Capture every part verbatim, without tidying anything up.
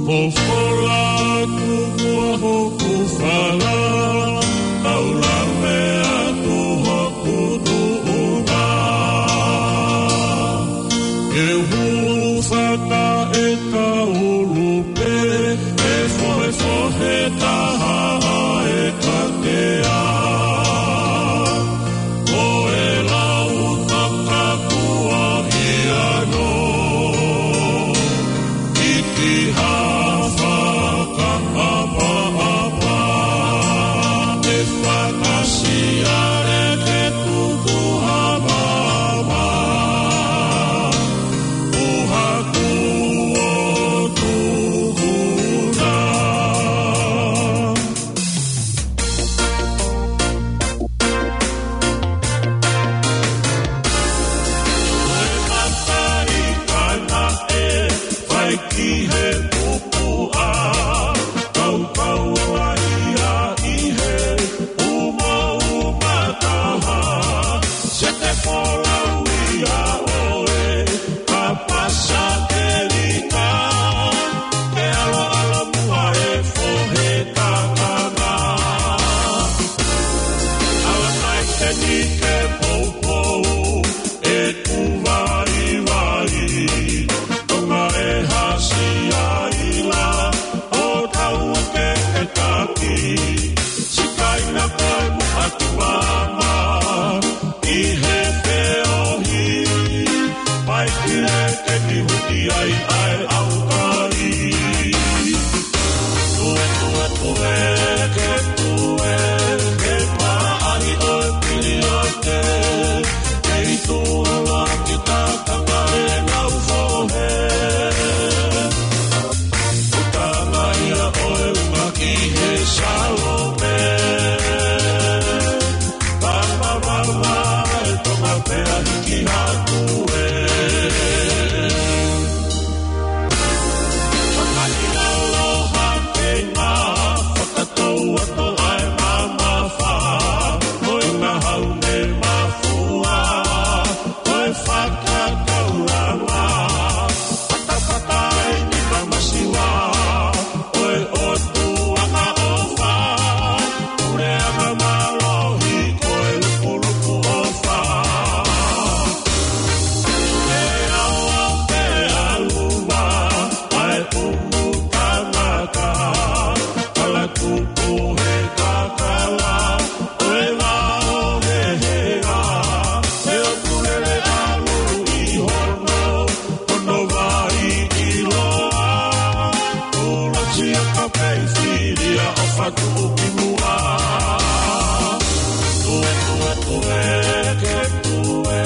Fofola atu muʻa hoku fala, tau lave atu hoku tuʻunga. Ke hūfanga ʻe kaulu pē, ʻe fohefohe taha ʻa e katea. Ko e lau takakuahiano, ʻi ki ha fakaʻapaʻapa, ʻe fakasiale ke tuku ha vava. Uha kuo tuku na. Ko e mata ʻi Kanaʻe, fai ki he pupuʻa, kaukau ai ia ʻi he umauma taha, sete folau ia ʻoe, ka pasa ke lika, ke ʻaloʻalo muʻa e fohe kakanga. Ala kai te ni ke poupou, ʻeku vaivai, tonga e hasi ai la, ʻo tau ke ke taki, sikaina koe mo ʻatu mama, ʻi he feohi, pai ki he ke ni huti ai ʻa e ʻaukai. Tue, tue, tue, ke tue, ke paʻari ʻo e piliote, ke i tuʻa la ki takanga e ngau fohe. Utanga ia ʻo e uma ki he Salome. Papa, papa, e tonga pea hiki atu e. Fakaʻilaloha kei ma, fakatou atu ai mamafa, ʻoi ka hau ne mafua, ʻoi fakakaulanga, fakafakai ni ka masiva, ʻoi ʻOtua ka ʻofa, puleʻanga mālohi ko e lupulupu ʻofa. Ke awa ke aluva, ʻa e pumu tangata, kala tupu he kakala, ʻo e vao he hea, he ʻoku lele ʻalu ʻi hono, hono vai ʻiloa. Ula sia ka pei filia ʻo fatu ki muʻa. Tue, tue, tue, ke tue,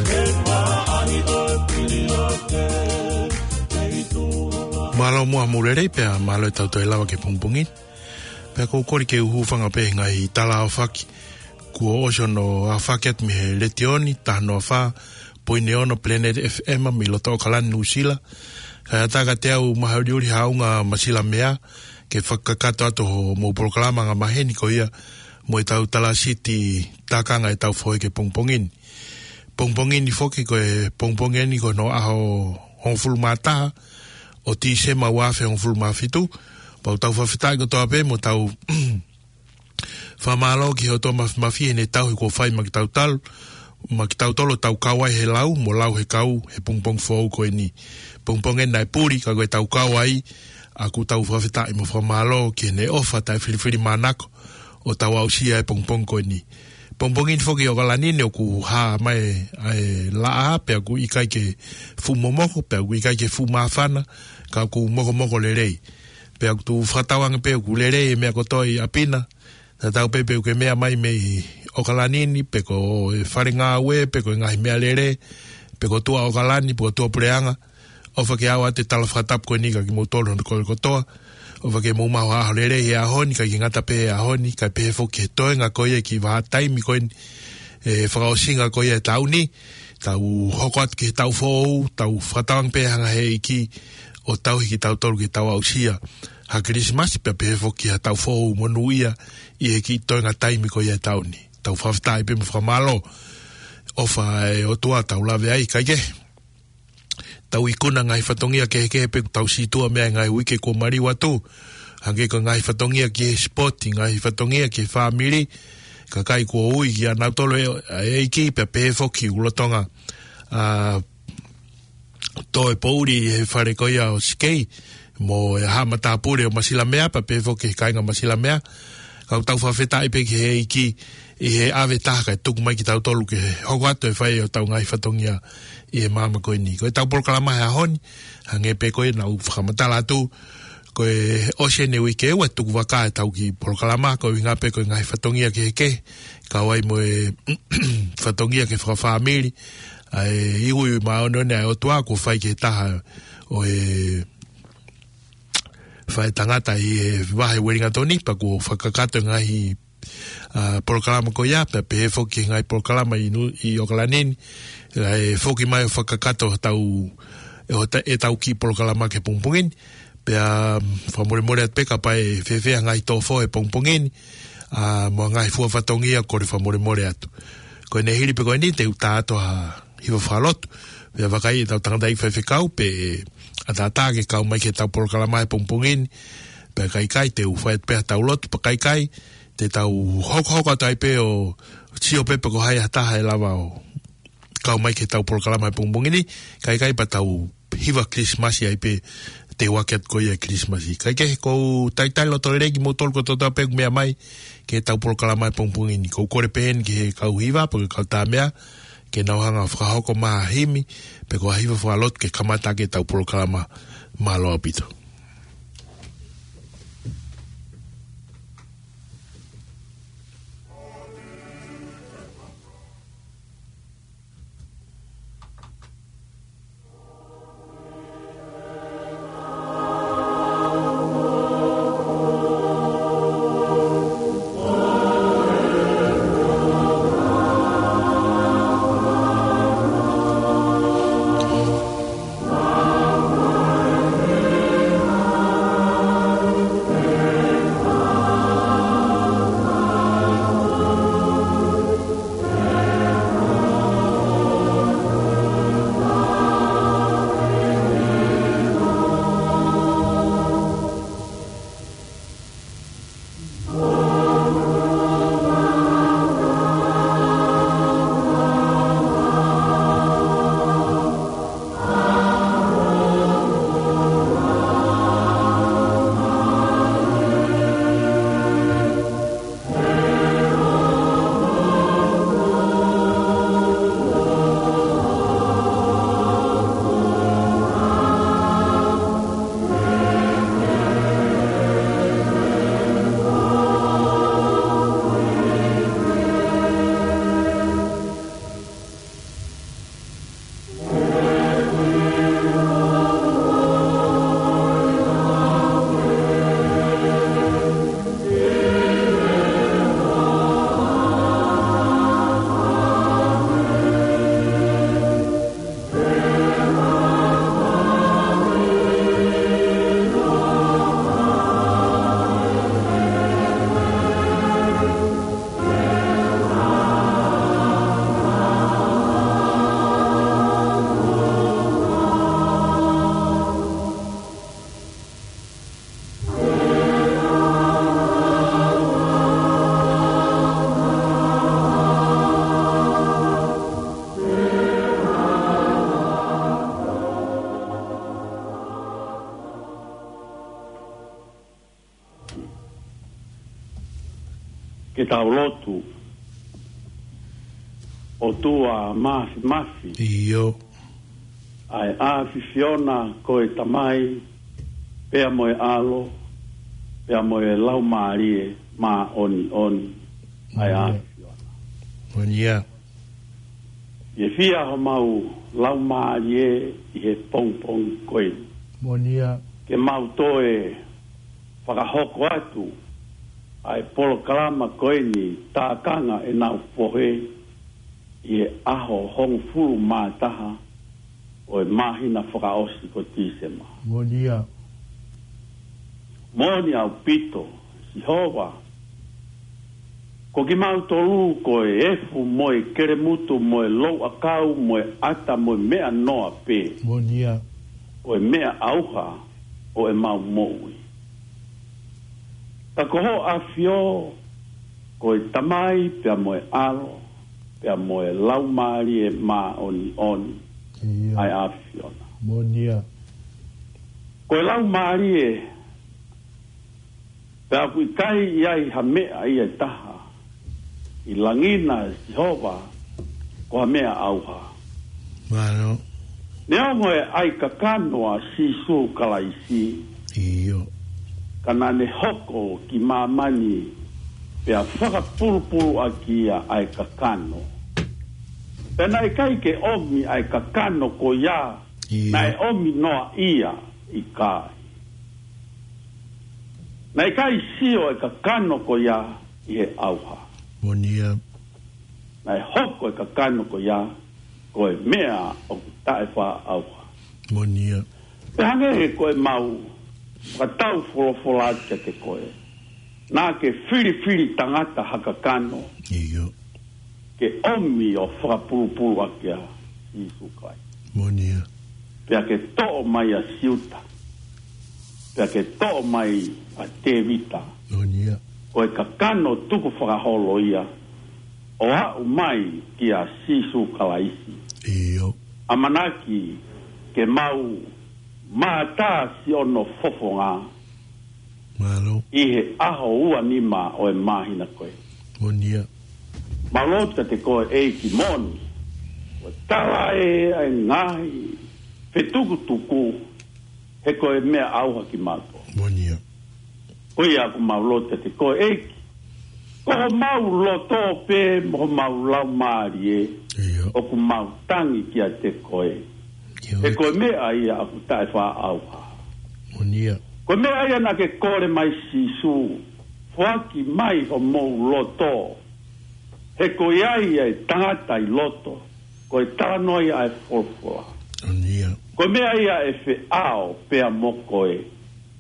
ke paʻari ʻo e piliote, ke i tuʻa. Mālō muʻa mo e lelei pea mālō e tau toe lava ki he pongipongi. Pea ʻoku ou kole ke u hūfanga pē he ngaahi tala aofaki kuo ʻosi hono aofaki atu mei he letiō ni, taha noa fā poini ono Planet F M mei loto ʻAokalani, Nuʻusila. Kae ʻatā kiate au Mahaʻuliʻuli Haʻunga Masilamea, ke fakakakato atu hoʻomou polokalama angamaheni ko ia mo e tau tala siti takanga e tau fohe ki he pongipongi ni. Pongipongi ni foki ko e pongipongi ni ko hono ʻaho hongofulu mā taha ʻo Tīsema ua afe hongofulu mā fitu. Pea ʻoku tau fakafetaʻi kotoa pē mo tau fakamālō ki he ʻOtua Māfimafi heʻene tauhi kuo fai maʻa kitautolu, maʻa kitautolu ʻo tau kau ai he lau mo lau he kau he pongipongi foʻou ko eni. Pongipongi naʻe puli ka ko e tau kau ai, ʻoku tau fakafetaʻi mo fakamālō ki heʻene ʻofa taʻefilifilimānako ʻo tau aʻusia e pongipongi ko eni. Pongipongi ni foki ʻi ʻAokalani ni ʻoku hā mai ʻa e laʻā, pea ʻoku ʻikai ke fuʻu momoko, pea ʻoku ʻikai ke fuʻu māfana, ka ʻoku mokomoko lelei. Pea ʻoku ou fakatauange pē ʻoku lelei e meʻa kotoa ʻi ʻapi na, tatau pē pe ʻoku ke meʻa mai mei ʻAokalani ni, pe ko e fale ngāue, pe ko e ngaahi meʻalele, pe ko tuʻa ʻAokalani, pe ko tuʻa puleʻanga, ʻofa ke ʻoatu e tala fakatapu ko eni kiate kimoutolu hono kole kotoa. ʻOfa ke mou maʻu ha ʻaho lelei he ʻaho ni, kae ʻikai ke ngata pē he ʻaho ni, kae pehē foki he toenga ko ia e kiʻi vahaʻa taimi ko eni, e fakaʻosinga ko ia e taʻu ni, tau hoko atu ki he taʻu foʻou, tau fakatauange pē hanga he ʻEiki ʻo tauhi kitautolu ke tau aʻusia ha Kilisimasi pea pehē foki ha taʻu foʻou monūʻia ʻi he kiʻi toenga taimi ko ia e taʻu ni. Tau fakafetaʻi pē mo fakamālō. ʻOfa e ʻOtua tau lave ai, kae kehe tau ikuna ngaahi fatongia kehekehe pē kuo tau sītuʻa mei ai he ngaahi uike kuo maliu atu. Hangē ko e ngaahi fatongia ki he sipoti, ngaahi fatongia ki he fāmili, kakai kuo ui kia nautolu ʻe, ʻe ʻEiki, pea pehē foki ʻoku lolotonga, ā, tō e poʻuli he fale ko ia ʻo Sikei, mo e haʻa matāpule ʻo Masilamea, pea pehē foki he kāinga Masilamea. Ka ʻoku tau fakafetaʻi pē ki he ʻEiki ʻi he ʻave taha kae tuku mai kitautolu ke hoko atu e fai ʻo ʻetau ngaahi fatongia ʻi he māmani ko eni. Ko ʻetau polokalama he ʻaho ni, hangē pē ko ia naʻá ku fakamatala atu, ko e ʻosi eni e uike ʻe ua ʻe tuku vaka ʻetau kiʻi polokalama, ko e ʻuhinga pē ko e ngaahi fatongia kehekehe, kau ai mo e fatongia ki he fakafāmili, ʻa e iwi māʻoniʻoni ʻa e ʻOtua kuo fai ki he taha ʻo e faʻētangata ʻi he vahe Uelingatoni, pea kuo fakakakato e ngaahi, ā, polokalama ko ia, pea pehē foki ki he ngaahi polokalama ʻi Nu-, ʻi ʻOkalani ni, ʻa e foki mai ʻo fakakakato hotau, ʻe hota-, ʻetau kiʻi polokalama ki he pongipongi ni, pea, mm, fakamolemole atu pē kapau ʻe fēfē ha ngaahi tō fō he pongipongi ni, ā, mo e ngaahi fua fatongia, kole fakamolemole atu. Ko ʻene hili pē ko eni te u tā atu ha hiva fakalotu. Pea vakai ʻetau tangataʻeiki faifekau pe ʻe ʻatā ke kau mai ki heʻetau polokalama he pongipongi ni. Pea ka ʻikai te u fai atu pē haʻatau lotu, pea ka ʻikai te tau hokohoko atu ai pē ʻo sio pē pe ko hai ha taha ʻe lava ʻo kau mai ki heʻetau polokalama he pongipongi ni. Ka ʻikai pea tau hiva Kilisimasi ai pē, te u ʻoatu ko ia e Kilisimasi. Kae kehe, ʻoku ou talitali loto lelei kimoutolu kotoa pē ʻoku meʻa mai ki heʻetau polokalama he pongipongi ni. ʻOku ou kole pē heni ki he kau hiva, pe ko e kau tā meʻa, ke nau hanga ʻo fakahoko mai ha himi, pe ko ha hiva fakalotu ke kamata ʻaki ʻetau polokalama. Mālō ʻaupito. Ke tau lotu. ʻOtua Māfimafi. ʻIo. ʻA e ʻAfiona ko e Tamai, pea mo e ʻAlo, pea mo e Laumālie Māʻoniʻoni. ʻA e ʻIo. ʻAfiona. Moʻoni ia. ʻE fia homau laumālie ʻi he pongipongi ko eni. Moʻoni ia. Ke mau toe fakahoko atu ʻa e polokalama ko eni, Tākanga ʻEnau Fohe, ʻi he ʻaho hongofulu mā taha ʻo e māhina fakaʻosi ko Tīsema. Moʻoni ia. Moʻoni ʻaupito, Sihova, Ko kimautolu ko e efu mo e kelemutu mo e louʻakau mo e ʻata mo e meʻa noa pē. Moʻoni ia. Ko e meʻa ʻauha ʻo ʻemau moʻui. Ka ko ho ʻAfio, ko e Tamai pea mo e ʻAlo, pea mo e Laumālie Māʻoniʻoni. Ia. ʻA e ʻAfiona. Moʻoni ia. Ko e Laumālie, pea ʻoku ʻikai ʻi ai ha meʻa ia ʻe taha ʻi langi na, Sihova, ko ha meʻa ʻauha. Mālō. Neongo e ʻai kakano ʻa Sīsū Kalaisi, ʻIo. ka naʻa ne hoko ki māmani pea fakapulupulu ʻaki ia ʻa e kakano. Pea naʻe ʻikai ke ʻomi ʻa e kakano ko ia, ʻIo. naʻe ʻomi noa ia ʻikai. Naʻe ʻikai sio e kakano ko ia ʻi he ʻauha. Moʻoni ia. Naʻe hoko e kakano ko ia ko e meʻa ʻoku taʻefaʻaʻauha. Moʻoni ia. Pea hangē ko ʻemau fakatau folofola kiate koe, naʻa ke filifili tangata ha kakano. ʻIo. Ke ʻomi ʻo fakapulupulu ʻaki ʻa Sīsū Kalaisi. Moʻoni ia. Pea ke toʻo mai ʻa Siuta. Pea ke toʻo mai ʻa Tēvita. Moʻoni ia. Ko e kakano tukufakaholo ia ʻo aʻu mai kia Sīsū Kalaisi. ʻIo. ʻAmanaki ke mau mātā siʻono fofonga Mālō. ʻi he ʻaho ua nima ʻo e māhina ko ē. Moʻoni ia. Mālō kiate koe ʻEiki moʻoni. ʻO tala ē ʻa e ngaahi fetukutuku he ko e meʻa ʻauha kimautolu. Moʻoni ia. Ko ia ʻoku mau lotu kiate koe ʻEiki. Ko homau loto pē mo homau laumālie ʻIo. ʻoku mau tangi kiate koe. ʻIo. He ko e meʻa ia ʻoku taʻefaʻaʻauha. Moʻoni ia. Ko e meʻa ia naʻa ke kole mai Sīsū, foaki mai homou loto. He ko ia ia e tangata ʻi loto, ko e talanoa ia ʻa e folofola. Moʻoni ia. Ko e meʻa ia ʻe feʻao pea mo koe,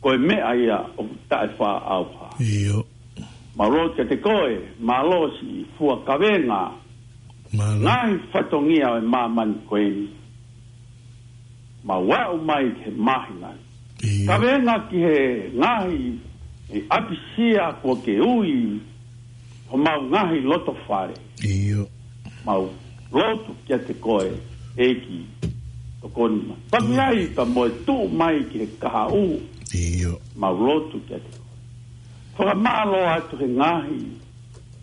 ko e meʻa ia ʻoku taʻefaʻaʻauha. ʻIo. Mālō kiate koe, mālō siʻi fua kavenga. Mālō. Ngaahi fatongia ʻo e māmani ko eni. Mau aʻu mai ki he māhina. ʻIo. Kavenga ki he ngaahi ʻapisia kuo ke ui homau ngaahi loto fale. ʻIo. Mau lotu kiate koe, ʻEiki, tokoni mai. Paki ai ka mo e tuʻu mai ki he kahaʻu. ʻIo. Mau lotu kiate koe. Fakamālō atu he ngaahi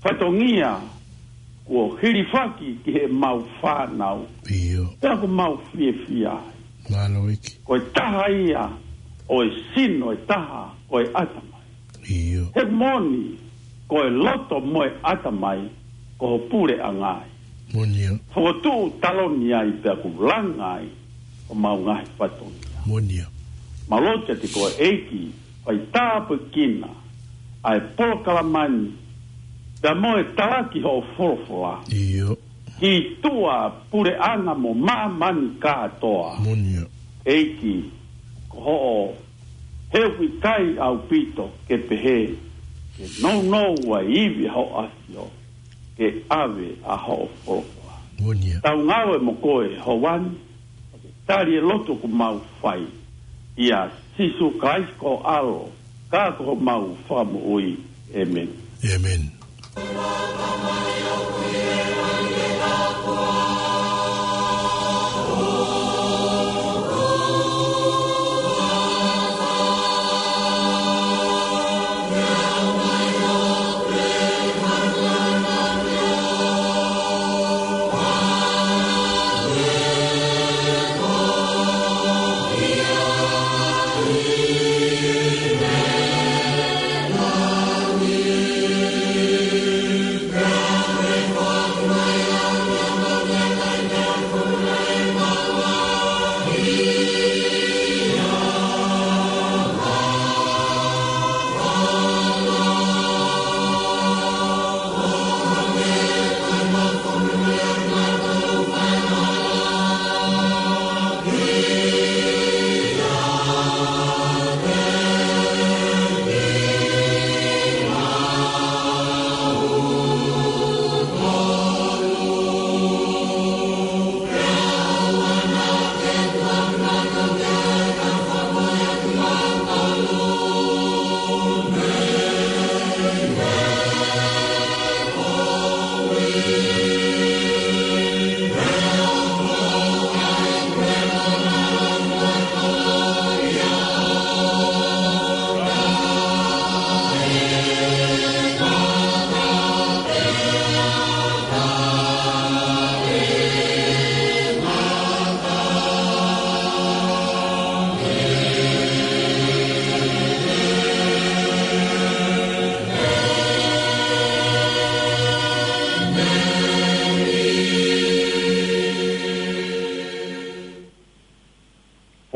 fatongia kuo hilifaki ki heʻemau fānau. ʻIo. Pea ʻoku mau fiefia ai. Mālō ʻEiki. Ko e taha ia ʻo e sino ʻe taha ko e ʻatamai. ʻIo. He moʻoni, ko e loto mo e ʻatamai, ko ho puleʻanga ia. Moʻoni ia. Fokotuʻu taloni ai pea ʻoku langa ai homau ngaahi fatongia. Moʻoni ia. Mālō kiate koe ʻEiki, fai tāpuekina ʻa e polokalama ni, pea mo e talaki hoʻo folofola. ʻIo. Ki tuʻa puleʻanga mo māmani kātoa. Moʻoni ia. ʻEiki, ko hoʻo heuʻikai ʻaupito ke pehē, ke nounou ʻa e ivi ʻa hoʻo ʻAfio, ke ʻave ʻa hoʻo folofola. Moʻoni ia. Tau ngāue mo koe, Houani, ke tali e lotu ʻoku mau fai. ʻIa Sīsū Kalaisi ko ho ʻAlo, ka ko homau Fakamoʻui. ʻĒmeni. ʻĒmeni.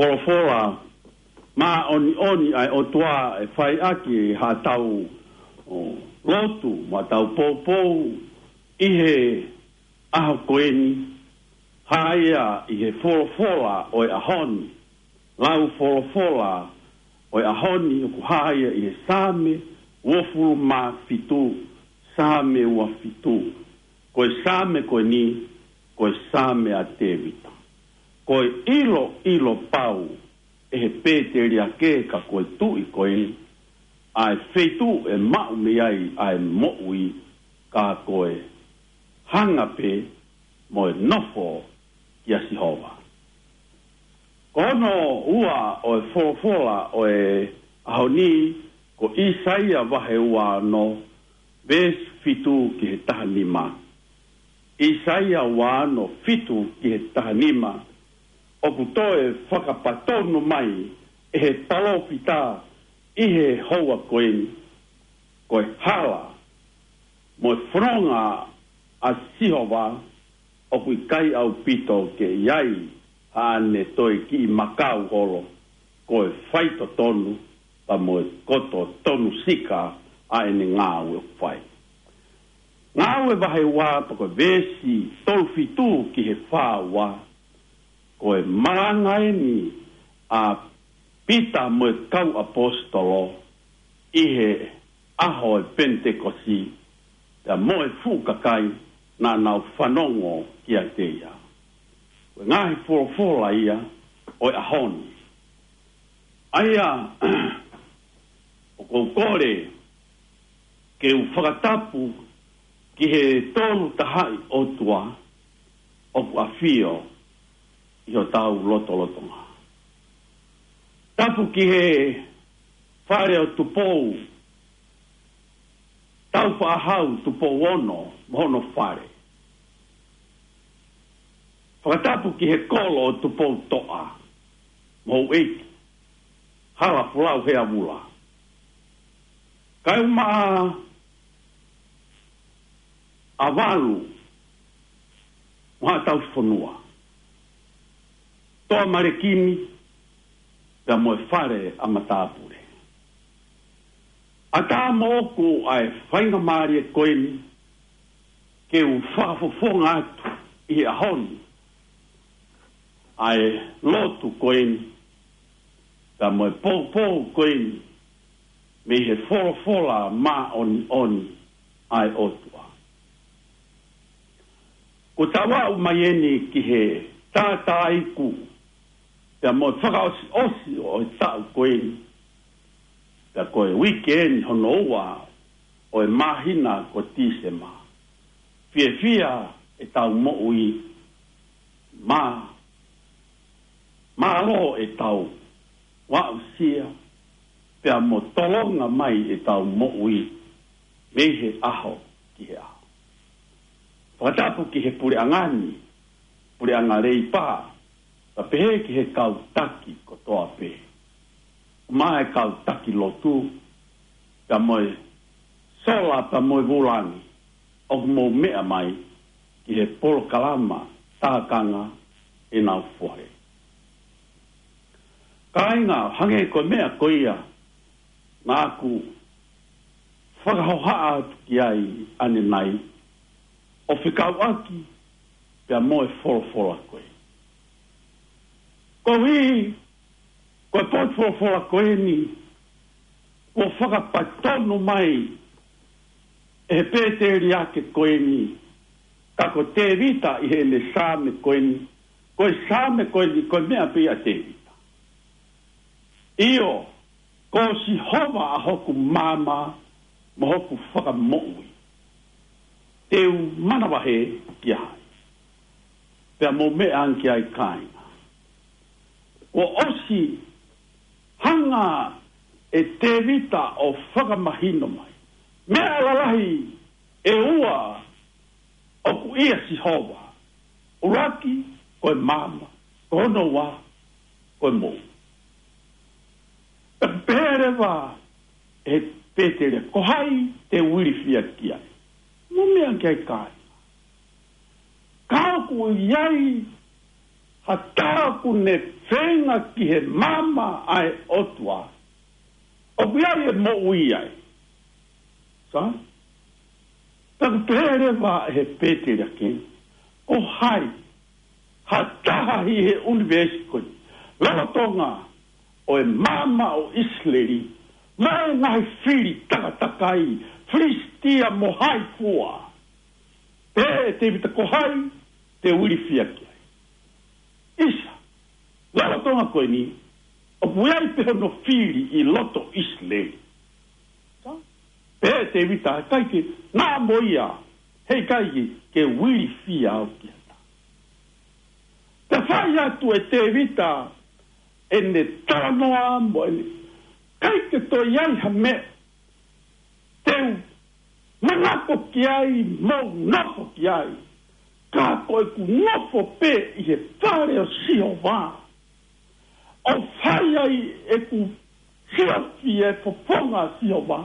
Folofola māʻoniʻoni ʻa e ʻOtua ʻe fai ʻaki haʻatau lotu mo ʻetau poupou ʻi he ʻaho ko eni, hā ia ʻi he folofola ʻo e ʻaho ni. Lau folofola ʻo e ʻaho ni ʻoku hā ia ʻi he Saame uofulu mā fitu, Saame ua fitu. Ko e Saame ko eni, ko e Saame ʻa Tēvita. Ko e ʻiloʻilo pau ʻe he pēteliake ka ko e tuʻi ko eni, ʻa e feituʻu ʻe maʻu mei ai ʻa e moʻui, ka ko e hanga pē mo e nofo kia Sihova. Ko hono ua ʻo e folofola ʻo e ʻaho ni, ko ʻIsaia vahe ua ono, veesi fitu ki he taha nima. ʻIsaia ua ono, fitu ki he taha nima. ʻOku toe fakapatonu mai ʻe he palōfita ʻi he houa ko eni, ko e hala mo e fononga ʻa Sihova, ʻoku ʻikai ʻaupito ke ʻi ai haʻane toe kiʻi makau holo, ko e faitotonu pea mo e koto tonu sika ʻa ʻene ngāue ʻoku fai. Ngāue vahe ua pea ko e veesi tolu fitu ki he fā ua, ko e malanga eni ʻa Pita mo e kau ʻaposetolo ʻi he ʻaho ʻo e Penitekosi, pea mo e fuʻu kakai naʻa nau fanongo kiate ia. Ko e ngaahi folofola ia ʻo e ʻaho ni. ʻA ia, ʻoku ou kole ke u fakatapu ki he Tolu Tahaʻi ʻOtua ʻoku ʻafio ʻi hotau lotolotonga. Tapu ki he fale ʻo Tupou Taufaʻāhau, Tupou Ono mo hono fale. Fakatapu ki he kolo ʻo Tupoutoʻa mo houʻeiki, Halafolau Heavula. Kaeʻumaʻā ʻa Valu mo Haʻa Tauhi Fonua, Toa Malekini, pea mo e fale ʻa Matāpule. ʻAtā moʻoku ʻa e faingamālie ko eni ke u fakafofonga atu ʻi he ʻaho ni ʻa e lotu ko eni, pea mo e poupou ko eni, mei he folofola māʻoniʻoni ʻa e ʻOtua. Ko e tau aʻu mai eni ki he tātāiku pea mo e fakaʻosiʻosi ʻo e taʻu ko eni, pea ko e uike eni hono ua ʻo e māhina ko Tīsema. Fiefia ʻetau moʻui, mā, mālō ʻetau aʻusia, pea mo tolonga mai ʻetau moʻui mei he ʻaho ki he ʻaho. Fakatapu ki he puleʻanga ni, puleʻanga Leipa, pea pehē ki he kau taki kotoa pē, mo e kau taki lotu, pea mo e sola pea mo e vūlangi ʻoku mou meʻa mai ki he polokalama tākanga ʻenau fohe. Kāinga, hangē ko e meʻa ko ia naʻa ku fakahohaʻa atu ki ai ʻanenai, ʻo fekauʻaki pea mo e folofola ko ē. Koeʻuhi ko e potu folofola ko eni, kuo fakapatonu mai ʻe he pēteliake ko eni, ka ko Tēvita ʻi heʻene Saame ko eni, ko e Saame ko eni, ko e meʻa pē ia ʻa Tēvita. ʻIo, ko Sihova ʻa hoku maama mo hoku fakamoʻui. Te u manavahē kia hai? Pea mou meʻa ange ki ai, kāinga. Kuo ʻosi hanga ʻe Tēvita ʻo fakamahino mai meʻa lalahi ʻe ua ʻoku ʻia Sihova. ʻUluaki, ko e maama. Ko hono ua, ko e moʻui. Pea pehē leva ʻe Pēteliake, ko hai te u ilifia ki ai? Mou meʻa ange ki ai, kāinga. Ka ʻoku ʻi ai ʻA e taha ʻoku ne feinga ki he maama ʻa e ʻOtua, ʻoku ʻi ai e moʻui ai. Sa? Pea ʻoku pehē leva ʻe he pēteliake, ko hai ha taha ʻi he ʻunivēsi ko eni, lolotonga ʻo e maama ʻo ʻIsileli, mo e ngaahi fili takatakai, Filisitia mo hai fua. Pehē ʻe Tēvita, ko hai te u ilifia ki ai? ʻIsa, lolotonga ko eni, ʻoku ʻi ai pē hono fili ʻi loto ʻIsileli. Sa? Pehē ʻe Tēvita, ʻikai ke, naʻa mo ia, heʻikai ke, ke u ilifia au ki ai. Pea fai atu ʻe Tēvita ʻene talanoa mo ʻene, ʻikai ke toe ʻi ai ha meʻa te u manako ki ai mo nofo ki ai, ka ko ʻeku nofo pē ʻi he fale ʻo Sihova, ʻo fai ai ʻeku siasi e fofonga ʻo Sihova,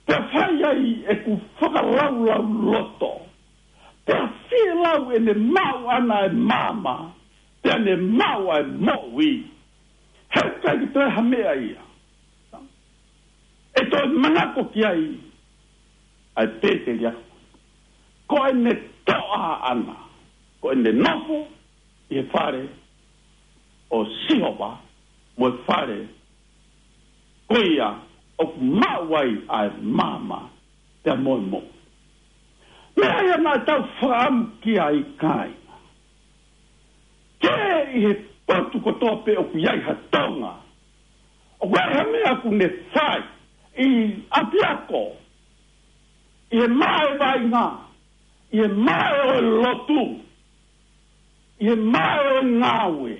pea fai ai ʻeku fakalaulauloto, pea fielau ʻene maʻu ʻana e maama, pea ne maʻu ʻa e moʻui. Heʻikai ke toe ha meʻa ia ʻe toe manako ki ai ʻa e pēteliake. Ko ʻene toʻa ʻana, ko ʻene nofo ʻi he fale ʻo Sihova, mo e fale ko ia ʻoku maʻu ai ʻa e maama pea mo e moʻui. Meʻa ia naʻa tau fakaʻamu ki ai, kāinga. Ke ʻi he potu kotoa pē ʻoku ʻi ai ha Tonga, ʻoku ʻi ai ha meʻa ʻoku ne fai ʻi ʻapiako, ʻi he maʻa e vaʻinga, ʻi he maʻa ʻo e lotu, ʻi he maʻa ʻo e ngāue,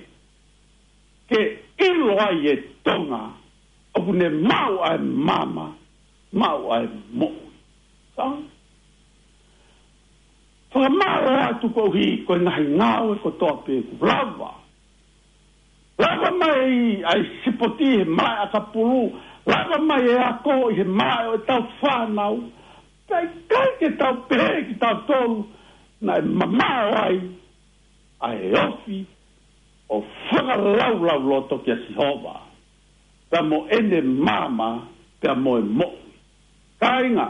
ke ʻilo ai e Tonga ʻoku ne maʻu ʻa e maama, maʻu ʻa e moʻui. Sa? Fakamālō atu koeʻuhi ko e ngaahi ngāue kotoa pē kuo lava. Lava mai ʻa e sipoti he malaʻe ʻakapulu, lava mai e ako ʻi he malaʻe ʻo ʻetau fānau. Pea ʻikai ke tau pehē kitautolu naʻe mamaʻo ai ʻa e ofi ʻo fakalaulauloto kia Sihova, pea mo ʻene maama, pea mo e moʻui. Kāinga,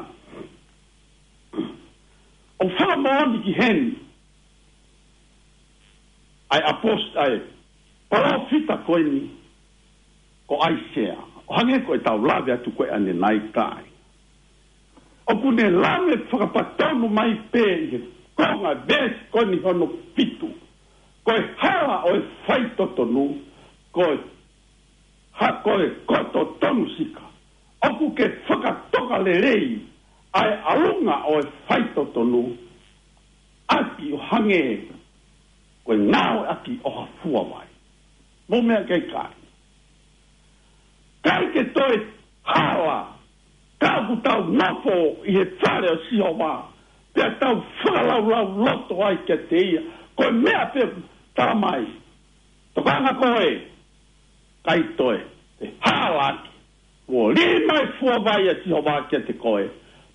ʻoku fakamoʻoni ki heni ʻa e ʻapost-, ʻa e palōfita ko eni ko ʻAisea, ʻo hangē ko ʻetau lave atu ko ē ʻanenai, kāinga. ʻOku ne lave fakapatonu mai pē ʻi he konga veesi ko eni hono fitu, ko e hala ʻo e faitotonu, ko e ha-, ko e koto tonu sika. ʻOku ke fakatoka lelei ʻa e ʻalunga ʻo e faitotonu, ʻaki ʻo hangē ko e ngāueʻaki ʻo ha fuavai. Mou meʻa ki ai, kāinga. ʻIkai ke toe hala ka ʻoku tau nofo ʻi he fale ʻo Sihova, pea tau fakalaulauloto ai kiate ia. Ko e meʻa pē ʻoku tala mai, tokanga koe, ʻikai toe te hala ʻaki. Kuo lī mai fuavai ʻa Sihova kiate koe,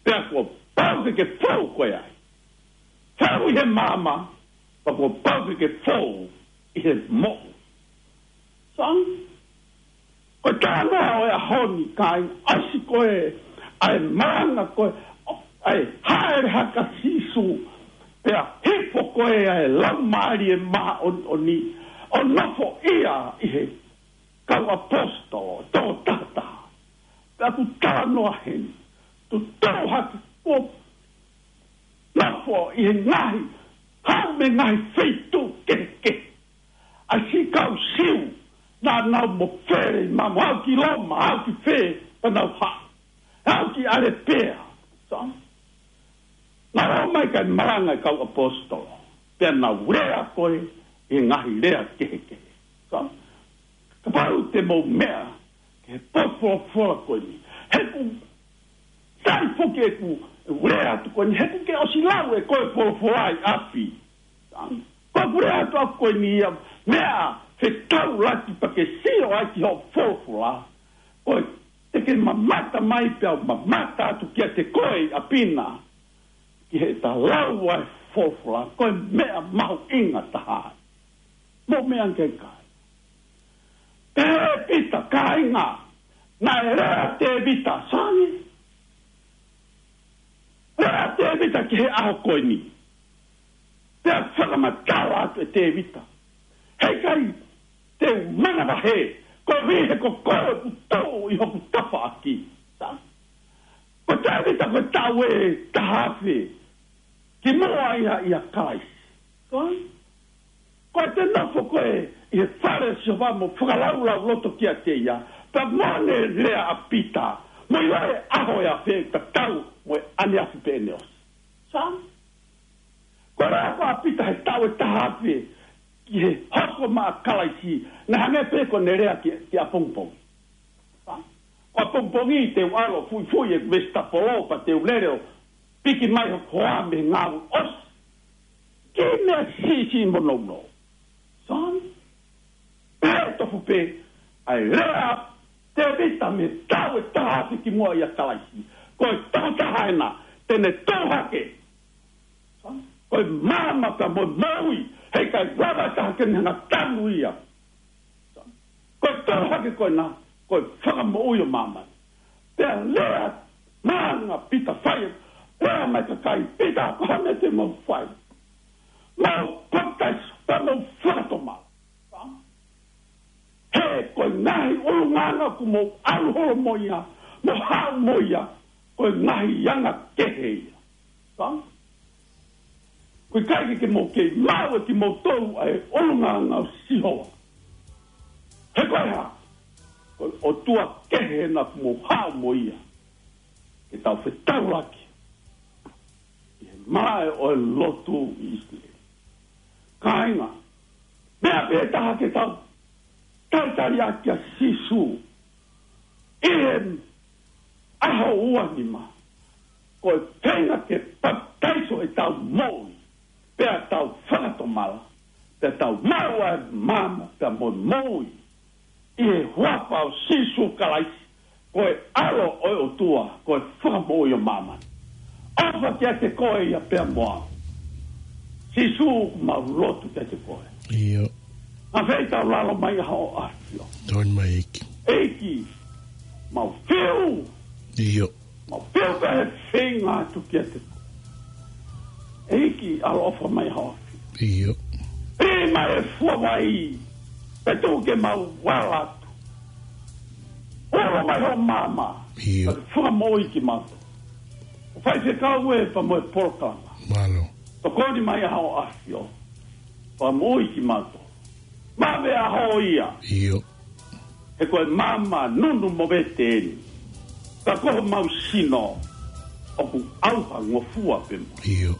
pea kuo pau ke ke fou koe ai. Fou ʻi he maama, pea kuo pau ke ke fou ʻi he moʻui. Sa? Ko e talanoa ʻo e ʻaho ni, kāinga, ʻosi ko ē ʻa e malanga ko ē ʻa e hāʻele hake ʻa Sīsū, pea hifo ko ē ʻa e Laumālie Māʻoniʻoni ʻo nofoʻia ʻi he kau ʻaposetolo, toko taha taha. Pea ʻoku talanoa heni, tuʻu hake, kuo nofo ʻi he ngaahi, haʻu mei he ngaahi feituʻu kehekehe ʻa e siʻi kau Siu, naʻa nau mofele ʻi mamaʻo, haʻu ki Loma, haʻu ki fē, pea nau haʻu, haʻu ki ʻAlepea. Sa? Naʻa nau ō mai kae malanga e kau ʻaposetolo, pea nau lea ko ē ʻi he ngaahi lea kehekehe. Sa? Kapau te mou meʻa ki he potu folofola ko eni, he ʻoku sai foki ʻeku lea atu ko eni, he ʻoku ke ʻosi lau ʻe koe e folofola ʻi ʻapi. Ko ʻeku lea atu ʻaku ko eni ia, meʻa fetaulaki pea ke sio ai ki hoʻo folofola. Ko e te ke mamata mai pea u mamata atu kiate koe ʻi ʻapi na, ki heʻeta lau ʻa e folofola, ko e meʻa mahuʻinga taha. Mo meʻa ke kai. Tēvita, kāinga, naʻe lea Tēvita, sai. Lea Tēvita ki he ʻaho ko eni. Pea fakamatala atu ʻe Tēvita. Heʻikai te u manavahē, koeʻuhi he ko koe ʻoku tuʻu ʻi hoku tafaʻaki. Sai. Ko Tēvita ko e taʻu ʻe taha afe kimuʻa ia ʻia Kalaisi. Sai. Ko ʻete nofo koe ʻi he fale ʻo Sihova mo fakalaulauloto kiate ia, pea mo ʻene lea ʻa Pita, mo ʻiloʻi e ʻaho ʻe afe tatau mo e ʻaneafi pē ʻene ʻosi. Sai. Ko e lea ko ē ʻa Pita he taʻu ʻe taha afe ki he hoko mai ʻa Kalaisi, naʻe hangē pē ko ʻene lea ki, ki ʻapongipongi. Sai. Ko ʻapongipongi te u ʻalu ʻo fuifui e vesitapolo pea te u lele ʻo piki mai hoku hoa mei he ngāue ʻosi. Ki he meʻa siʻisiʻi mo nounou. Sai. Pea tofu pē ʻa e lea ʻa Tēvita mei he taʻu ʻe taha afe kimuʻa ʻia Kalaisi. Ko e tokotaha ena te ne tuʻu hake. Sai. Ko e maama pea mo e moʻui, heʻikai lava ha taha ke ne hanga ʻo tanu ia. Sai. Ko e tuʻu hake ko ena, ko e fakamoʻui ʻo māmani. Pea lea maʻa Pita, fai, lea mai kakai, Pita, ko e hā e meʻa te mou fai? Mou papitaiso, pea mou fakatomala. Sai. He ko e ngaahi ʻulungaanga ʻoku mou ʻalu holo mo ia, mo haʻu mo ia, ko e ngaahi anga kehe ia. Sai. ʻOku ʻikai ke mou kei maʻu ʻe kimoutolu ʻa e ʻulungaanga ʻo Sihova. He ko e hā? Ko e ʻotua kehe ena ʻoku mou haʻu mo ia ke tau fetaulaki ʻi he malaʻe ʻo e lotu ʻi ʻIsileli. Kāinga, meʻa pē taha ke tau talitali ʻaki ʻa Sīsū ʻi he ʻaho ua nima, ko e feinga ke papitaiso ʻetau moʻui, pea tau fakatomala, pea tau maʻu ʻa e maama pea mo e moʻui ʻi he huafa ʻo Sīsū Kalaisi, ko e ʻAlo ʻo e ʻOtua, ko e Fakamoʻui ʻo māmani. ʻOfa kiate koe ia pea mo au. Sīsū, ʻoku mau lotu kiate koe. ʻIo. Naʻa fei tau lalo mai ʻa hoʻo ʻAfio. Tokoni mai ʻEiki. ʻEiki, mau fiu. ʻIo. Mau fiu pē he feinga atu kiate koe. ʻEiki, ʻaloʻofa mai hoʻo ʻAfio. ʻIo. Pea mai e fua vai, pea tuku ke mau ala atu. Olo mai hoʻo maama. ʻIo. Pea ke fakamoʻui kimautolu. ʻO faifekau ē pea mo e polokalama. Mālō. Tokoni mai ʻa hoʻo ʻAfio. Fakamoʻui kimautolu. Maʻu e ʻaho ia. ʻIo. He ko e maama nunu mo vete eni. Ka ko homau sino ʻoku ʻauhangofua pē mo. ʻIo.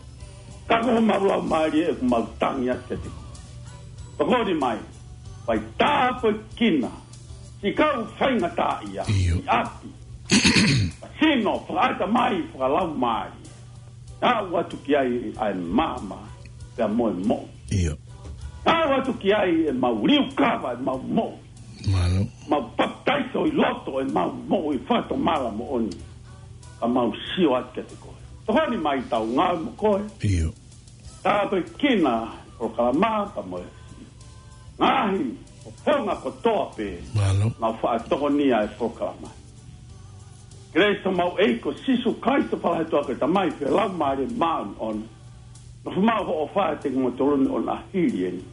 Ka ko homau laumālie ʻoku mau tangi atu kiate koe. Tokoni mai, fai tāpuekina siʻi kau faingataʻaʻia, ʻio, ʻi ʻapi, sino, fakaʻatamai, fakalaumālie. Aʻu atu ki ai ʻa e maama pea mo e moʻui. ʻIo. Aʻu atu ki ai ʻemau liukava ʻemau moʻui. Mālō. Mau papitaiso ʻi loto ʻemau moʻui, fakatomala moʻoni. Ka mau sio atu kiate koe. Tokoni mai tau ngāue mo koe. ʻIo. Tāpuekina e polokalama pea mo e ngaahi fofonga kotoa pē. Mālō. Mau faʻa tokonia e polokalama. Kelesi ʻa homau ʻEiki ko Sīsū Kalaisi, ʻofa lahi ʻa e ʻOtua ko e Tamai pea mo e Laumālie Māʻoniʻoni. Nofo maʻu hoʻo ʻofa ʻiate kimoutolu ni ʻo na hili eni.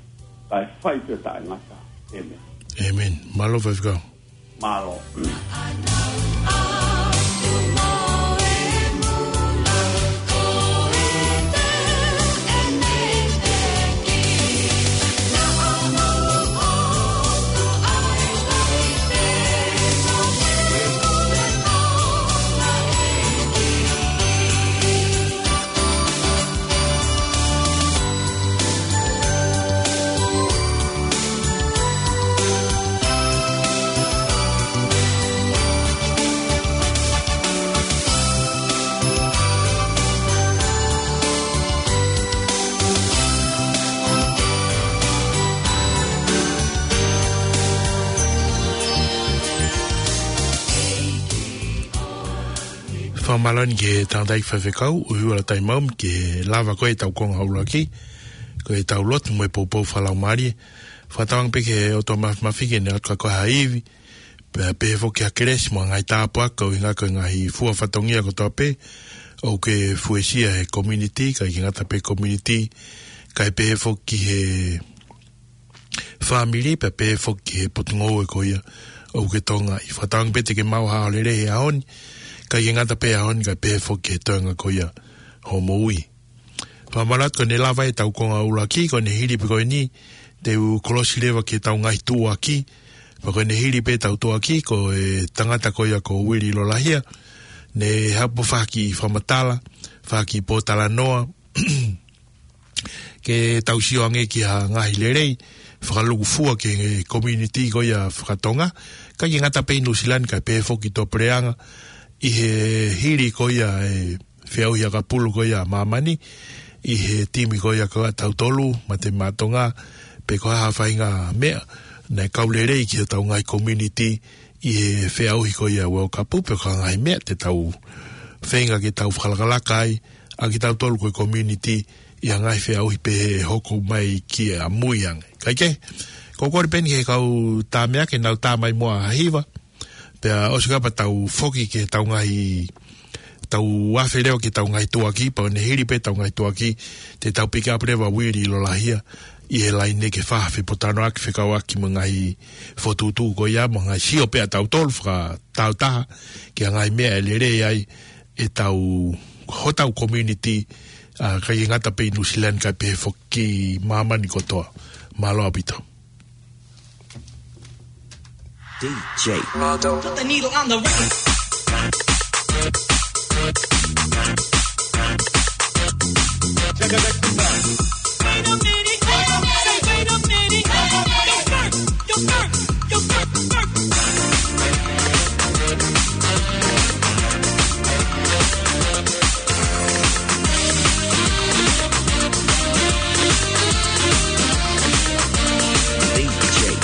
Kae fai pē ʻo taʻengata. ʻĒmeni. ʻĒmeni. Mālō faifekau. Mālō. Fakamālō eni ki he tangataʻeiki faifekau, ʻUhivalu Taimau, ke lava ko ē ʻetau konga ʻuluaki, ko ʻetau lotu mo e poupou fakalaumālie. Fakatauange pē ki he ʻOtua Māfimafi ke ne ʻoatu kiate koe ha ivi, pea pehē foki ha kelesi mo e ngaahi tāpuaki, ʻuhinga ko e ngaahi fua fatongia kotoa pē ʻoku ke fuesia he community, kae ʻikai ke ngata pē he community, kae pehē foki ki he fāmili, pea pehē foki ki he potungāue ko ia ʻoku ke tokangaʻi. Fakatauange pē te ke maʻu ha ʻaho lelei he ʻaho ni, kae ʻikai ke ngata pē he ʻaho ni, kae pehē foki ki he toenga ko ia hoʻo moʻui. Fakamanatu ko ʻene lava ʻetau konga ʻuluaki, ko ʻene hili pē ko eni, te u kolosi leva ki heʻetau ngaahi tuʻuaki, pea ko ʻene hili pē ʻetau tuʻuaki, ko e tangata ko ia ko Uili Lolahia, ne hapo faki fakamatala, faki pōtalanoa, ke tau sio ange ki ha ngaahi lelei, fakalūkufua ki he community ko ia fakatonga, kae ʻikai ke ngata pē ʻi Nuʻusila ni kae pehē foki Tuʻapulelea, ʻi he hili ko ia e feʻauhi ʻakapulu ko ia ʻa māmani, ʻi he timi ko ia ko ia ʻatautolu, Mate Maʻa Tonga, pe ko ha faʻahinga meʻa, naʻe kau lelei ki hotau ngaahi community, ʻi he feʻauhi ko ia World Cup pe ko e ngaahi meʻa te tau feinga ke tau fakalakalaka ai, ʻa kitautolu ko e community ʻi ha ngaahi feʻauhi pehē ʻe hoko mai ki ʻamui ange. Kae kehe, ko e kole pē eni ki he kau tā meʻa ke nau tā mai muʻa ha hiva, pea ʻosi kapau tau foki ki heʻetau ngaahi tau afe leva ki heʻetau ngaahi tuʻuaki, pea ʻi he hili pē ʻetau ngaahi tuʻuaki, te tau pick up leva Uili Lolahia, ʻi he laine ke fai ha fepōtalanoaʻaki fekauʻaki mo e ngaahi fokotuʻutuʻu ko ia, mo e ngaahi sio pē ʻatautolu fakatāutaha, ki he ngaahi meʻa ʻe lelei ai ʻetau, hotau community, ʻa, ʻikai ke ngata pē ʻi Nuʻusila ni kae pehē foki ki māmani kotoa. Mālō ʻaupito. D J. Put the needle on the record. Wait a minute, wait a minute, wait a minute. Yo, Bert, yo, Bert, yo, Bert, Bert. D J.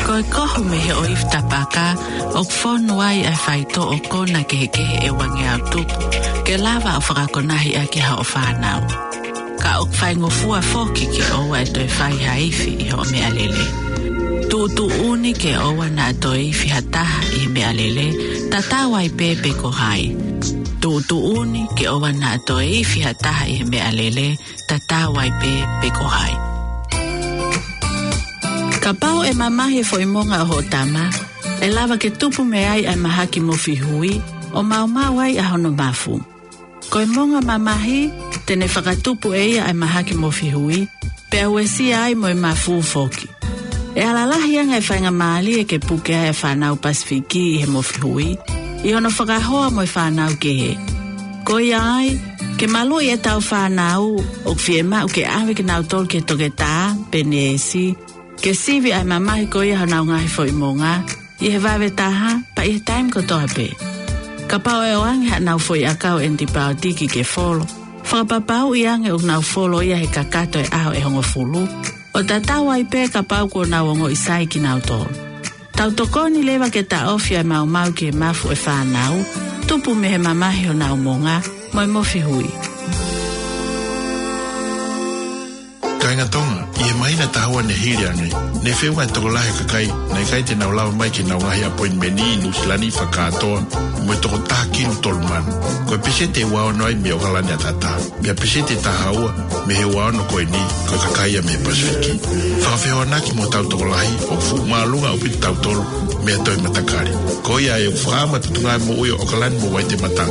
Ko e kohu mei he ʻoifi tapaka, ʻoku fonu ai ʻa e faitoʻo kona kehekehe ʻe uangeau tupu, ke lava ʻo fakakonahi ʻaki hoʻo fānau. Ka ʻoku faingofua foki ke ʻoua ʻe toe fai ha ifi ʻi hoʻo meʻalele. Tuʻutuʻuni ke ʻoua naʻa toe ifi ha taha ʻi he meʻalele, tatau ai pē pe ko hai. Tuʻutuʻuni ke ʻoua naʻa toe ifi ha taha ʻi he meʻalele, tatau ai pē pe ko hai. Kapau ʻe mamahi e foʻi monga ʻo hoʻo tama, ʻe lava ke tupu mei ai ʻa e mahaki mofihui, ʻo maumau ai ʻa hono mafu. Ko e monga mamahi, te ne fakatupu ʻe ia ʻa e mahaki mofihui, pea uesia ai mo e mafu foki. ʻE ala lahi ange e faingamālie ke puke ai ʻa e fānau Pasifiki ʻi he mofihui, ʻi hono fakahoa mo e fānau kehe. Ko ia ai, ke maluʻi ʻetau fānau, ʻoku fiemaʻu ke ʻave kinautolu ki he toketā, pe neesi, ke sivi ʻa e mamahi ko ia honau ngaahi foʻi monga, ʻi he vave taha, pea ʻi he taimi kotoa pē. Kapau ʻe ʻoange haʻanau foʻi ʻakau ʻenipaotiki ke folo, fakapapauʻi ange ʻoku nau folo ia he kakato e ʻaho ʻe hongofulu, ʻo tatau ai pē kapau kuo nau ongoʻi sai kinautolu. Tau tokoni leva ke taʻofi ʻa e maumau ki he mafu ʻo e fānau, tupu mei he mamahi honau monga, mo e mofihui. Kāinga Tonga, ʻi he māhina taha ua ne hili ange, ne feʻunga e tokolahi e kakai naʻe ʻikai te nau lava mai ki heʻenau ngaahi ʻapoinimeni ʻi Nuʻusila ni fakakātoa, mo e toko taha kilu tolu mano. Ko e peseti ʻe ua ono ai mei ʻOkalani ʻataʻatā, pea peseti ʻe taha ua mei he ua ono ko eni, ko e kakai ia mei he Pasifiki. Fakafehoanaki mo hotau tokolahi, ʻoku fuʻu māʻolunga ʻaupito kitautolu mei ha toe matakali. Ko ia ai ʻoku fakaʻamu ʻa e Potungāue Moʻui ʻo ʻOkalani mo Waitemata,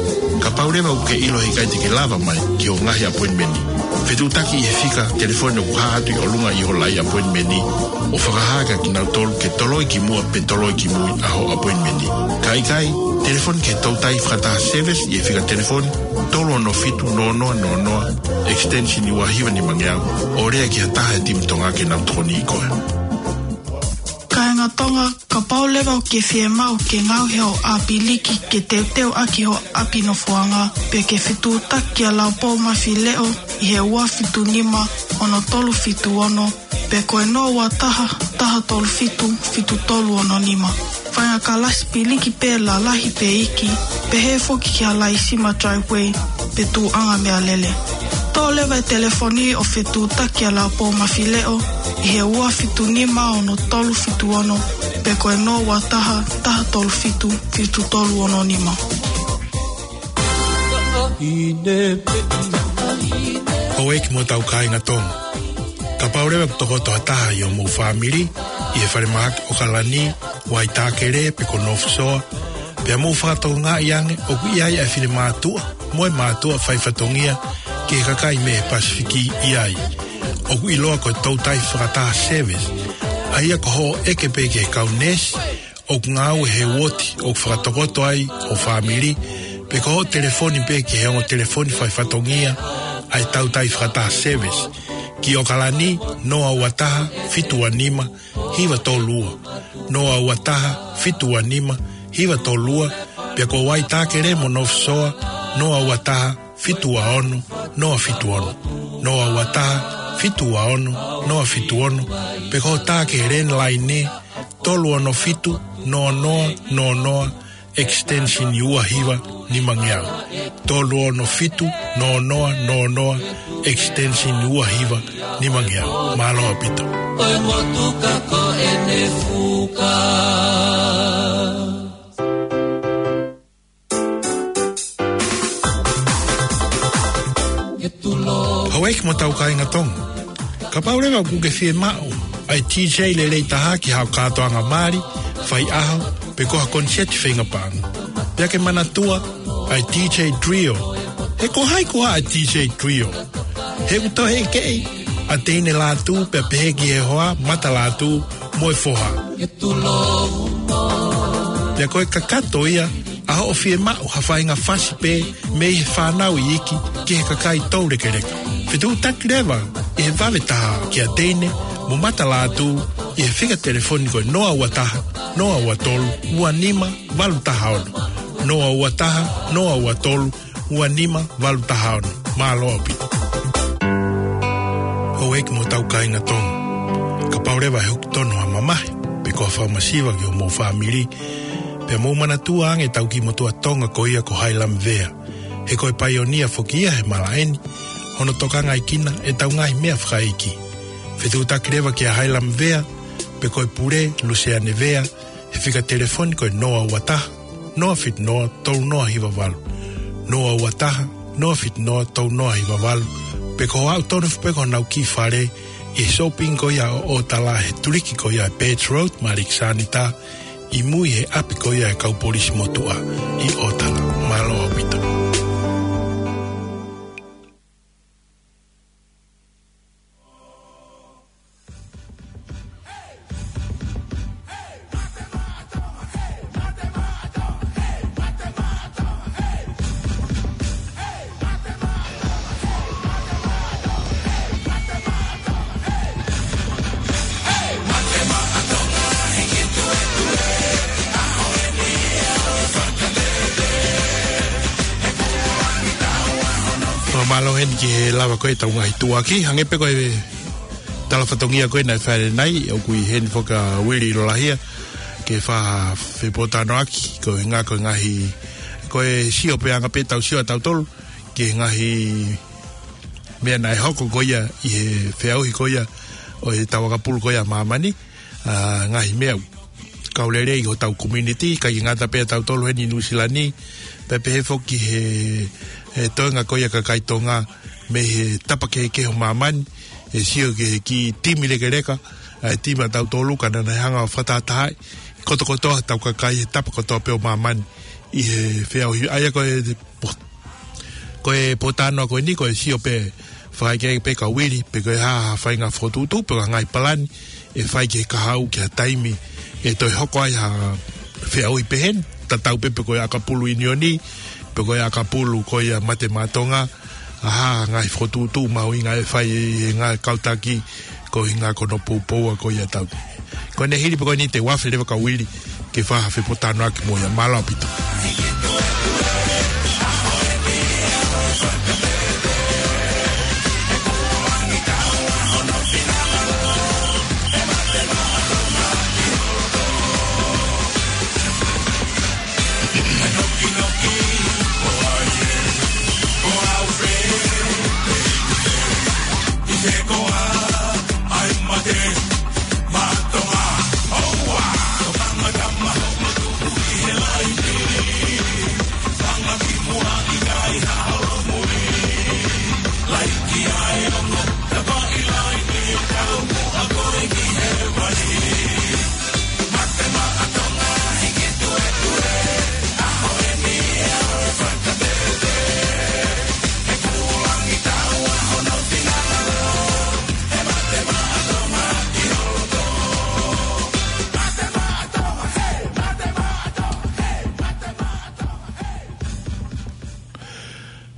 kapau leva ʻoku ke ʻilo he ʻikai te ke lava mai ki hoʻo ngaahi ʻapoinimeni, fetuʻutaki ʻi he fika telefoni ʻoku hā atu ʻi ʻolunga ʻi ho laʻi ʻapoinimeni, ʻo fakahā kia kinautolu ke toloi ki muʻa pe toloi ki mui ʻa hoʻo ʻapoinimeni. Ka ʻikai, telefoni ki he toutai fakataha service ʻi he fika telefoni tolu ono fitu noa noa noa noa, extension ua hiva nimangeau, ʻo lea ki ha taha he timi Tonga ke nau tokoniʻi koe. Kāinga Tonga, kapau leva ʻoku ke fiemaʻu ke ngaohi hoʻo ʻapiliki ke teuteu ʻaki hoʻo ʻapi nofoʻanga, pe ke fetuʻutaki kia Laupou Mafileʻo ʻi he ua fitu nima ono tolu fitu ono, pe ko e noa ua taha, taha tolu fitu, fitu tolu ono nima. Faʻahinga kalasi piliki pē lalahi pe iiki, pehē foki ki ha laisima driveway pe tuʻuʻanga meʻalele. Toʻo leva e telefoni ʻo fetuʻutaki kia Laupou Mafileʻo ʻi he ua fitu nima ono tolu fitu ono, pe ko e noa ua taha, taha tolu fitu, fitu tolu ono nima. Houʻeiki mo hotau kāinga Tonga. Kapau leva ʻoku tokoto ha taha ʻi hoʻomou fāmili, ʻi he falemahaki ʻOkalani, Waitākele pe ko North Shore, pea mou fakatokangaʻi ange ʻoku ʻi ai ʻa e finemātuʻa mo e mātuʻa faifatongia ki he kakai mei he Pasifiki ʻi ai, ʻoku ʻiloa ko e toutai fakataha service, ʻa ia ko hoʻo ʻeke pē ki he kau neesi ʻoku ngāue he uooti ʻoku fakatokoto ai ho fāmili, pe ko hoʻo telefoni pē ki he ongo telefoni faifatongia ʻa e toutai fakataha service, ki ʻOkalani, noa ua taha, fitu ua nima, hiva tolu ua, noa ua taha, fitu ua nima, hiva tolu ua, pea ko Waitākele mo North Shore, noa ua taha, fitu ua ono, noa fitu ono, noa ua taha, fitu ua ono, noa fitu ono, pe ko hoʻo tā ki he landline, tolu ono fitu, noa noa noa noa, extension ua hiva nimangeau. Tolu ono fitu, noa noa noa noa, extension ua hiva nimangeau. Mālō ʻaupito. Ko e motuka ko ʻene fuka. Houʻeiki mo hotau kāinga Tonga. Kapau leva ʻoku ke fiemaʻu ʻa e DJ lelei taha ki haʻo kātoanga mali, faiʻaho, pe ko ha koniseti feinga paʻanga, pea ke manatua ʻa e DJ Trio. He ko hai koā ʻa e DJ Trio? He ʻoku toe ʻekeʻi ʻa Teine Lātū pea pehē ki he hoa, Mata Lātū mo e foha. Pea ko e kakato ia ʻa hoʻo fiemaʻu ha faʻahinga fasi pē mei he fānau iiki ki he kakai toulekeleka. Fetuʻutaki leva ʻi he vave taha kia Teine mo Mata Lātū ʻi he fika telefoni ko e noa ua taha, noa ua tolu, ua nima, valu taha ono. Noa ua taha, noa ua tolu, ua nima, valu taha ono. Mālō ʻaupito. Houʻeiki mo hotau kāinga Tonga. Kapau leva ʻe hoko tonu ha mamahi, pe ko ha fakamasiva ki homou fāmili. Pea mou manatua ange ʻetau kiʻi motuʻa Tonga ko ia ko Hailam Vea. He ko e paionia foki ia he malaʻe ni, hono tokangaʻi kinautolu ʻe heʻetau ngaahi meʻa fakaʻeiki. Fetuʻutaki leva kia Hailam Vea, pe ko e pule, Luseane Vea, he fika telefoni ko e noa ua taha, noa fitu noa, tolu noa hiva valu. Noa ua taha, noa fitu noa, tolu noa hiva valu. Pe ko e aʻu tonu foki pē ki honau kiʻi fale, ʻi he shopping ko ia ʻo ʻOtala he tuliki ko ia ʻa e Birch Road, Maliki Sanita, ʻi mui he ʻapi ko ia ʻa e kau polisi motuʻa ʻi ʻOtala. Mālō ʻaupito. Mālō heni ki he lava ko ē ʻetau ngaahi tuʻuaki, hangē pē ko e tala fatongia ko ē naʻe fai ʻanenai, ʻoku ʻi heni foki ʻa Uili Lolahia, ke fai ha fepōtalanoaʻaki, ko e ngaahi, ko e ngaahi, ko e sio pē anga pē ʻetau sio ʻatautolu, ki he ngaahi meʻa naʻe hoko ko ia ʻi he feʻauhi ko ia ʻo ʻetau ʻakapulu ko ia ʻa māmani, ʻa e ngaahi meʻa ʻoku kau lelei ʻi hotau community, ʻikai ke ngata pē ʻatautolu heni ʻi Nuʻusila ni, pea pehē foki he, he toenga ko ia ʻa e kakai Tonga mei he tapa kehekehe ʻo māmani, ʻe sio ki he kiʻi timi lekeleka, ʻa e timi ʻatautolu ka naʻa nau hanga ʻo fakatahatahaʻi kotokotoa hotau kakai he tapa kotoa pē ʻo māmani ʻi he feʻauhi. ʻA ia ko e, ko e pōtalanoa ko eni, ko e sio pē fakaʻekeʻeke pē kia Uili, pe ko e hā ha faʻahinga fokotuʻutuʻu, pe ko e hā e ngaahi palani ʻe fai ki he kahaʻu ki ha taimi ʻe toe hoko ai ha feʻauhi pehē ni, tatau pē pe ko e ʻakapulu ʻiunioni, pe ko e ʻakapulu ko ia Mate Maʻa Tonga, ʻa e hā ha ngaahi fokotuʻutuʻu mahuʻinga ʻe fai ʻe he ngaahi kau taki, ko e ʻuhinga ko hono poupou ko ia ʻatautolu. Ko ʻene hili pē ko eni te u afe leva kia Uili ke fai ha fepōtalanoaʻaki mo ia. Mālō ʻaupito.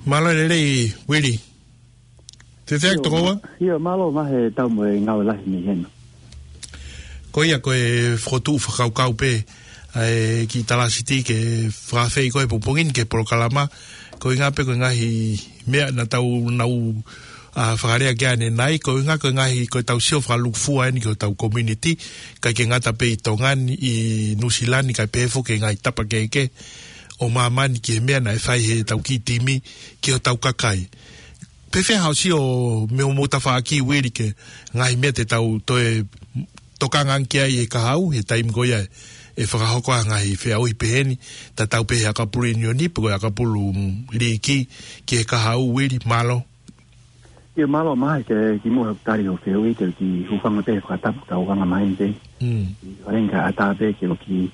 Mālō e lelei, Uili. Te te ʻIo, tokoua? ʻIo, mālō mo e tau mo e ngāue lahi mei hena. Ko ia ko e fokotuʻu fakakaukau pē, ʻa e kiʻi talāsiti ke fakaafeʻi koe he pongipongi ni ki he polokalama, ko e ʻuhinga pē ko e ngaahi meʻa naʻa tau nau, ʻa, fakalea ki ai ʻanenai, ko e ʻuhinga ko e ngaahi, ko ʻetau sio fakalūkufua eni ki hotau community, ʻikai ke ngata pē ʻi Tonga ni, ʻi Nuʻusila ni, kae pehē foki ki he ngaahi tapa kehekehe ʻo māmani ki he meʻa naʻe fai heʻetau kiʻi timi ki hotau kakai. Pea fēfē haʻo sio mei hoʻomou tafaʻaki, Uili, ki he ngaahi meʻa te tau toe tokanga ange ki ai he kahaʻu, he taimi ko ia ʻe fakahoko ai ha ngaahi feʻauhi pehē ni, tatau pē he ʻakapulu ʻiunioni, pe ko e ʻakapulu, mm, liiki, ki he kahaʻu, Uili, mālō. ʻIo, mālō mai, ke kimuʻa he tali hoʻo fehuʻi, te u kiʻi hūfanga pē he fakatapu ʻoku tau hanga mai pē. Mm. ʻIo, ʻoku ʻikai ke ʻatā pē ke u kiʻi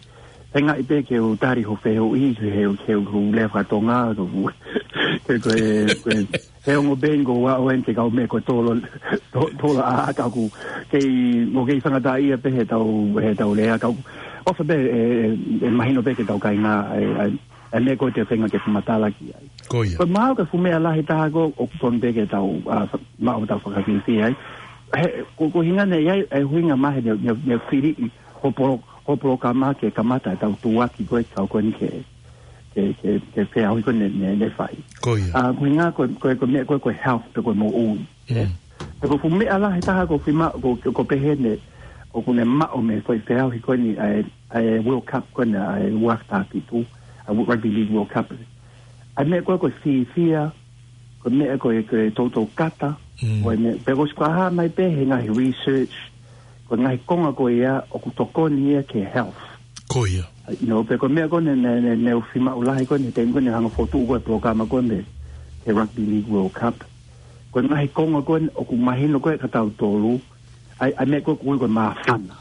feingaʻi pē ke u tali hoʻo fehuʻi, he, he, he lea faka-Tonga, ko, ko, ko, ko, he ongo pē ʻoku ou aʻu heni ki he kau meʻa ko e tolo, to-, tolo ʻa, ʻa ka ʻoku kei, ʻoku kei fangataʻaʻia pē heʻetau, heʻetau lea, ka ʻoku ʻofa pē, ʻe, ʻe, ʻe mahino pē ki heʻetau kāinga, ʻe, ʻe, ʻa e meʻa ko ē te u feinga ke fakamatala ki ai. Ko ia. Ko e mahalo ko e fuʻu meʻa lahi taha ko ē ʻoku totonu pē ke tau, ʻa, fa-, maʻu ʻetau fakafiefia ai. He, ko, ko e ʻuhinga naʻe ʻi ai, ʻa e ʻuhinga mai he, ne, ne, ne fili ʻi hoʻo polo-, hoʻo polokalama ke kamata ʻetau tuʻuaki ko ē, kau ko eni ke, ke, ke, ke feʻauhi ko ē ne, ne, ne fai. Ko ia. ʻA, ko e ʻuhinga ko, ko, ko e meʻa ko ē, ko e health pe ko e moʻui. Mm. He ko e fuʻu meʻa lahi taha ʻoku ou fie ma-, ʻoku, ʻoku, ʻoku pehē ne, ʻoku ne maʻu mei he foʻi feʻauhi ko eni ʻa e, ʻa e World Cup ko eni ʻa e ua afe taha fitu, ʻa e Rugby League World Cup. ʻA e meʻa ko ē ko e fiefia, ko e meʻa ko ē ko e toutou kata, Mm. ko e meʻa, pea ko e ʻosi fakahā mai pē he ngaahi research, ko e ngaahi konga ko ia ʻoku tokoni ia ki he health. Ko ia. You know, pea ko e meʻa ko eni ne, ne, ne u fiemaʻu lahi ko eni, he taimi ko eni hanga ʻo fokotuʻu ko ē e polokalama ko eni, he Rugby League World Cup. Ko e ngaahi konga ko eni ʻoku mahino ko ē kia tautolu, ʻa e, ʻa e meʻa ko ē ʻoku ui ko e māfana.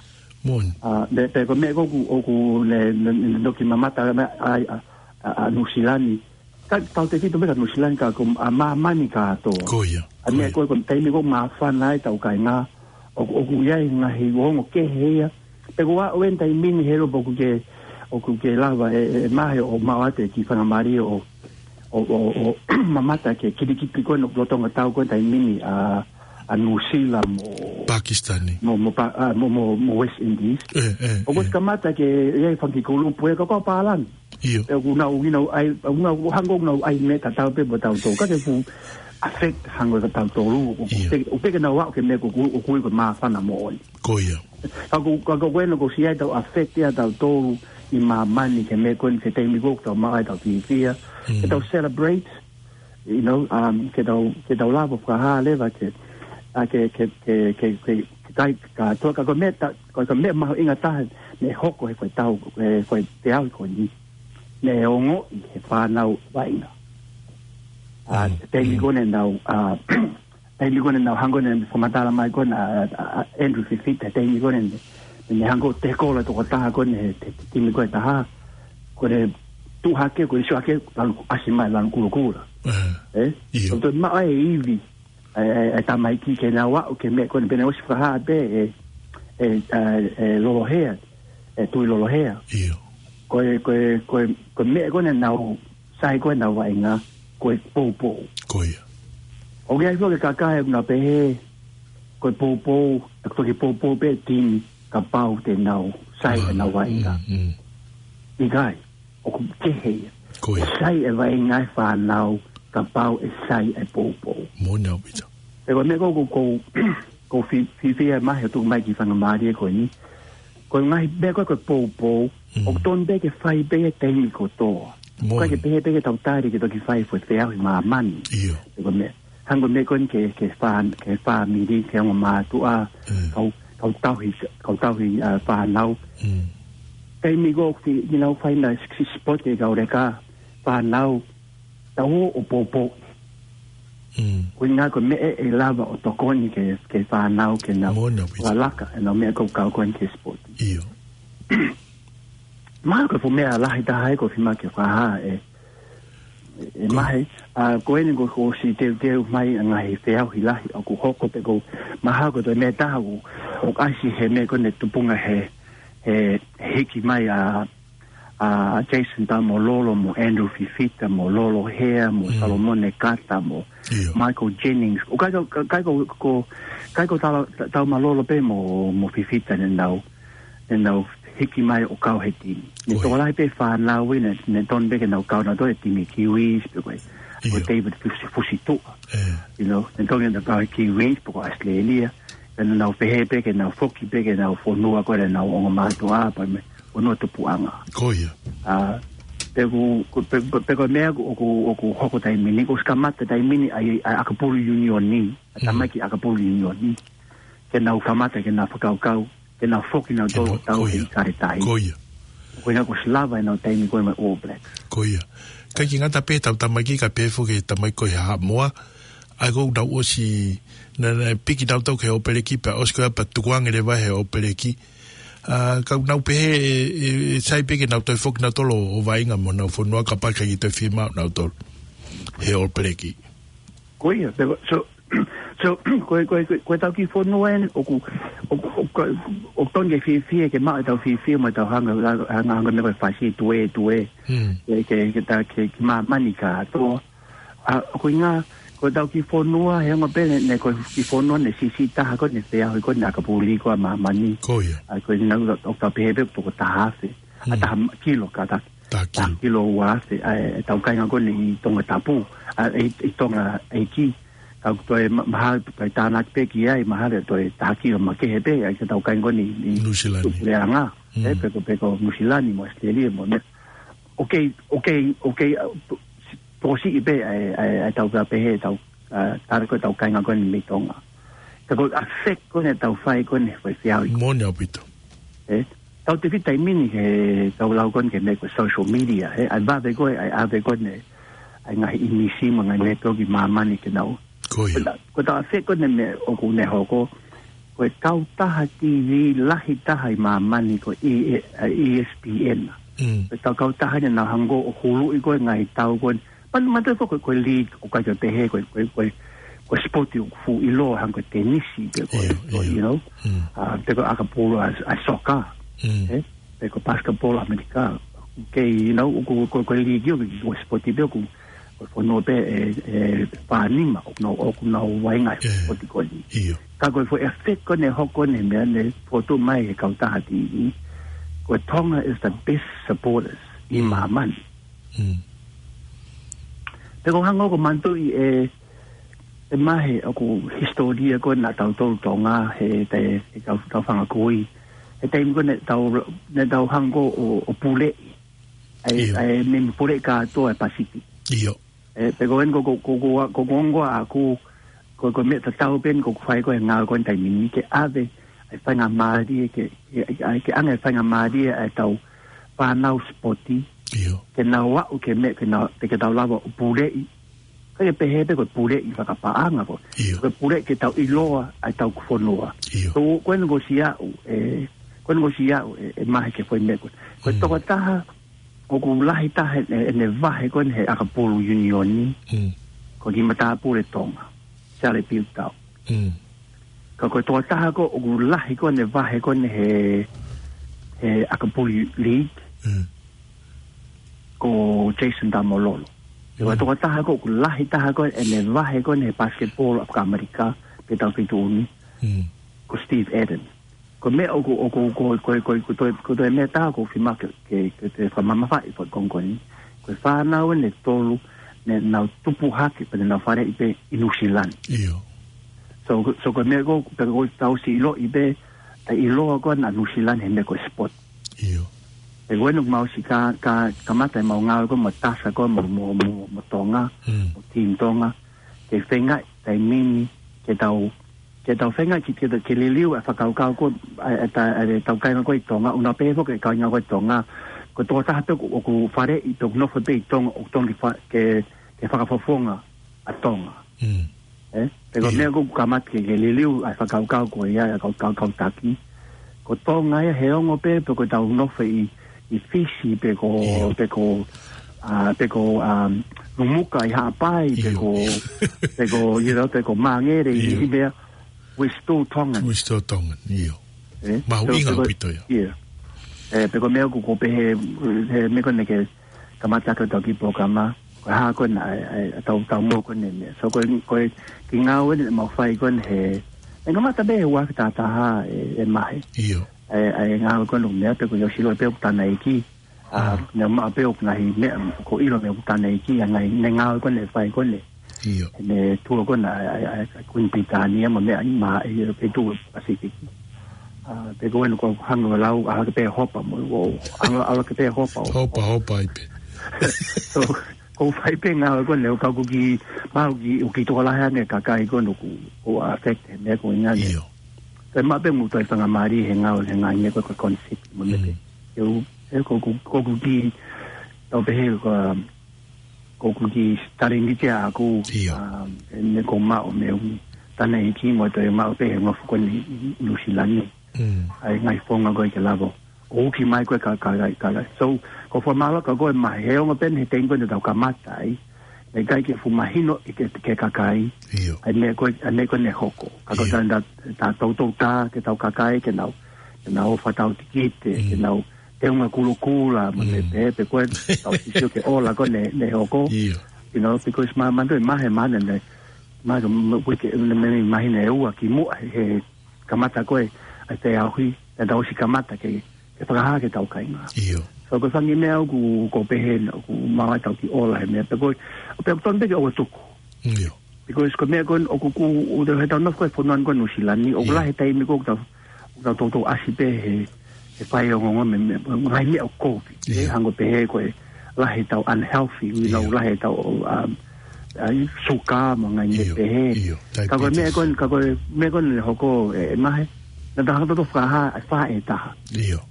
Moʻoni. ʻA, pea, pea ko e meʻa ko ē ʻoku, ʻoku ne, ne, ne, ne toki mamata ʻa, ʻa, ʻa, ʻa Nuʻusila ni. Ka, tautefito pē kia Nuʻusila ni ka ko, ʻa māmani kātoa. Ko ia. ʻA e meʻa Ko ia. ko ē ko e taimi ko ē māfana ai ʻetau kāinga. ʻOku, ʻoku ʻi ai e ngaahi ongo kehe ia. Pea ko au eni taimi ni he ʻilo pē ʻoku ke, ʻoku ke lava ʻe, ʻe, ʻe Mahe ʻo maʻu atu e kiʻi faingamālie ʻo, ʻo, ʻo, ʻo mamata ki he kilikiti ko ē ʻoku lolotonga tau ko ē taimi ni ʻa, ʻa Nuʻusila mo Pakisitani. mo, mo Pa-, ʻa, mo, mo, mo West Indies. ʻE, ʻe, ʻOku ʻe. ʻosi kamata ke ʻi ai e fanga kiʻi kulupu ʻe kau pālangi. ʻIo. ʻE ʻoku nau, ʻoku nau ʻai, ʻoku nau hanga ʻoku nau ʻai meʻa tatau pē mo tautolu. Ka ke fuʻu affect hangē ko tautolu. ʻIo. ʻOku pē, ʻoku pē ke nau aʻu ki he meʻa ko ē ʻoku, ʻoku ui ko e māfana moʻoni. Ko ia. Ka ko, ka ko eni ʻoku ʻosi ʻi ai ʻetau affect ia tautolu ʻi māmani ki he meʻa ko eni ki he taimi ko ē ʻoku tau maʻu ai ʻetau fiefia. Mm. Ke tau celebrate, you know, um, ke tau, ke tau lava ʻo fakahā leva ke, ʻa ke, ke, ke, ke, ke, ke kai kātoa ka ko e meʻa ta-, ko e meʻa mahuʻinga taha ne hoko he foʻi tau, he foʻi feʻauhi ko eni. Ne ongoʻi he fānau vaʻinga. ʻA, Mm, taimi mm. ko ē ne nau, ʻa, taimi ko ē ne nau hanga ʻo ne fakamatala mai ko ē ʻa, ʻa, ʻa Andrew Fifita, taimi ko ē ne, ne hanga ʻo tekola tokotaha ko ē he, he, he timi ko ē ʻe taha. Ko ʻene tuʻu hake, ko ʻene sio hake, lanu ʻasi mai, lanu kulokula. Eh, ʻE? ʻIo. Ko e toe maʻu e ivi, ʻa e, ʻa e, ʻa e tamaiki ke nau aʻu ki he meʻa ko eni pea ne ʻosi fakahā pē ʻe, ʻe, ʻe, ʻe Lolohea, ʻe Tuʻilolohea. ʻIo. Ko e, ko e, ko e, ko e meʻa ko eni ʻoku nau sai ko ē ʻenau vaʻinga, ko e poupou. Ko ia. ʻOku ʻi ai foki e kakai ʻoku nau pehē, ko e poupou, ʻe toki poupou pē e timi, kapau te nau sai ʻenau vaʻinga. Mm, mm. ʻIkai, ʻoku kehe ia. Ko ia. ʻE sai e vaʻinga e fānau, kapau ʻe sai e poupou. Moʻoni ʻaupito. Pea ko e meʻa ko ē ʻoku, ʻoku, ʻoku fi-, fiefia Mahe ʻo tuku mai e kiʻi faingamālie ko eni. Ko e ngaahi meʻa ko ē ko e poupou, Mm. ʻoku totonu pē ke fai pē he taimi kotoa. Moʻoni. ʻIkai ke pehē pē ke tau tali ke toki fai e foʻi feʻauhi ʻi māmani. ʻIo. Pea ko e meʻa, hangē ko e meʻa ko eni ki he, ki he fā-, ki he fāmili, ki he ongo mātuʻa, Mm. kau, kau tauhi, kau tauhi, ʻa, fānau. Mm. Taimi ko ē ʻoku fi-, you know, fai ʻenau six sport e kau leka, fānau, tau ō ʻo poupou. Mm. Ko e ʻuhinga ko e meʻa ʻe lava ʻo tokoni ki he, ki he fānau ke nau Moʻoni ʻaupito. ʻAlaka, ʻenau meʻa ko ē ʻoku kau ko eni ki he sport. ʻIo. Mahalo ko e fuʻu meʻa lahi taha ia ʻoku ou fiemaʻu ke fakahā ʻe, ʻe Ko- Mahe, ʻa, ko eni kuo ʻosi teuteu mai ʻa e ngaahi feʻauhi lahi ʻoku hoko pea ko e mahalo ko e toe meʻa ʻe taha ʻoku, ʻoku ʻasi he meʻa ko eni tupunga he, he hiki mai ʻa, ʻa Jason Taumalolo mo Andrew Fifita mo Lolohea mo Mm. Solomone Kata mo ʻIo. Michael Jennings. ʻOku ʻikai ko, ʻikai ko, ko, ʻikai ko tau, tau mālōlō pē mo, mo Fifita ne nau, ne nau hiki mai ʻo kau he timi. Ne Ko ia. tokolahi pē fānau ia ne, ne totonu pē ke nau kau nautolu he timi Kiwis, pea ko e, ko ʻIo. David Fusi, Fusituʻa. ʻE. You know, ne totonu ke nau kau he Kiwis, pea ko ʻAositelēlia. Pea ne nau pehē pē ke nau foki pē ki heʻenau fonua ko ē ʻenau ongo mātuʻa, pea mo e fonua tupuʻanga. Ko ia. ʻA, pea ko, ko, pea, pea, pea ko e meʻa ʻoku, ʻoku, ʻoku hoko he taimi ni, ʻoku ʻosi kamata he taimi ni ʻa e, ʻa e ʻakapulu ʻiunioni, ʻa e Mm. tamaiki ʻakapulu ʻiunioni. Ke nau kamata, ke nau fakakaukau, ke nau foki nautolu Ke nau, tau ko ia. he ʻikai tahi. Ko ia. Ko e ʻuhinga kuo ʻosi lava ʻenau taimi ko ē mo e All Blacks. Ko ia. ʻIkai ke ngata pē heʻetau tamaiki ka pehē foki ki he tamaiki ko ē Haʻamoa. ʻA ia ʻoku nau ʻosi, naʻa, naʻe piki nautolu ki he ʻOpeleki pea ʻosi ko ia pea tukuange leva he ʻOpeleki. ʻA, ka ʻoku nau pehē ʻe, ʻe, ʻe sai pē ke nau toe foki nautolu ʻo vaʻinga mo honau fonua kapau ʻe ʻikai toe fiemaʻu nautolu he ʻOpeleki. Ko ia, pea, so, so, ko e, ko e, ko e, ko ʻetau kiʻi fonua eni, ʻoku, ʻoku, ʻoku, ʻoku totonu ke fiefia, ke maʻu ʻetau fiefia, mo ʻetau hanga, hanga, hanga meʻa ko e fasi, tuē, tuē. Hmm. Ke, ke, ke ta, ke, ke māmani kātoa. ʻA, ko e ʻuhinga, ko ʻetau kiʻi fonua, he ongo pē ne, ne ko e kiʻi fonua ne siʻisiʻi taha ko ē ne feʻauhi ko ē ʻakapulu ko ē ʻa māmani. Ko ia. ʻA, ko e ʻuhinga ʻoku tau pehē pē toko taha afe. ʻA, Hmm. taha kilo ka ta, Taha taha kilo. kilo ua afe, ʻa, ʻetau kāinga ko eni ʻi Tongatapu, ʻa, ʻi, ʻi Tongaʻeiki. Tau toe ma-, mahalo toe tānaki pē ki ai, mahalo toe taha kilo makehe pē, ʻa e tau kāinga ko eni ʻi, ʻi Nuʻusila ni. Tuʻupuleʻanga. Mm. ʻE, pe ko, pe ko Nuʻusila ni mo ʻAositelēlia mo meʻa. ʻOku kei, ʻoku kei, ʻoku kei, ʻa, to-, tokosiʻi pē, ʻa e, ʻa e, ʻa e tau pehē, tau, ʻa, tala ko e tau kāinga ko eni mei Tonga. Ka ko e effect ko eni ʻetau fai ko eni, fai fiau i. Moʻoni ʻaupito. ʻE, tau tefito taimi ni ke tau lau ko eni ki he meʻa ko e social media, ʻe, ʻa e vave ko ē, ʻa e ʻave ko eni ʻa e ngaahi ʻīmisi mo e ngaahi meʻa ko ē ki māmani ke nau. Ko ia. Ko e tau, ko e tau effect ko eni meʻa ʻoku ne hoko, ko e kautaha T V lahi taha ʻi māmani ko e, ʻa e E S P N. Mm. Ko e tau kautaha eni naʻa nau hanga ʻo huluʻi ko ē ngaahi tau ko eni. Man-, manatuʻi foki ko e, ko e league ʻoku ʻikai ke pehē ko e, ko e, ko e, ko e sport ʻoku fuʻu ʻiloa hangē ko e tenisi pe ko e, ʻIo, ko e, ʻio. ʻIo. Mm. ʻA, pe ko e ʻakapulu ʻa, ʻa e soccer. Mm. ʻE? Pe ko e basketball ʻAmelika. Kei, you know, ʻoku, ko e, ko e league ʻoku, ko e sport pē ʻoku, ko e fonua pē ʻe, ʻe fā nima, ʻoku nau, ʻoku nau vaʻinga ʻi he ʻIo. sport ko eni. ʻIo. Ka ko e foʻi effect ko eni ʻe hoko eni he meʻa ne fotu mai he kautaha T V. Ko Tonga is the best supporters ʻi Mm. māmani. Mm. Pea ʻoku ou hanga ʻo manatuʻi ʻe, ʻe Mahe ʻoku hisitōlia ko ē naʻa tau tolu Tonga he, he, he kau, kau fanga kui. He taimi ko ē naʻa tau, naʻa tau hanga ʻo, ʻo puleʻi. ʻA e, ʻIo. ʻa e meimei puleʻi kātoa ʻa e Pacific. ʻIo. ʻE, pe ko eni ko, ko, ko, ko, ko, ko ongo ʻaku, ko, ko e meʻa tatau pē eni ʻoku fai ko ē he ngāue ko eni taimi ni ke ʻave ʻa e faingamālie ke, ke, ʻa e ke ʻanga ʻa e faingamālie ʻa e tau fānau sipoti. ʻIo. Ke nau aʻu ki he meʻa, ke nau, ke tau lava ʻo puleʻi. ʻIkai ke pehē pē ko e puleʻi fakapaʻanga ko. ʻIo. Ko e puleʻi ke tau ʻiloa ʻa e tau fonua. ʻIo. Ko, ko eni ʻoku ou sio au, ʻe, ko eni ʻoku ou sio au, ʻe, ʻe Mahe ki he foʻi meʻa ko. Ko e Mm. tokotaha ʻoku lahi taha ʻene, ʻene vahe ko eni he ʻakapulu ʻiunioni, Mm. ko e kiʻi matāpule Tonga, Charlie Piutau. Mm. Ka ko e tokotaha ko ē ʻoku lahi ko ē ʻene vahe ko eni he, he ʻakapulu league, Mm. ko Jason Taumalolo. Ko e Mm. tokotaha ko ē ʻoku lahi taha ko ē ʻene vahe ko eni he basketball ʻAmelika, pe tau feituʻu ni, Mm. ko Steve Adams. Ko e meʻa ʻoku, ʻoku, ko, ko, ko, ko toe, ko toe meʻa ʻoku ou fiemaʻu ke, ke, ke toe fakamamafaʻi ko e konga ko eni. Ko e fānau eni ʻe tolu, naʻa nau tupu hake, pea naʻa nau faleʻi pē ʻi Nuʻusila ni. ʻIo. So, so ko e meʻa ko, pea ko e tau ʻosi ʻiloʻi pē, ʻa e ʻiloa ko ē ʻa Nuʻusila ni he meʻa ko e sport. ʻIo. Pea ko eni ʻoku mau ʻosi ka, ka, kamata ʻemau ngāue ko ē mo Tasa ko ē mo, mo, mo, mo Tonga, Mm. mo Team Tonga. Ke feinga taimi ni, ke tau ke tau feinga ki, ke, ke liliu ʻa e fakakaukau ko ē, ʻa e, ʻa e, ʻa e tau kāinga ko ē ʻi Tonga, ʻoku nau pehē foki e kāinga ko ē ʻi Tonga, ko e tokotaha pē ʻoku, ʻoku faleʻi, ʻoku nofo pē ʻi Tonga, ʻoku totonu ke fa-, ke, ke fakafofonga ʻa Tonga. Mm. ʻE? Pea ko e ʻIo. meʻa ʻoku kamata ke, ke liliu ʻa e fakakaukau ko ia, ʻa e kau, kau, kau taki. Ko Tonga ia he ongo pē, pe ko ʻetau nofo ʻi, ʻi Fisi, pe ko, ʻIo. pe ko, ʻa, pe ko, um, Numuka ʻi Haʻapai, pe ʻIo. ko, pe ko, you know, pe ko Mangere, ʻIo. ʻi he meʻa, we're still Tongan. We're still Tongan, ʻio. ʻE? Mahuʻinga So, pe ko, ʻaupito ia. ʻIo. ʻE, pe ko e meʻa ʻoku, ʻoku ou pehē, he meʻa ko eni ke kamata ko ē ʻetau kiʻi polokalama, ko e hā ko ē naʻe, ʻe, ʻe tau, tau mo ko eni meʻa. So, ko e, ko e kiʻi ngāue eni ʻemau fai ko eni he, ʻe kamata pē he ua afe taha taha ʻe, ʻe Mahe. ʻIo. ʻE, ʻe ngāue ko eni meʻa pe ko e ʻosi ʻilo pē ʻoku tanaiki. ʻA, Mm. ne maʻu pē ʻoku ngaahi meʻa, ʻoku ʻilo meʻa ʻoku tanaiki, ʻa e ngaahi, ne ngāue ko eni ʻe fai ko eni. ʻIo. Ne tour ko ena, ʻa, ʻa, ʻa Kuini Pilitānia mo e meʻa ʻi mā, ʻi he feituʻu Pasifiki. ʻA, pe ko ena ʻoku ou hanga ʻo lau, ʻalu hake pē hopa mo, ʻo, hanga ʻalu hake pē hopa ʻo. Hopa, hopa ai pē. So, ʻoku ou fai pē ngāue ko ena, ʻo ka ʻoku kiʻi, mahalo kiʻi, ʻoku kiʻi tokolahi ange kakai ko ena ʻoku, ʻoku affect he meʻa ko ena. ʻIo. Pea maʻu pē mo e faingamālie he ngāue, he ngaahi meʻa ko e concept mo e meʻa. Mm. ʻE u, ʻe ko, ko, ko ʻeku kiʻi, tau pehē ko, ko ʻeku kiʻi talēniti ʻaʻaku, ʻIo. ʻa, ʻe ne ko maʻu mei he tanaiki mo e toe maʻu pē he nofo ko eni ʻi Nuʻusila ni. Mm. ʻA e ngaahi founga ko ē ke lava ʻo uki mai ko ē ka, ka, ka, ka. So, ʻoku ou fakamālō atu ko ē Mahe he ongo pē eni he taimi ko ē naʻa tau kamata ai. Naʻe ʻikai ke fuʻu mahino ia ki he, ki he kakai. ʻIo. ʻA e meʻa ko ē, ʻa e meʻa ko ē ne hoko. Ka ko ʻIo. tā, tā, tā toutou tā, ki heʻetau kakai, ke nau, ke nau fakatau tikite, Mm. ke nau teunga kulokula, mo e Mm. pē, pe ko e tau sisio ki he ola ko ē ne, ne hoko. ʻIo. You know, because ma, ma, ma, he ma, ne, ne, ma, ma, uike, ne, ne, mahina ʻe ua kimuʻa he, he kamata ko ē ʻa e feʻauhi, naʻa tau ʻosi kamata ke, ke fakahā ki heʻetau kāinga. ʻIo. So, ko e fanga meʻa ʻoku, ʻoku ou pehē, ʻoku maʻu ai ʻetau kiʻi ola he meʻa, pe ko e, pe ʻoku totonu pē ke ʻoua tuku. ʻIo. Because ko e meʻa ko ē ʻoku, ʻoku, ʻoku tau, he tau nofo ko ē he fonua ko ē Nuʻusila ni, ʻoku lahi e taimi ko ē ʻoku tau, ʻoku tau toutou ʻasi pē he, he fai ongoongo mei, mei, mei he ngaahi meʻa ʻo e Covid. He hangē pehē ko e lahi ʻetau unhealthy, you know, lahi ʻetau, um, uh, suka mo e ngaahi meʻa pehē. Ka ko e meʻa ko ē, ka ko e meʻa ko ē naʻe hoko ē, ʻe Mahe, naʻa tau hanga ʻo fakahā, ʻe fakahā ʻe taha.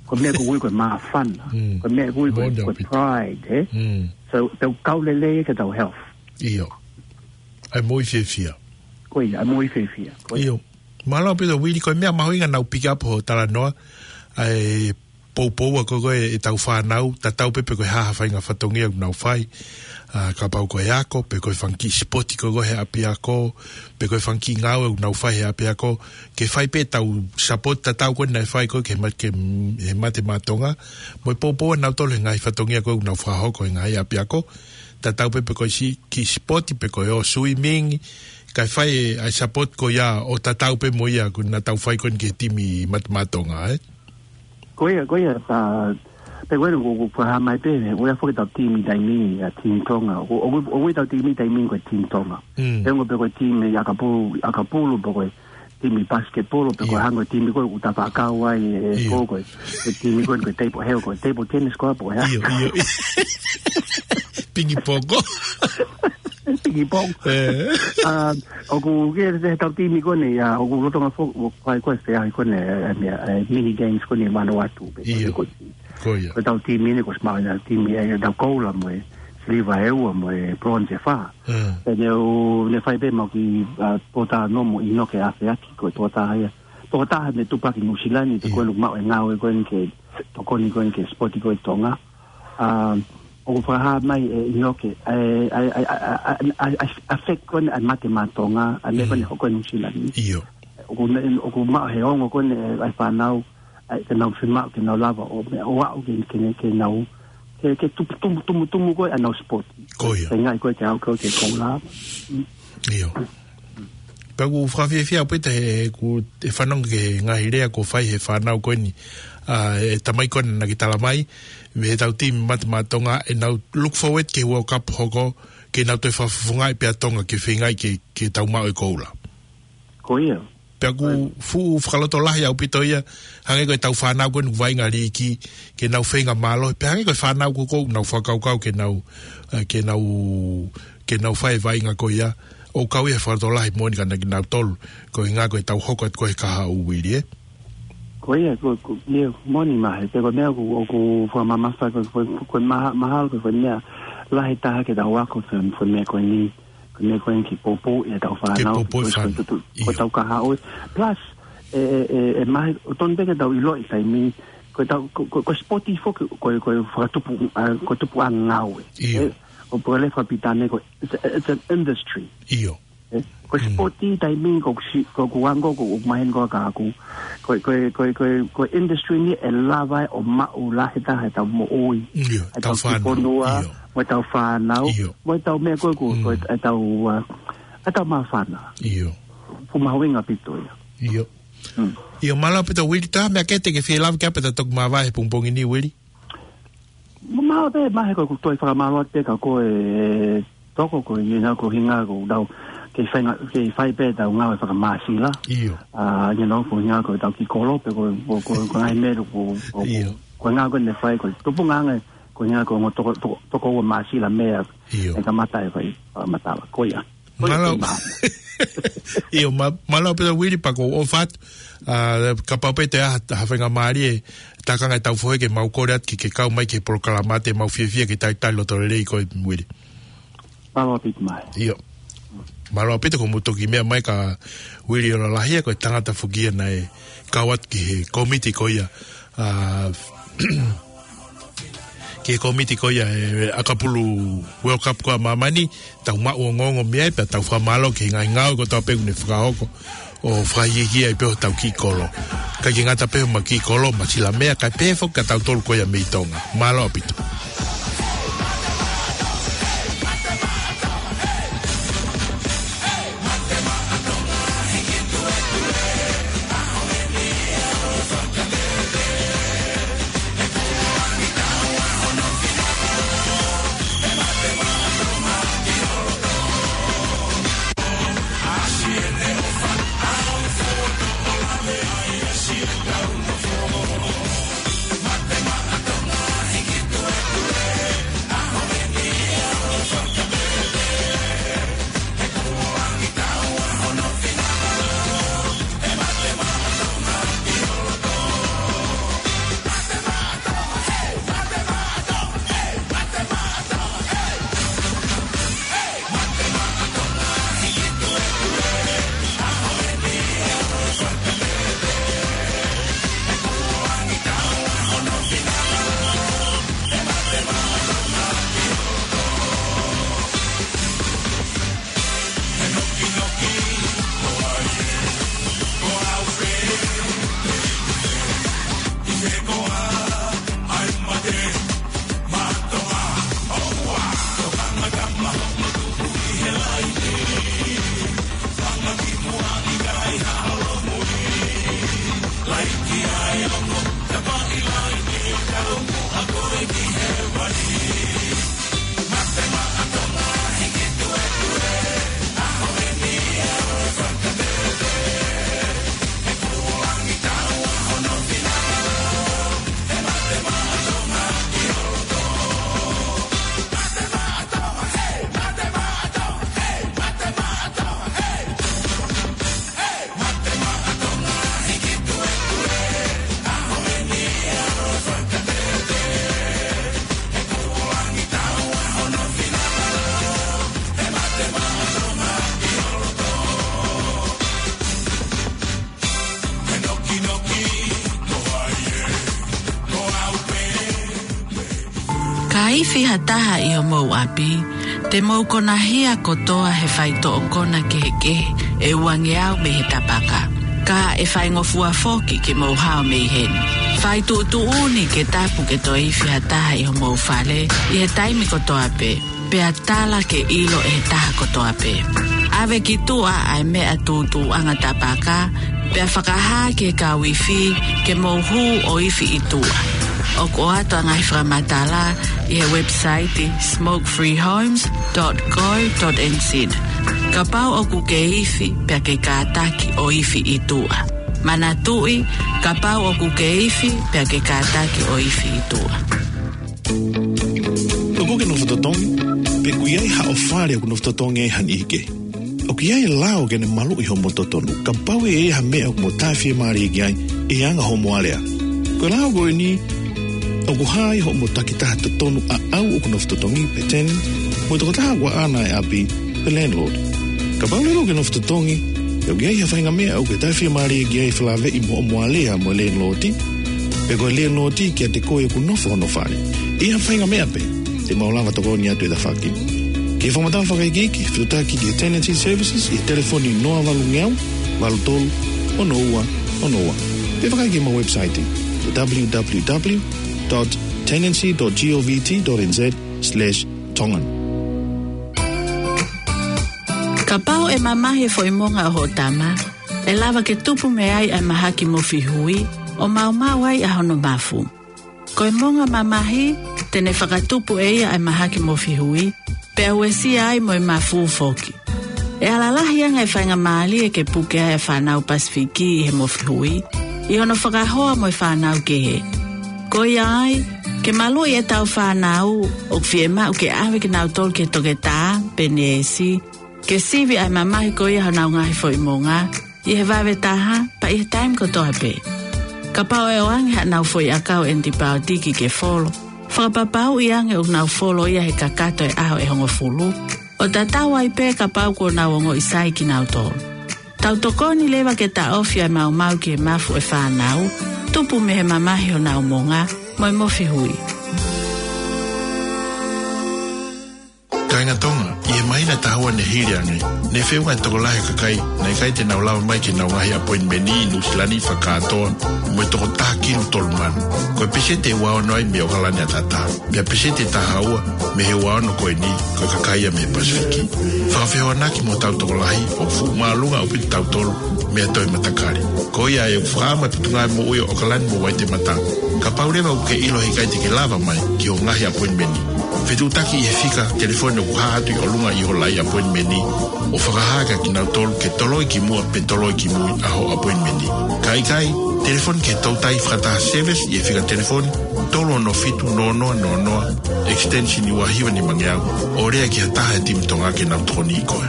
Ko e meʻa ko ē ko e māfana. Ko e meʻa ko ē ko e, ko e pride, ē? So, tau kau lelei ke tau health. ʻAi moʻui fiefia. Ko ia, ʻai moʻui fiefia. Ko ia. Mālō ʻaupito Uili, ko e meʻa mahuʻinga naʻa ku pick up hoʻo talanoa, ʻa e poupou ko ē ʻetau fānau, tatau pē pe ko e hā ha faʻahinga fatongia ʻoku nau fai, ʻa, kapau ko e ako, pe ko e fanga kiʻi sipoti ko ē he ʻapiako, pe ko e fanga kiʻi ngāue ʻoku nau fai he ʻapiako, ke fai pē ʻetau support tatau ko ē naʻe fai ko ē ke ma-, ke, he Mate Maʻa Tonga, mo e poupou ʻanautolu he ngaahi fatongia ko ē ʻoku nau fakahoko he ngaahi ʻapiako, tatau pē pe ko e si-, kiʻi sipoti pe ko e ō swimming, kae fai ʻa e support ko ia ʻo tatau pē mo ia ko ē naʻa tau fai ko ē ki he timi Mate Maʻa Tonga, ē? Ko ia, ko ia, ʻa, pea ko ē ʻoku, ʻoku fakahā mai pē, ʻoku ʻi ai foki ʻetau timi taimi ni, ʻa, timi Tonga. ʻOku, ʻoku, ʻoku ʻi ai ʻetau timi taimi ni ko e timi Tonga. Pe ongo pe ko e timi ʻakapulu, ʻakapulu pe ko e timi basketball, pe ko e hangē ko e timi ko ē ʻoku tau fakakau ai ʻe, ʻe ko, ko e, ko e timi ko ē ko e table, he ko e table tennis ko ē pe ko e hā. Pingi pongo. Pingi pongo. ʻA, ʻoku ke he tau timi ko eni, ʻa, ʻoku lolotonga foki, ʻoku fai ko ē feʻauhi ko eni, ʻa, ʻa, ʻa, mini games ko eni ʻi Vanuatu. Pe ko e ko e Ko ia. Ko ʻetau timi ni, ko e smart ʻetau timi, ʻe, ʻetau koula mo e siliva ʻe ua mo e bronze ʻe fā. Pea ne u, ne fai pē mau kiʻi, ʻa, pōtā nomo ʻi Noke ʻAfeaki, ko e pōtā ia. Pōtā ne tupaki Nuʻusila ni, te ko ē ʻoku maʻu e ngāue ko eni ke tokoni ko eni ki he sipoti ko ē Tonga. ʻA, ʻoku fakahā mai ʻe ʻInoke, ʻa e, ʻa e, ʻa e, ʻa e, ʻa e, ʻa e, ʻa e fake ko eni ʻa e Mate Maʻa Tonga, ʻa e meʻa ko eni hoko ʻi Nuʻusila ni. ʻOku ne, ʻoku maʻu he ongo ko eni ʻa e fānau, ʻa e, ke nau fiemaʻu, ke nau lava ʻo meʻa, ʻo aʻu ke, ke, ke nau, ke, ke tumu, tumu, tumu, tumu ko ē ʻenau sipoti. Ko ia. Ke ngaahi ko ē ke aʻu ko ē ke koula. ʻIo. Pea ʻoku fakafiefia ʻaupito he, ʻoku ou fanongo ki he ngaahi lea kuo fai he fānau ko eni, ʻa, ʻe tamai ko ena naʻa ke tala mai, mei heʻetau timi Mate Maʻa Tonga, ʻenau look forward ki he World Cup hoko, ke nau toe fakafofongaʻi pē ʻa Tonga, ke feingaʻi ke, ke tau maʻu e koula. Ko ia. Pea ʻoku fuʻu fakalotolahi ʻaupito ia, hangē ko ʻetau fānau ko eni ʻoku vaʻinga liiki, ke nau feinga mālohi, pea hangē ko e fānau ko ē ʻoku nau fakakaukau ke nau, ʻa, ke nau, ke nau fai e vaʻinga ko ia, ʻoku kau ia he fakalotolahi moʻoni kia kinautolu, koeʻuhinga ko ʻetau hoko atu ko ē he kahaʻu Uili, ē? Ko ia, ko, ko, ia, moʻoni Mahe, pea ko e meʻa ʻoku, ʻoku fakamamafa, ko, ko, ko e maha-, mahalo, ko, ko e meʻa lahi taha ke tau ako, ko e, ko e meʻa ko eni, ko e meʻa ko eni ke poupou ʻetau fānau, poupou ko e, ko e fānau. Ko e, ko ʻetau kahaʻu. Plus, ʻe, ʻe, ʻe, ʻe Mahe, ʻoku totonu pē ke tau ʻiloʻi taimi, ko ʻetau, ko, ko, ko e sipoti foki, ko, ko e fakatupu, ʻa, ko e tupuʻanga ngāue. ʻIo. ʻE, ʻo pole fakapitane ko, it's a, it's an industry. ʻIo. ʻE, ko e sipoti taimi ko si, ko, ko ango, ko, ko maheni ko ka aku. Ko, ko, ko, ko, ko industry ni ʻe lava ʻo maʻu lahi taha ʻetau moʻui. ʻIo, ʻetau fānau. Kiʻi fonua, ʻio. Mo ʻetau fānau, ʻio. Mo ʻetau meʻa ko, ko, ko ʻetau, ʻa, ʻetau māfana. ʻIo. Fuʻu mahuʻinga ʻaupito ia. ʻIo. ʻIo, mālō ʻaupito Uili, tā meʻa ke te ke fie lava ke ape ta toki māvae he pongipongi ni Uili. Mālō pē, Mahe ko ʻeku toe fakamālō atu pē kia koe Toko ko e, you know, ko e ʻuhinga ko ʻetau, ke fai nga-, ke fai pē ʻetau ngāue fakamāsila. ʻIo. ʻA, you know, ko e ʻuhinga ko ʻetau kiʻi kolo, pe ko, ko, ko, ko e ngaahi meʻa, ko, ko, ʻio. Ko e ʻuhinga ko ʻene fai, ko e tupuʻanga, ko e ʻuhinga ko e ongo toko, toko, toko ua māsila meʻa. ʻIo. ʻE kamata ʻe fai, fakamatala. Ko ia. Mālō. ʻIo, mā-, mālō pē Uili pea ʻoku ou ʻofa atu. ʻA, kapau pē te ʻi ai ha faingamālie, tākanga ʻetau fohe ke mau kole atu ke, ke kau mai ki he polokalama te mau fiefia ke talitali loto lelei koe Uili. Mālō ʻaupito Mahe. ʻIo. Mālō ʻaupito ko e mou toki meʻa mai kia Uili ʻo Lalahia ko e tangata foki ia naʻe kau atu ki he kōmiti ko ia. ʻA, ki he kōmiti ko ia ʻe ʻakapulu World Cup ko ē ʻa māmani, tau maʻu ongoongo mei ai, pea tau fakamālō ki he ngaahi ngāue kotoa pē ʻoku ne fakahoko, ʻo fakaikiiki ai pē hotau kiʻi kolo. Kae ʻikai ke ngata pē homau kiʻi kolo, māsila meʻa, kae pehē foki kia tautolu ko ia mei Tonga. Mālō ʻaupito. Ka ifi ha taha ʻi homou ʻapi, te mou konahia kotoa he faitoʻo kona kehekehe ʻe uangeau mei he tapaka. Ka ʻe faingofua foki ke mou hao mei heni. Fai tuʻutuʻuni ke tapu ke toe ifi ha taha ʻi homou fale ʻi he taimi kotoa pē, pea tala ke ʻilo ʻe he taha kotoa pē. ʻAve ki tuʻa ʻa e meʻa tūtuuʻanga tapaka, pea fakahā ki he kau ifi ke mou hū ʻo ifi ʻi tuʻa. ʻOku ʻoatu ʻa e ngaahi fakamatala ʻi he website smoke free homes dot co dot N Z. Kapau ʻoku ke ifi pea ke kātaki ʻo ifi ʻi tuʻa. Manatuʻi, kapau ʻoku ke ifi pea ke kātaki ʻo ifi ʻi tuʻa. ʻOku ke nofo totongi, pe ʻoku ʻi ai haʻo fale ʻoku nofo totongi ai ha niʻihi kehe? ʻOku ʻi ai e lao ke ne maluʻi hoʻomo totonu, kapau ʻe ʻi ai ha meʻa ʻoku mo taʻefiemālie ki ai ʻi he anga hoʻomo alea. Ko e lao ko eni, ʻoku hā ai hoʻomo takitaha totonu ʻaʻau ʻoku nofo totongi pe tenant, mo e tokotaha ʻoku ʻaʻana e ʻapi pe landlord. Kapau leva ʻoku ke nofo totongi, pea ʻoku ʻi ai ha faʻahinga meʻa ʻoku ke taʻefiemālie ki ai ʻi he felāveʻi mo hoʻomo alea mo e landlord, pe ko e landlord kiate koe ʻoku nofo hono fale, ʻi ha faʻahinga meʻa pē, te mau lava tokoni atu e tafaʻaki. Ke fakamatala fakaikiiki, fetuʻutaki ki he Tenancy Services ʻi he telefoni noa valu ngeau, valu tolu, ono ua, ono ua. Pe fakaikiiki ki homau website, W W W dot tenancy dot govt dot N Z slash Tongan. Kapau ʻe mamahi e foʻi monga ʻo hoʻo tama, ʻe lava ke tupu mei ai ʻa e mahaki mofi hui, ʻo maumau ai ʻa hono mafu. Ko e monga mamahi, te ne fakatupu ʻe ia ʻa e mahaki mofi hui, pea uesia ai mo e mafu foki. ʻE ala lahi ange e faingamālie ke puke ai e fānau Pasifiki ʻi he mofi hui, ʻi hono fakahoa mo e fānau kehe. Ko ia ai, ke maluʻi ʻetau fānau, ʻoku fiemaʻu ke ʻave kinautolu ki he toketā pe neesi, ke sivi ʻa e mamahi ko ia honau ngaahi foʻi monga, ʻi he vave taha, pea ʻi he taimi kotoa pē. Kapau ʻe ʻoange haʻanau foʻi ʻakau ʻenitipaotiki ke folo, fakapapauʻi ange ʻoku nau folo ia he kakato e ʻaho ʻe hongofulu, ʻo tatau ai pē kapau kuo nau ongoʻi sai kinautolu. Tau tokoni leva ke taʻofi ʻa e maumau ki he mafu e fānau, tupu mei he mamahi honau monga, mo e mofi hui. Kāinga Tonga, ʻi he māhina ʻe taha ua ne hili ange, ne feʻunga e tokolahi e kakai naʻe ʻikai te nau lava mai ki heʻenau ngaahi appointment ʻi Nuʻusila ni fakakātoa mo e tokotaha kilu tolu mano. Ko e peseti ʻe ua ono ai mei ʻOkalani ʻAtatā. Pea peseti ʻe taha ua mei he ua ono ko eni, ko e kakai ia mei he Pasifiki. Fakafehoanaki mo hotau tokolahi ʻoku fuʻu māʻolunga ʻaupito kitautolu mei ha toe matakali. Ko ia ʻoku fakaʻamu atu e Potungāue Moʻui ʻo ʻOkalani mo Waitemata, kapau leva ʻoku ke ʻilo he ʻikai te ke lava mai ki hoʻo ngaahi appointment, fetuʻutaki ʻi he fika telefoni ʻoku hā atu ʻi ʻolunga ʻi hoʻo laʻi appointment, ʻo fakahā kia kinautolu ke toloi ki muʻa pe toloi ki mui ʻa hoʻo appointment. Ka ʻikai, telefoni ki he toutai fakataha service ʻi he fika telefoni tolu ono fitu noa noa noa noa, extension ua hiva nima ngeau, ʻo lea ki ha taha e timi Tonga ke nau tokoniʻi koe.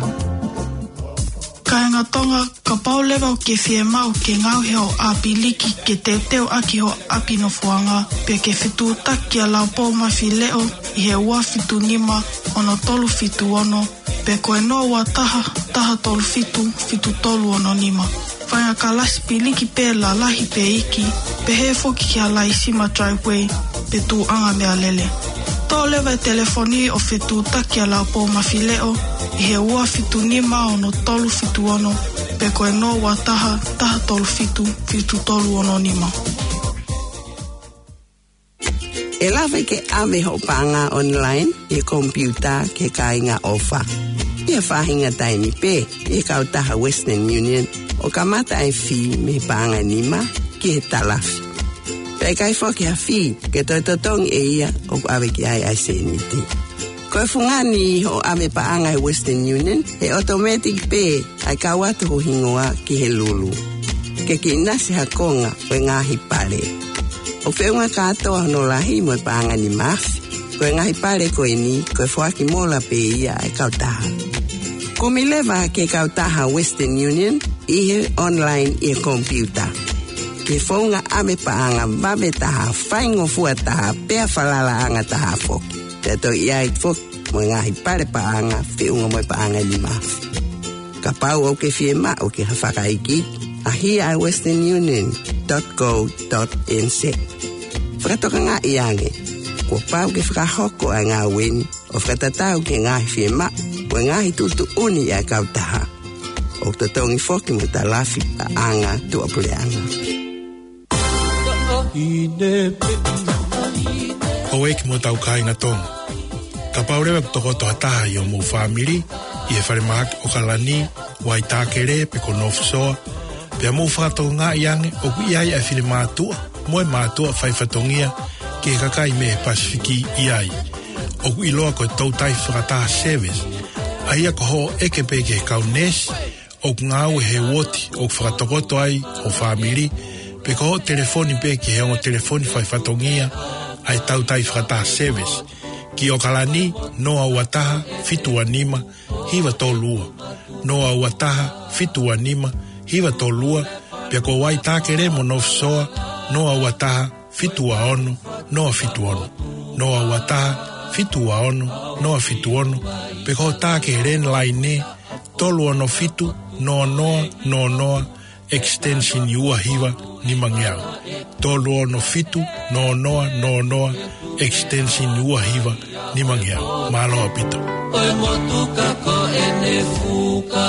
Kāinga Tonga, kapau leva ʻoku ke fiemaʻu ke ngaohi hoʻo ʻapiliki ke teuteu ʻaki hoʻo ʻapi nofoʻanga, pea ke fetuʻutaki kia Laupou Mafileʻo ʻi he ua fitu nima ono tolu fitu ono, pe ko e noa ua taha, taha tolu fitu, fitu tolu ono nima. Faʻahinga kalasi piliki pē lalahi pe iiki, pehē foki ki ha laisima driveway pe tuʻuʻanga meʻalele. Toʻo leva e telefoni ʻo fetuʻutaki kia Laupou Mafileʻo ʻi he ua fitu nima ono tolu fitu ono, pe ko e noa ua taha, taha tolu fitu, fitu tolu ono nima. ʻE lava ke ʻave hoʻo paʻanga online ʻi he komipiuta ki he kāinga ʻofa. ʻI ha faʻahinga taimi pē ʻi he kautaha Western Union, ʻo kamata e fee mei he paʻanga ʻe nima ki he talafi. Pea ʻikai foki ha fee ke toe totongi ʻe ia ʻoku ʻave ki ai ʻa e sēniti. Ko e fungani hoʻo ʻave paʻanga he Western Union, he automatic pē ʻa e kau atu ho hingoa ki he lulu. Ke ke ʻinasi ha konga ʻo e ngaahi pale. ʻOku feʻunga kātoa hono lahi mo e paʻanga nima afe. Ko e ngaahi pale ko eni, ko e foaki mola pē ia ʻa e kautaha. Kumi leva ki he kautaha Western Union ʻi he online ʻi he komipiuta. Ki he founga ʻave paʻanga vave taha, faingofua taha, pea falalaʻanga taha foki. Pea toe ʻi ai foki mo e ngaahi pale paʻanga, feʻunga mo e paʻanga nima afe. Kapau ʻoku ke fiemaʻu ke ha fakaikiiki, ʻaʻahi ʻa e western union dot co dot N Z. Fakatokangaʻi ange, kuo pau ke fakahoko ʻa e ngāue ni, ʻo fakatatau ki he ngaahi fiemaʻu mo e ngaahi tuʻutuʻuni ʻa e kautaha. ʻOku totongi foki mo e talafi paʻanga tuʻapuleʻanga. Houʻeiki mo hotau kāinga Tonga. Kapau leva ʻoku tokoto ha taha ʻi hoʻomou fāmili ʻi he falemahaki ʻOkalani, Waitākele pe ko North Shore, pea mou fakatokangaʻi ange ʻoku ʻi ai ʻa e finemātuʻa mo e mātuʻa faifatongia ki he kakai mei he Pasifiki ʻi ai. ʻOku ʻiloa ko e toutai fakataha service, ʻa ia ko hoʻo ʻeke pē ki he kau neesi ʻoku ngāue he uooti ʻoku fakatokoto ai ho fāmili, pe ko hoʻo telefoni pē ki he ongo telefoni faifatongia ʻa e toutai fakataha service. Ki ʻOkalani, noa ua taha, fitu ua nima, hiva tolu ua. Noa ua taha, fitu ua nima, hiva tolu ua. Pea ko Waitākele mo North Shore, noa ua taha, fitu ua ono, noa fitu ono. Noa ua taha, fitu ua ono, noa fitu ono. Pe ko hoʻo tā ki he landline, tolu ono fitu, noa noa, noa noa, extension ua hiva nimangeau. Tolu ono fitu, noa noa, noa noa, extension ua hiva nimangeau. Mālō ʻaupito. ʻO e motuka ko ʻene fuka.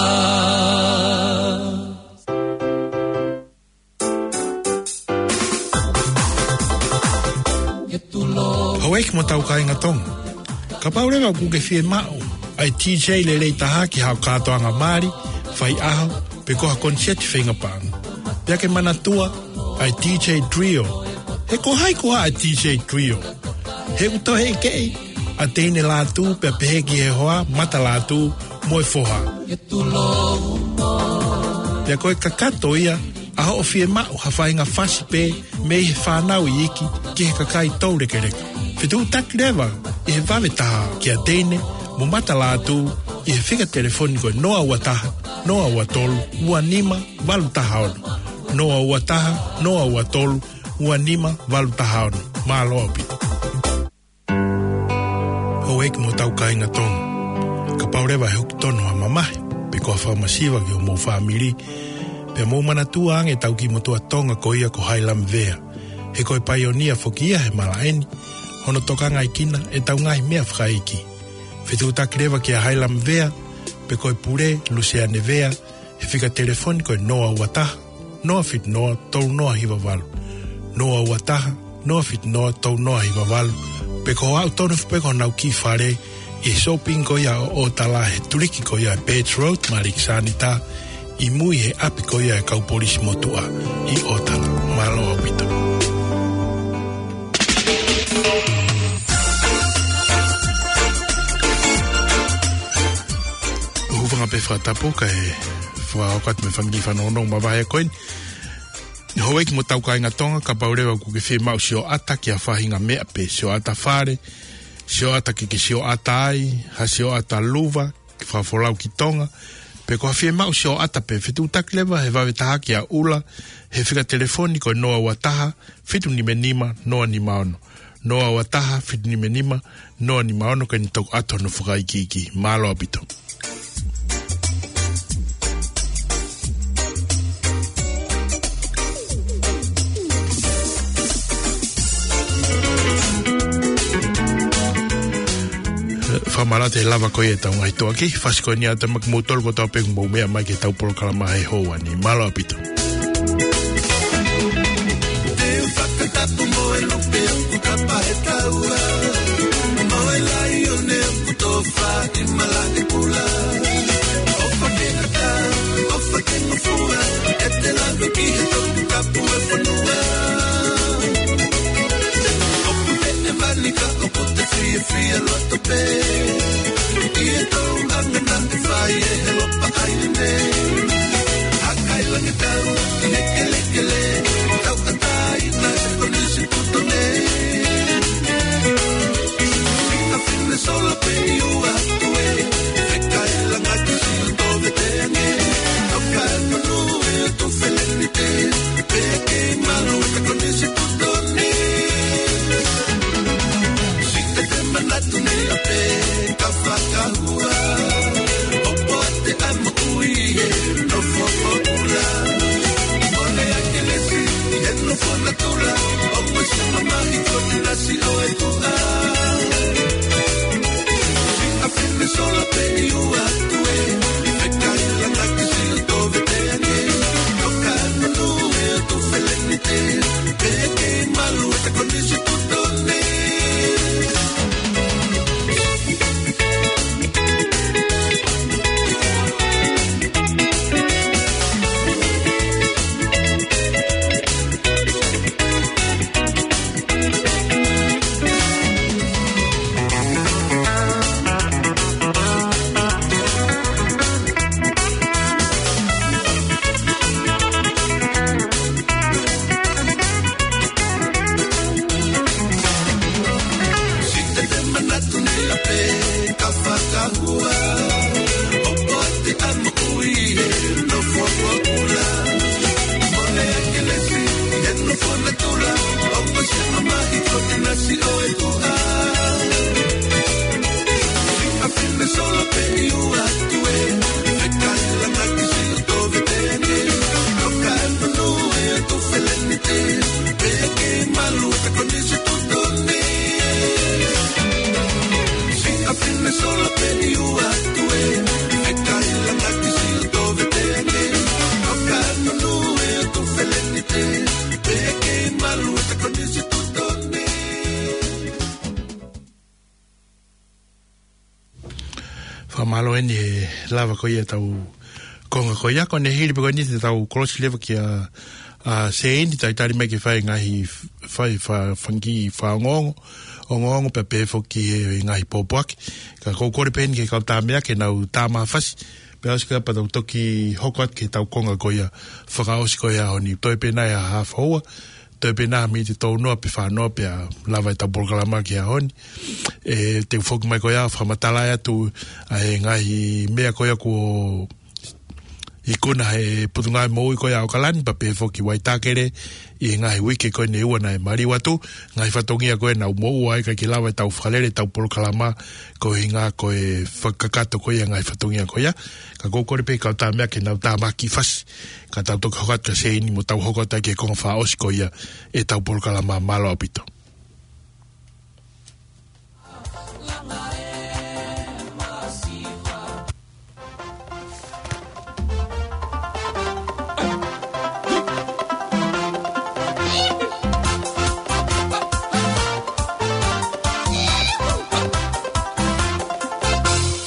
Houʻeiki mo hotau kāinga Tonga. Kapau leva ʻoku ke fiemaʻu ʻa e D J lelei taha ki haʻo kātoanga mali, faiʻaho, pe ko ha koniseti feinga paʻanga, pea ke manatua ʻa e D J Trio. He ko hai koā ʻa e D J Trio? He ʻoku toe ʻekeʻi ʻa Teine Lātū pea pehē ki he hoa, Mata Lātū mo e foha. Pea ko e kakato ia ʻa hoʻo fiemaʻu ha faʻahinga fasi pē mei he fānau iiki ki he kakai toulekeleka. Fetuʻutaki leva ʻi he vave taha kia Teine mo Mata Lātū ʻi he fika telefoni ko e noa ua taha, noa ua tolu, ua nima, valu taha ono. Noa ua taha, noa ua tolu, ua nima, valu taha ono. Mālō ʻaupito. Houʻeiki mo hotau kāinga Tonga. Kapau leva ʻe hoko tonu ha mamahi pe ko ha fakamasiva ki hoʻomou fāmili, pea mou manatua ange ʻetau kiʻi motuʻa Tonga ko ia ko Hailama Vea. He ko e paionia foki ia he malaʻe ni, hono tokangaʻi kinautolu ʻetau ngaahi meʻa fakaʻeiki. Fetuʻutaki leva kia Hailama Vea pe ko e pule, Luseane Vea, he fika telefoni ko e noa ua taha, noa fitu noa, tolu noa hiva valu. Noa ua taha, noa fitu noa, tolu noa hiva valu. Pe ko e aʻu tonu foki pē ki honau kiʻi fale ʻi he shopping ko ia ʻo ʻOtala, he tuliki ko ia ʻa e Birch Road mo Alexander, ʻi mui he ʻapi ko ia ʻa e kau polisi motuʻa ʻi ʻOtala. Mālō ʻaupito. Hūfanga pē fakatapu kae fakahoko atu mo e fanga kiʻi fanongonongo mavahe ko eni. Houʻeiki mo hotau kāinga Tonga, kapau leva ʻoku ke fiemaʻu sioʻata ki ha faʻahinga meʻa pē, sioʻata fale, sioʻata ke ke sioʻata ai, ha sioʻata luva, ke fakafolau ki Tonga, pe ko ha fiemaʻu sioʻata pē, fetuʻutaki leva he vave taha kia ʻUla, he fika telefoni ko e noa ua taha, fitu nima nima, noa nima ono. Noa ua taha, fitu nima nima, noa nima ono, ke ne toki ʻoatu hono fakaikiiki. Mālō ʻaupito. Fakamālō atu he lava ko ia ʻetau ngaahi toʻa ki he fasi ko eni, ʻoatu maʻa kimoutolu kotoa pē ʻoku mou meʻa mai ki heʻetau polokalama he houa ni. Mālō ʻaupito. Te u fakatapu mo e lupe ʻoku kapa he taua, mo e laione ʻoku tofa ʻi malaʻe kula. ʻOfa ke ngata, ʻofa ke ngofua, ʻete lave ki he Tongatapu ʻo e fonua. Fakamālō eni he lava ko ia ʻetau konga ko ia, ko ʻene hili pē ko eni te tau kolosi leva kia, ʻa, Seini, talitali mai ke fai e ngaahi f-, fai fa-, fanga kiʻi fakaongoongo, ongoongo pea pehē foki he ngaahi pōpoaki. Ka ʻoku ou kole pē eni ki he kau tāmeʻa ke nau tā mai ha fasi. Pea ʻosi ko ia pea tau toki hoko atu ki heʻetau konga ko ia fakaʻosi ko ia ʻo e ʻaho ni. Toe pē nai ha hafa houa, toe pē nai ha miniti ʻe tolu noa pe fā noa pea lava ʻetau polokalama ki he ʻaho ni. ʻE, te u foki mai ko ia ʻo fakamatalaʻi atu ʻa e ngaahi meʻa ko ia kuo ikuna ʻe he Potungāue Moʻui ko ia ʻo ʻAokalani pea pehē foki Waitakere ʻi he ngaahi uike ko eni ʻe ua naʻe maliu atu, ngaahi fatongia ko ē naʻa nau moʻua ai kae ʻikai ke lava ʻetau fakalele ʻetau polokalama ko e ʻuhinga ko e fakakakato ko ia e ngaahi fatongia ko ia. Ka ʻoku ou kole pē ki he kau tāmeʻa ke nau tā mai ha kiʻi fasi, ka tau toki hoko atu kia Seini mo tau hoko atu ai ki he konga fakaʻosi ko ia ʻetau polokalama. Mālō ʻaupito.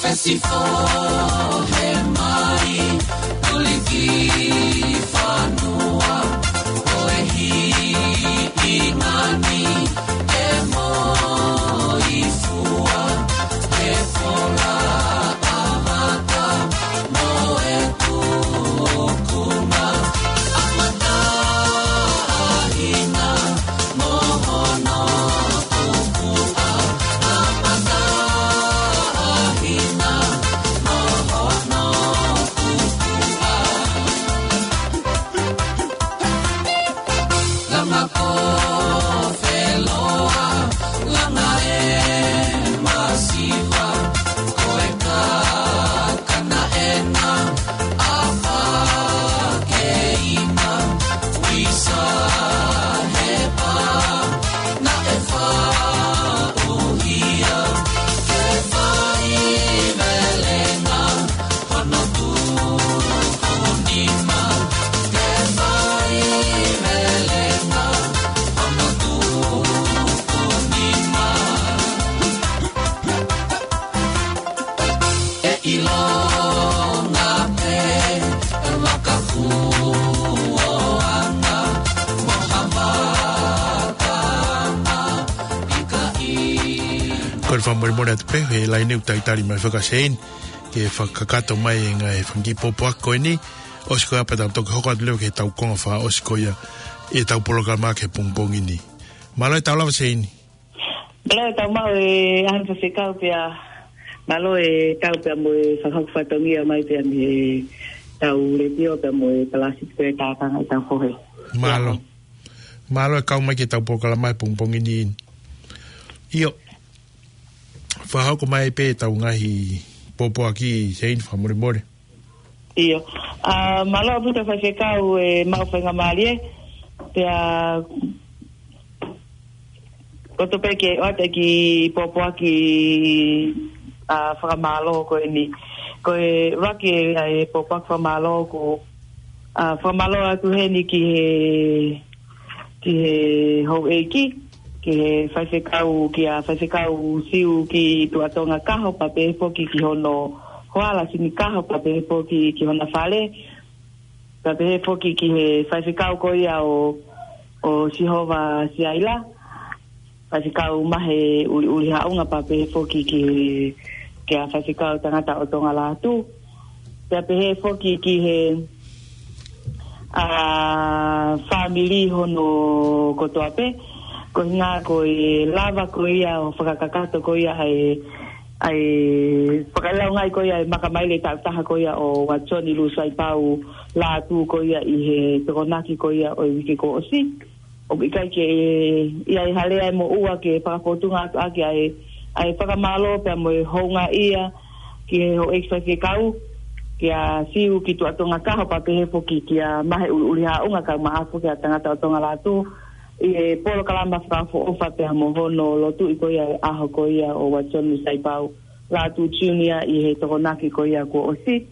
Fesi fō he mai, tuliki fanua, ko e hiʻi ngani, e moifua, e fola ʻavata, mo e tukunga, ʻa mata ʻa hina, mo hono tukuʻa, ʻa mata ʻa hina, mo hono tukuʻa. Langa ko feloa, langa e masiva, ko e kakana ena, ʻafa keina, uisa he pā, naʻe faʻuhia, ke fai melenga, hono tuku nima, ke fai melenga, hono tuku nima. ʻE ʻilonga pē, e vaka fuoanga, mo ha vaka ʻapi ka ʻi. Kole fakamolemole atu pē, he laine ʻoku talitali mai fakaseini, ke fakakakato mai e ngaahi fanga kiʻi pōpoaki ko eni, ʻosi ko ia pea tau toki hoko atu leva ki heʻetau konga fakaʻosi ko ia ʻetau polokalama ki he pongipongi ni. Mālō e tau lava Seini. Mālō e tau maʻu e ʻaho ni Faifekau pea mālō e tau pea mo e fakahoko fatongia mai pea mei heʻetau letiō pea mo e palasi pea tākanga ʻetau fohe. Mālō. Mālō e kau mai ki heʻetau polokalama he pongipongi ni. ʻIo. Fakahoko mai pē ʻetau ngaahi pōpoaki Seini fakamolemole. ʻIo. ʻA, mālō ʻaupito Faifekau e maʻu faingamālie. Pea koto pē ke ʻoatu e kiʻi pōpoaki, ʻa, fakamālō ko eni. Ko e ʻuluaki e, ʻa, e pōpoaki fakamālō ko, ʻa, fakamālō atu heni ki he ki he houʻeiki, ki he faifekau, kia Faifekau Siu ki Tuʻatonga Kaho, pea pehē foki ki hono hoa Lasini Kaho, pea pehē foki ki hona fale, pea pehē foki ki he faifekau ko ia ʻo, ʻo Sihova Siaila, Faifekau Mahe ʻUliʻuli Haʻunga, pea pehē foki ki he, kia Faifekau Tangata ʻo Tonga Lātū, pea pehē foki ki he, ʻa, fāmili hono kotoa pē, ko e ʻuhinga ko e lava ko ia ʻo fakakakato ko ia ʻa e, ʻa e fakalaungai ko ia e makamaile taʻu taha ko ia ʻo Uatoni Lūsaipau Lātū ko ia ʻi he Tokonaki ko ia ʻo e uike kuo ʻosi. ʻOku ʻikai ke ʻi ai ha lea ʻe moʻua ke fakafōtunga atu ʻaki ʻa e, ʻa e fakamālō pea mo e houngaʻia ki he houʻeiki faifekau, kia Siu ki Tuʻatonga Kaho, pea pehē foki kia Mahe ʻUliʻuli Haʻunga, kae ʻumaʻā foki ʻa Tangata ʻo Tonga Lātū, ʻi he polokalama fakaʻofoʻofa pea mo hono lotuʻi ko ia e ʻaho ko ia ʻo Uatoni Lūsaipau Lātū Junior ʻi he Tokonaki ko ia kuo ʻosi.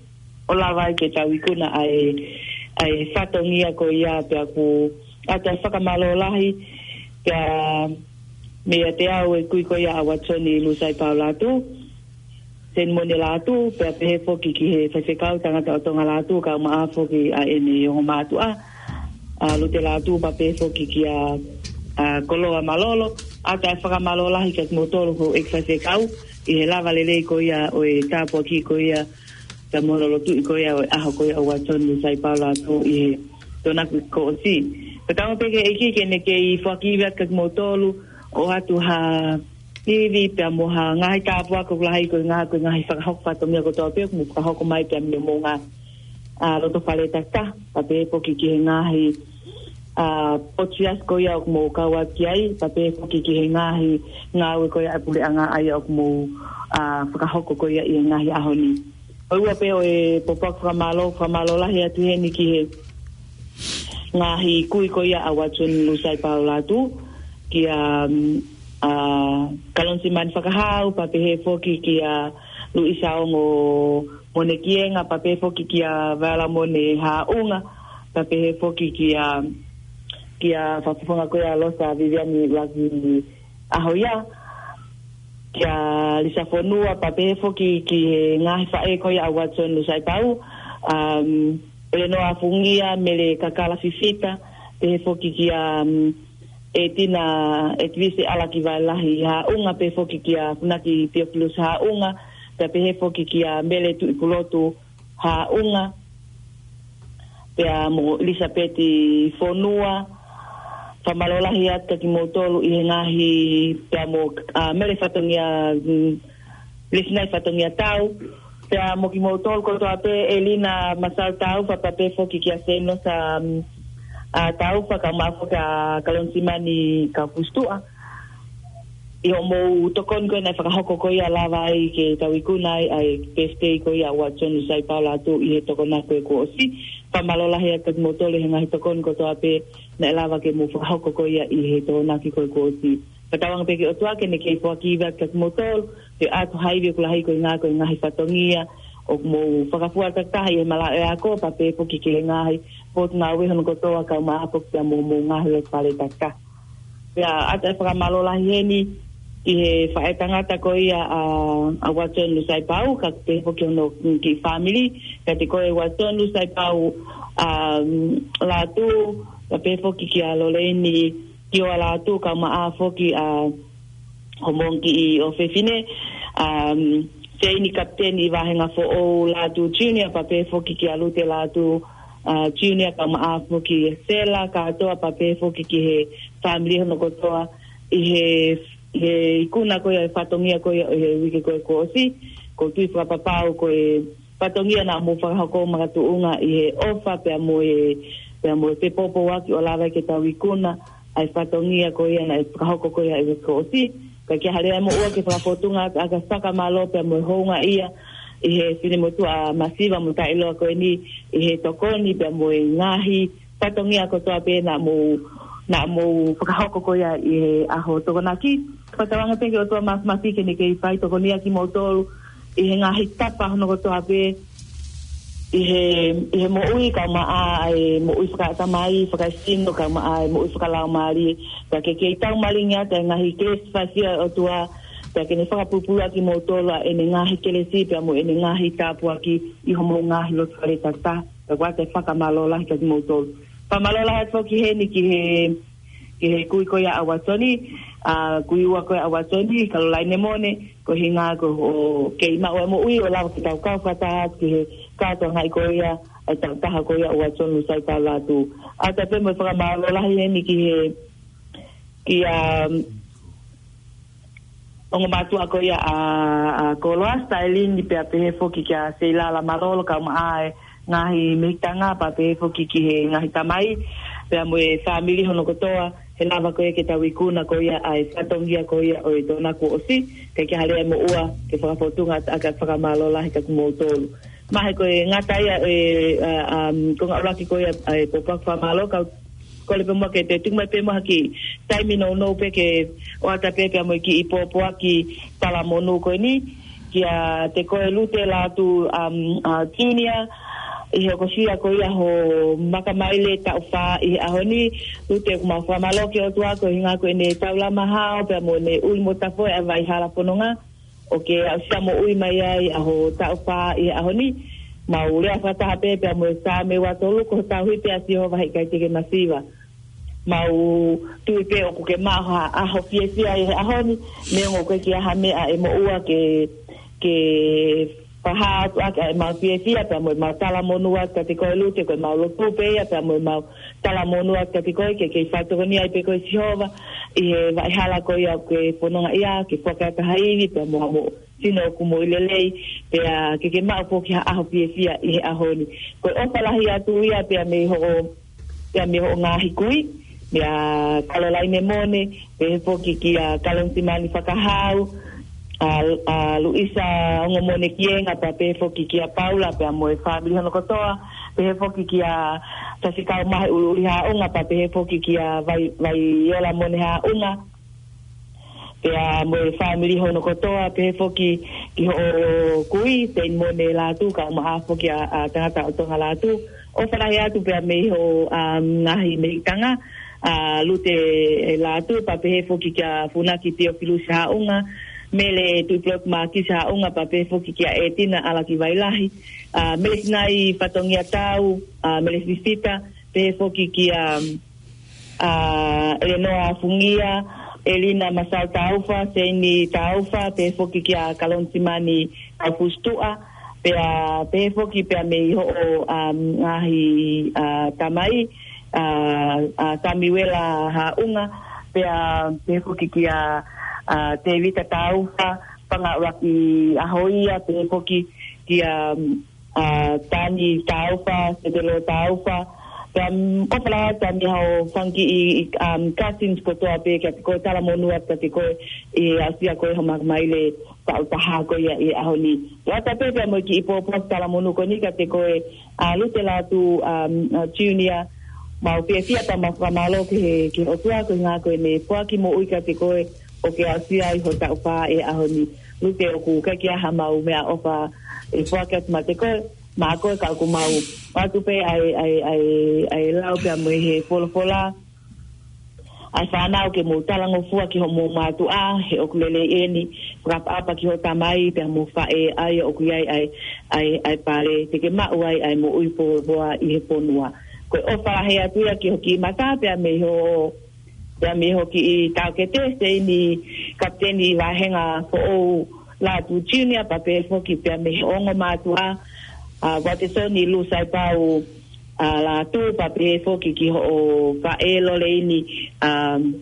ʻO lava ai ke tau ikuna ʻa e, ʻa e fatongia ko ia pea ʻoku ʻoatu e fakamālō lahi Pea meiate au e kui ko ia ʻa Watson Lusaipau Lātū, Senimone Lātū, pea pehē foki ki he faifekau tangata ʻo Tonga Lātū, kaeʻumaʻā foki ʻa ʻene ongo mātuʻa, ʻa Lute Lātū, pea pehē foki kia, ʻa Koloa Malolo. ʻOatu e fakamālō lahi kiate kimoutolu houʻeiki faifekau ʻi he lava lelei ko ia ʻo e tāpuaki ko ia, pea mo e lotu ko ia ʻo e ʻaho ko ia ʻo Watson Lusaipau Lātū ʻi he Tokonaki kuo ʻosi. Pea tau pehē ki he ʻEiki ke ne kei foaki ivi atu kiate kimoutolu, ʻoatu ha ivi pea mo ha ngaahi tāpuaki ʻoku lahi ko e ngaahi, ko e ngaahi fakahoko fatongia kotoa pē ʻoku mou fakahoko mai pea mei homou ngaahi, ʻa, loto fale takitaha, pea pehē foki ki he ngaahi, ʻa, potu siasi ko ia ʻoku mou kau atu ki ai, pea pehē foki ki he ngaahi ngāue ko ia ʻa e puleʻanga ʻa ia ʻoku mou, ʻa, fakahoko ko ia ʻi he ngaahi ʻaho ni. ʻOua pē ʻo e pōpoaki fakamālō, fakamālō lahi atu heni ki he ngaahi kui ko ia ʻa Watson Lusaipau Lātū, kia, mm, ʻa, Kalonsimani Fakahau, pea pehē foki kia Luisa Ongo Monekienga, pea pehē foki kia Valamone Haʻunga, pea pehē foki kia, kia Fakafofonga ko ia Losa Viviani Laki ʻAhoia, kia Lisa Fonua, pea pehē foki ki he ngaahi faʻē ko ia ʻa Watson Lusaipau, um, ʻElenoa Fungia, Mele Kakala Fifita, pehē foki kia, um, ʻEtina, ʻEtivise ʻAlakivaelahi Haʻunga, pehē foki kia Funaki Teofilus Haʻunga, pea pehē foki kia Mele Tuʻipulotu Haʻunga, pea mo Elisapeti Fonua. Fakamālō lahi atu kiate kimoutolu ʻi he ngaahi, pea mo, ʻa, Mele Fatongia, mm, Lisinai Fatongia Tau, pea mo kimoutolu kotoa pē, ʻElina Masau Tau, pea pehē foki kia Senosa, mm, ʻa, Tau, pea kaeʻumaʻā foki ʻa Kalonsimani Kaufusi Tuʻa. ʻI hoʻomou tokoni ko ē naʻe fakahoko ko ia lava ai ke tau ikuna ai ʻa e birthday ko ia ʻa Watson Lusaipau Lātū ʻi he Tokonaki ko ē kuo ʻosi. Fakamālō lahi atu kiate kimoutolu he ngaahi tokoni kotoa pē naʻe lava ke mou fakahoko ko ia ʻi he Tokonaki ko ē kuo ʻosi. Fakatauange pē ki he ʻOtua ke ne kei foaki ivi atu kiate kimoutolu, pea ʻoatu ha ivi ʻoku lahi ko e ngaahi, ko e ngaahi fatongia ʻoku mou fakafua takitaha ʻi he malaʻe ako, pea pehē foki ki he ngaahi potungāue hono kotoa kaeʻumaʻā foki pea mo homou ngaahi loto fale takitaha. Pea ʻoatu e fakamālō lahi heni ki he faʻē tangata ko ia ʻa, ʻa Watson Lusaipau, kae pehē foki hono kiʻi fāmili, kiate koe Watson Lusaipau, um, Lātū, pea pehē foki kia Loleini Kioa Lātū, kaeʻumaʻā foki ʻa homou kiʻi ʻofefine, um, Seini Kapiteni ʻi Vāhenga Foʻou Lātū Junior, pea pehē foki kia Lute Lātū, ʻa, Junior, kaeʻumaʻā foki Sela, kātoa, pea pehē foki ki he fāmili hono kotoa ʻi he, he ikuna ko ia e fatongia ko ia ʻi he uike ko ē kuo ʻosi. ʻOku ou tui fakapapau ko e fatongia naʻa mou fakahoko makatuʻunga ʻi he ʻofa pea mo e, pea mo e fepōpōaki ʻo lava ke tau ikuna ʻa e fatongia ko ia naʻe fakahoko ko ia ʻi he uike kuo ʻosi. Kae kehe, haleʻi muʻa ke fakafōtunga atu ʻa e fakamālō pea mo e houngaʻia ʻi he finemotuʻa masiva mo taʻeʻiloa ko eni ʻi he tokoni pea mo e ngaahi fatongia kotoa pē naʻa mou, naʻa mou fakahoko ko ia ʻi he ʻaho Tokonaki. Fakatauange pē ki he ʻOtua Māfimafi ke ne kei fai tokonia kimoutolu ʻi he ngaahi tapa hono kotoa pē ʻi he, ʻi he moʻui kaeʻumaʻā e moʻui fakaʻatamai, fakaesino, kaeʻumaʻā e moʻui fakalaumālie. Pea ke kei taumalingi atu e ngaahi kelesi fakafiefia ʻa e ʻOtua, pea ke ne fakapulupulu ʻa kimoutolu ʻa ʻene ngaahi kelesi pea mo ʻene ngaahi tāpuaki ʻi homou ngaahi loto fale takitaha. Pea ʻoatu e fakamālō lahi kiate kimoutolu. Fakamālō lahi atu foki heni ki he, ki he kui ko ia ʻa Watson, ʻa, kui ua ko ia ʻa Watson, Kalolaine Mone, ko e ʻuhinga ko hoʻo kei maʻu e moʻui ʻo lava ke tau kau fakataha atu ki he kātoangaʻi ko ia e takitaha ko ia ʻa Watson Lusaipau Lātū. ʻOatu pē mo e fakamālō lahi heni ki he, kia, um, ongo mātuʻa ko ia ʻa, ʻa Koloa, Stailini, pea pehē foki kia Seilala Malolo, kaeʻumaʻā e ngaahi mehikitanga, pea pehē foki ki he ngaahi tamai, pea mo e fāmili hono kotoa, he lava ko ia ke tau ikuna ko ia ʻa e fatongia ko ia ʻo e Tokonaki kuo ʻosi. Kae kehe, haleʻi muʻa ke fakafōtunga atu ʻa e fakamālō lahi kiate kimoutolu. Mahalo ko e ngata ia e, ʻa, ʻa, um, konga ʻuluaki ko ia ʻa e pōpoaki fakamālō, kau kole pē muʻa ke te tuku mai pē muʻa ha kiʻi taimi nounou pē ke ʻoatu pē pea mo e kiʻi pōpoaki talamonū ko eni, kiate koe Lute Lātū, um, ʻa, Junior, ʻi he hokosia ko ia ho makamaile taʻu fā ʻi he ʻaho ni. Lute ʻoku mau fakamālō ki he ʻOtua ko e ʻuhinga ko ʻene taulama hao pea mo ʻene ʻuli mo tafoʻi ʻa e vai hala fononga ʻoku ke aʻusia moʻui mai ai ʻa ho taʻu fā ʻi he ʻaho ni. Mau lea fakataha pē pea mo e Saame ua tolu, ko ho tauhi pē ʻa Sihova heʻikai te ke masiva. Mau tui pē ʻoku ke maʻu ha ʻaho fiefia ʻi he ʻaho ni, neongo ʻoku ʻikai ke ʻi ai ha meʻa ʻe moʻua ke, ke fakahā atu ʻaki ʻa ʻemau fiefia pea mo ʻemau talamonū atu kiate koe. Lute ko ʻemau lotu pē ia pea mo ʻemau talamonū atu kiate koe ke ke faitokoni ai pē koe Sihova ʻi he vai hala ko ia ʻoku ke fononga ai, ke foaki atu ha ivi pea mo ha moʻui sino ʻoku moʻui lelei, pea ke ke maʻu foki ha ʻaho fiefia ʻi he ʻaho ni. Ko e ʻofa lahi atu ia pea mei hoʻo, pea mei hoʻo ngaahi kui, meia Kalolaine Mone, pehē foki kia Kalonisimani Fakahau, ʻa, ʻa Luisa Ongomone Kienga, pea pehē foki kia Paula pea mo e fāmili hono kotoa, pehē foki kia Tasikau Mahe ʻUluʻuli Haʻunga, pea pehē foki kia Vai, Vaiola Mone Haʻunga, pea mo e fāmili hono kotoa, pehē foki ki hoʻo kui Seini Mone Lātū, kae ʻumaʻā foki ʻa, ʻa Tangata ʻo Tonga Lātū. ʻOfa lahi atu pea mei hoʻo, um, ngaahi mehikitanga, ʻa Lute Lātū, pea pehē foki kia Funaki Tiofilusi Haʻunga, Mele Tuʻipulotu Mākisi Haʻunga, pea pehē foki kia ʻEtina ʻAlaki Vailahi, ʻa Mele Sinai Fatongia Tau, ʻa Mele Fifita, pehē foki kia, um, ʻa ʻElenoa Fungia, ʻElina Masau Taufa, Seini Taufa, pehē foki kia Kalonisimani Taufusi Tuʻa, pea pehē foki pea mei hoʻo, um, ngaahi, ʻa, tamai, ʻa, ʻa Samiuela Haʻunga, pea pehē foki kia, ʻa, Tēvita Taufa, Pangaʻulaki ʻAhoia, pehē foki kia, um, ʻa Tani Taufa, Setelo Taufa. Pea, um, ʻofa lahi atu mei hoʻo fanga kiʻi, um, cousins kotoa pē kiate koe, talamonū atu kiate koe ʻi he aʻusia ko ē ho makamaile taʻu taha ko ia ʻi he ʻaho ni. Lata pē pea mo e kiʻi pōpoaki talamonū ko eni kiate koe, ʻa Lute Lātū, um, ʻa Junior, mau fiefia pea mau fakamālō ki he, ki he ʻOtua ko e ʻuhinga ko ʻene foaki moʻui kiate koe ʻoku ke aʻusia ai ho taʻu fā ʻi he ʻaho ni. Lute, ʻoku ʻikai ke ʻi ai haʻamau meʻaʻofa ʻe foaki atu maʻa koe, maʻa koe, ka ʻoku mau ʻoatu pē ʻa e, ʻa e, ʻa e, ʻa e lau pea mo e he folofola, ʻa e fānau ke mou talangofua ki hoʻomou mātuʻa, he ʻoku lelei ʻeni, fakaʻapaʻapa ki hoʻo tamai pea mo e faʻē, ʻa ia ʻoku ʻi ai ʻa e, ʻa e, ʻa e pale te ke maʻu ai ʻa e moʻui pōpoaki ʻi he fonua. Ko e ʻofa lahi atu ia ki ho kiʻi mata pea mei ho, pea mei ho kiʻi taʻokete, Seini Kapiteni Vāhenga Foʻou Lātū Junior, pea pehē foki pea mei he ongo mātuʻa, ʻa Uatesoni Lūsaipau, ʻa Lātū, pea pehē foki ki hoʻo faʻē Loleini, ʻa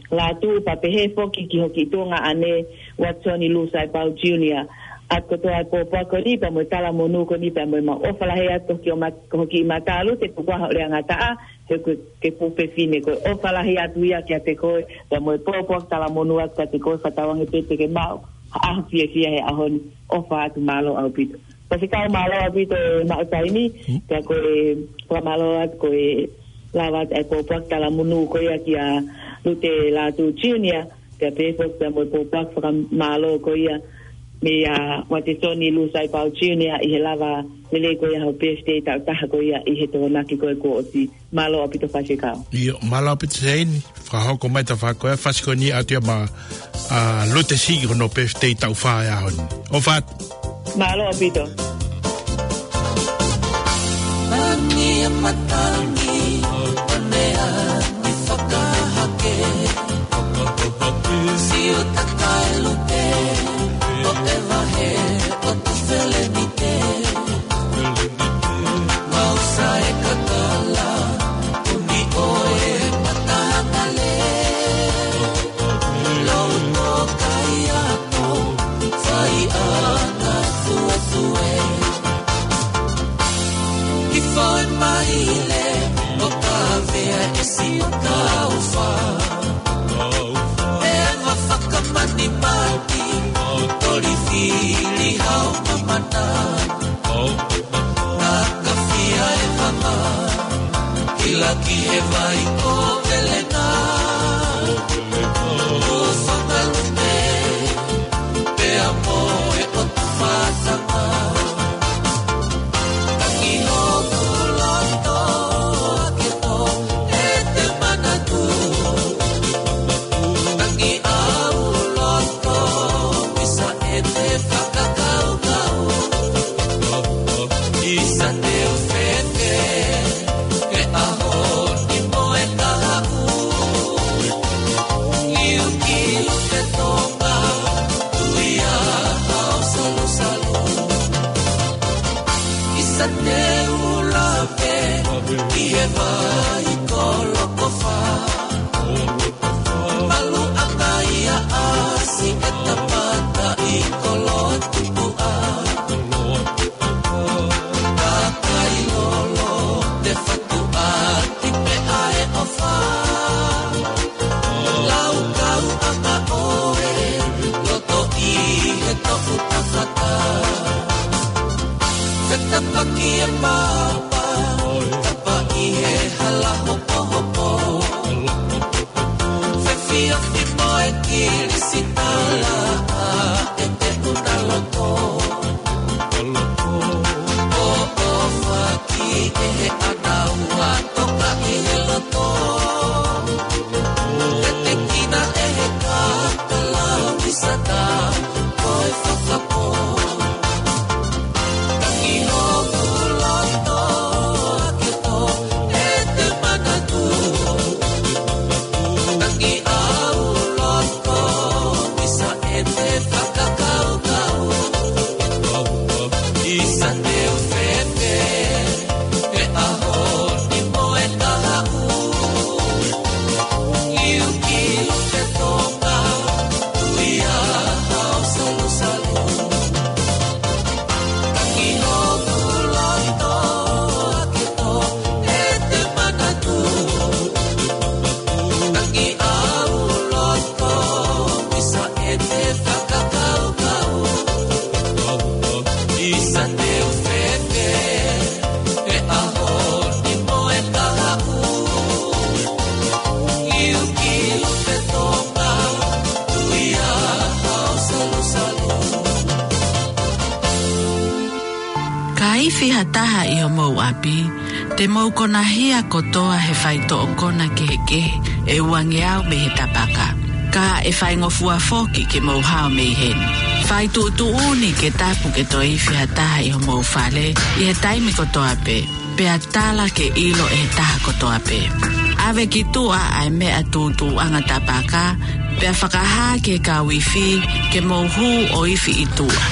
Lātū, pea pehē foki ki ho kiʻi tuongaʻane Uatesoni Lūsaipau Junior. ʻA e kotoa e pōpoaki ko eni pea mo e talamonū ko eni pea mo e mau ʻofa lahi atu ki hoʻo mat-, ki ho kiʻi mata, Lute, tuku ā hoʻo lea ngataʻa, he ʻoku ke fuʻu fefine. Ko e ʻofa lahi atu ia kiate koe, pea mo e pōpoaki talamonū atu kiate koe, fakatauange pē te ke maʻu ha ʻaho fiefia he ʻaho ni. ʻOfa atu, mālō ʻaupito. Faifekau, mālō ʻaupito e maʻu taimi, pea ko e fakamālō atu ko e lava atu e pōpoaki talamonū ko ia kia Lute Lātū Junior, pea pehē foki pea mo e pōpoaki fakamālō ko ia meia Uatesoni Lūsaipau Junior ʻi he lava lelei ko ia hoʻo birthday taʻu taha ko ia ʻi he Tokonaki ko ē kuo ʻosi. Mālō ʻaupito, faifekau. ʻIo, mālō ʻaupito Seini, fakahoko mai ta fā ko e fasi ko eni ʻoatu ia maʻa, ʻa Lute Siki, ko hono birthday taʻu fā he ʻaho ni. ʻOfa atu. Mālō ʻaupito. Mani e matangi, o nea ni fakahake. Siu takai Lute, o e vahe, o tu felenite. Mau sa e kakala, uni ʻo e matangale. Lou no kai ato, fai ana fuefue. Ki foe maile, ʻo kavea e siʻo kaufa. E ava fakamanimani, toli fili hau mamana. Naka fia e vama, kila ki he vai ko Velena. Ko Fakalupe, pea mo e ʻotu fatanga. Tangi hoku Kilisitala ʻa e te una loto. ʻOfa ki he ʻanau ʻa toka ʻi he loto. Te te kina ʻe he kakala ʻi sata ko e fakapō. Tangi hoku loto ake to e te manatu. Tangi au loto ʻi sa e te fakakaukau. ʻI sa te u fefe he ʻaho ni mo e kahaʻu. Iu ki Luke Tonga, ui a hao salusalu. Tangi hoku loto ake to e te manatu. Tangi au loto ʻi sa e te fakakaukau. ʻI sa te u fefe he ʻaho ni mo e kahaʻu. Iu ki Luke Tonga, ui a hao salusalu. Ka ifi ha taha ʻi homou ʻapi, te mou konahia kotoa he faitoʻo kona kehekehe ʻe uangeau mei he tapaka. Ka ʻe faingofua foki ke mou hao mei heni. Fai tuʻutuʻuni ke tapu ke toe ifi ha taha ʻi homou fale ʻi he taimi kotoa pē, pea tala ke ʻilo ʻe he taha kotoa pē. ʻAve ki tuʻa ʻa e meʻa tūtuuʻanga tapaka, pea fakahā ki he kau ifi ke mou hū ʻo ifi ʻi tuʻa.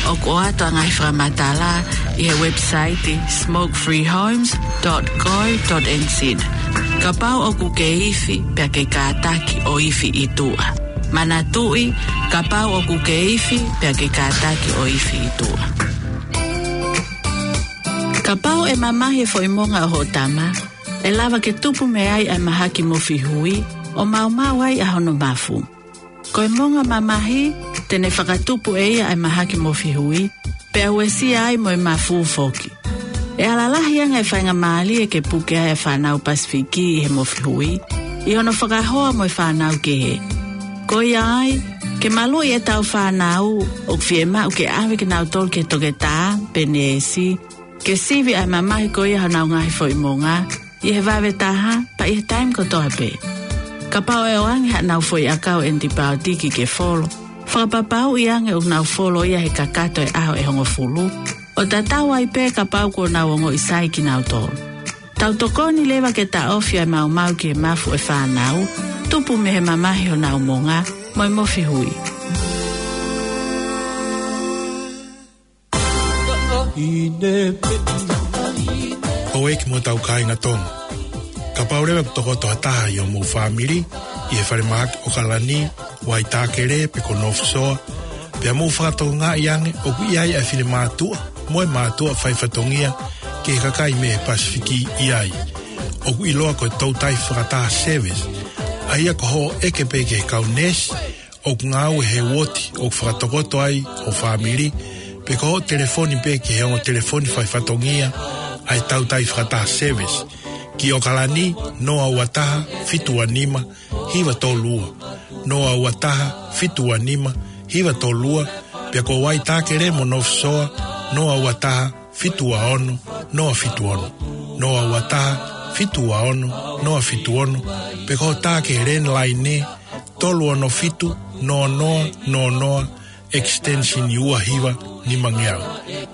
ʻOku ʻoatu ʻa e ngaahi fakamatala ʻi he website smoke free homes dot co dot N Z. Kapau ʻoku ke ifi pea ke kātaki ʻo ifi ʻi tuʻa. Manatuʻi, kapau ʻoku ke ifi pea ke kātaki ʻo ifi ʻi tuʻa. Kapau ʻe mamahi e foʻi monga ʻo hoʻo tama, ʻe lava ke tupu mei ai ʻa e mahaki mofi hui, ʻo maumau ai ʻa hono mafu. Ko e monga mamahi, te ne fakatupu ʻe ia ʻa e mahaki mofi hui, pea uesia ai mo e mafu foki. ʻE ala lahi ange e faingamālie ke puke ai ʻa e fānau Pasifiki ʻi he mofi hui, ʻi hono fakahoa mo e fānau kehe. Ko ia ai, ke maluʻi ʻetau fānau, ʻoku fiemaʻu ke ʻave kinautolu ki he toketā pe neesi, ke sivi ʻa e mamahi ko ia honau ngaahi foʻi monga, ʻi he vave taha, pea ʻi he taimi kotoa pē. Kapau ʻe ʻoange haʻanau foʻi ʻakau ʻenipaotiki ke folo, fakapapauʻi ange ʻoku nau folo ia he kakato e ʻaho ʻe hongofulu, ʻo tatau ai pē kapau kuo nau ongoʻi sai kinautolu. Tau tokoni leva ke taʻofi ʻa e maumau ki he mafu ʻo e fānau, tupu mei he mamahi honau monga, mo e mofi hui. Houʻeiki mo hotau kāinga Tonga. Kapau leva ʻoku tokoto ha taha ʻi homou fāmili, ʻi he falemahaki ʻOkalani, Waitākele pe ko North Shore, pea mou fakatokangaʻi ange ʻoku ʻi ai ʻa e finemātuʻa mo e mātuʻa faifatongia ki he kakai mei he Pasifiki ʻi ai. ʻOku ʻiloa ko e toutai fakataha service, ʻa ia ko hoʻo ʻeke pē ki he kau neesi ʻoku ngāue he uooti ʻoku fakatokoto ai ho fāmili, pe ko hoʻo telefoni pē ki he ongo telefoni faifatongia ʻa e toutai fakataha service, ki ʻOkalani, noa ua taha, fitu ua nima, hiva tolu ua, noa ua taha, fitu ua nima, hiva tolu ua, pea ko Waitākele mo North Shore, noa ua taha, fitu ua ono, noa fitu ono, noa ua taha, fitu ua ono, noa fitu ono, pe ko hoʻo tā ki he landline, tolu ono fitu, noa noa noa noa, extension ua hiva nimangeau.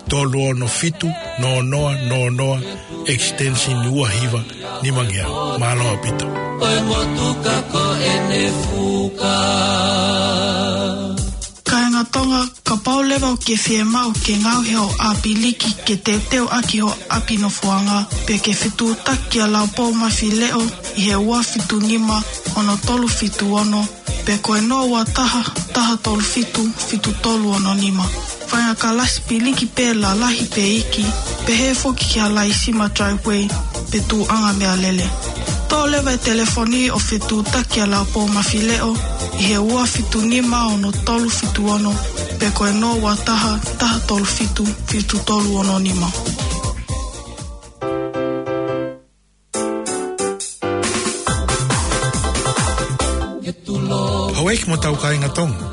Tolu ono fitu, noa noa noa noa, extension ua hiva nimangeau. Mālō ʻaupito. Ko e motuka ko ʻene fuka. Kāinga Tonga, kapau leva ʻoku ke fiemaʻu ke ngaohi hoʻo ʻapiliki ke teuteu ʻaki hoʻo ʻapi nofoʻanga, pe ke fetuʻutaki kia Laupou Mafileʻo ʻi he ua fitu nima, ono tolu fitu ono, pe ko e noa ua taha, taha tolu fitu, fitu tolu ono nima. Faʻahinga kalasi piliki pē lalahi pe iiki, pehē foki ki ha laisima driveway pe tuʻuʻanga meʻalele. Toʻo leva e telefoni ʻo fetuʻutaki kia Laupou Mafileʻo ʻi he ua fitu nima, ono tolu fitu ono, pe ko e noa ua taha, taha tolu fitu, fitu tolu ono nima. He tulo Houʻeiki mo hotau kāinga Tonga.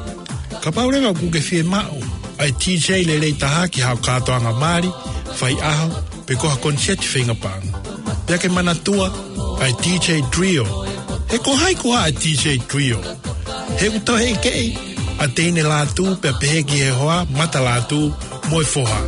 Kapau leva ʻoku ke fiemaʻu ʻa e D J lelei taha ki haʻo kātoanga mali, faiʻaho, pe ko ha koniseti feinga paʻanga, pea ke manatua ʻa e D J Trio. He ko hai koā ʻa e D J Trio? He ʻoku toe ʻekeʻi ʻa Teine Lātū pea pehē ki he hoa Mata Lātū mo e foha.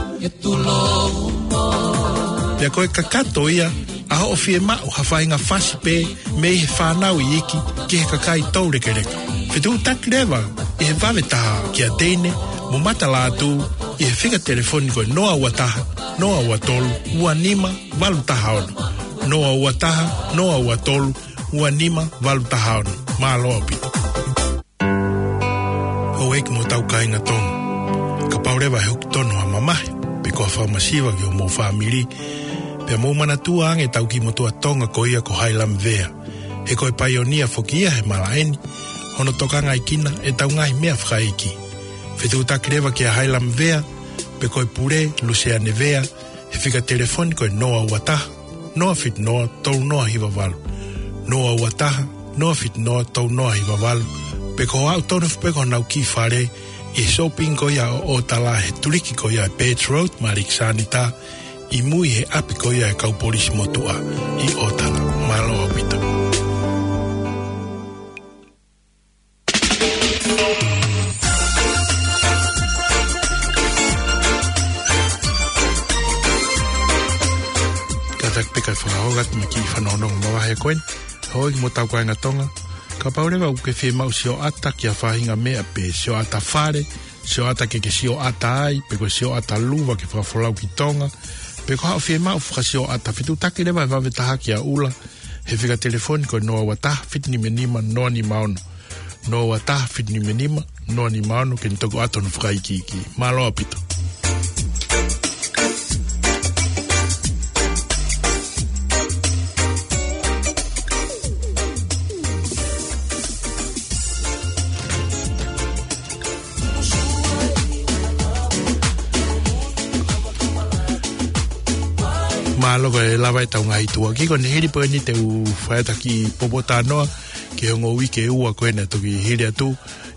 Pea ko e kakato ia ʻa hoʻo fiemaʻu ha faʻahinga fasi pē mei he fānau iiki ki he kakai toulekeleka. Fetuʻutaki leva ʻi he vave taha kia Teine mo Mata Lātū ʻi he fika telefoni ko e noa ua taha, noa ua tolu, ua nima, valu taha ono. Noa ua taha, noa ua tolu, ua nima, valu taha ono. Mālō ʻaupito. Houʻeiki mo hotau kāinga Tonga. Kapau leva ʻe huki tonu ha mamahi, pe ko ha fakamasiva ki homou fāmili, pea mou manatua ange ʻetau kiʻi motuʻa Tonga ko ia ko Hailamvea. He ko e paionia foki ia he malaʻe ni, hono tokangaʻi kinautolu ʻetau ngaahi meʻa fakaʻeiki. Fetuʻutaki leva kia Hailamvea, pe ko e pule, Luseane Vea, he fika telefoni ko e noa ua taha, noa fitu noa, tolu noa hiva valu. Noa ua taha, noa fitu noa, tolu noa hiva valu. Pe ko e aʻu tonu foki pē ki honau kiʻi fale ʻi he shopping ko ia ʻo ʻOtala he tuliki ko ia ʻa e Birch Road, Malik Sanita, ʻi mui he ʻapi ko ia ʻa e kau polisi motuʻa ʻi ʻOtala. Mālō ʻaupito. Kātaki pē kae fakahoa atu mo e kiʻi fanongonongo mavahe ko eni. Houʻeiki mo hotau kāinga Tonga. Kapau leva ʻoku ke fiemaʻu sioʻata ki ha faʻahinga meʻa pē, sioʻata fale, sioʻata ke ke sioʻata ai, pe ko e sioʻata luva ke fakafolau ki Tonga, pe ko haʻo fiemaʻu fakasioʻata, fetuʻutaki leva he vave taha kia ʻUla, he fika telefoni ko e noa ua taha, fitu nima nima, noa nima ono. Noa ua taha, fitu nima nima, noa nima ono, ke ne toki ʻoatu hono fakaikiiki. Mālō ʻaupito. Mālō, ko e lava ʻetau ngaahi tuʻa. Kiʻi ko eni hili pē eni te u fai atu ha kiʻi popo talanoa ki he ongo uike ʻe ua ko ena toki hili atu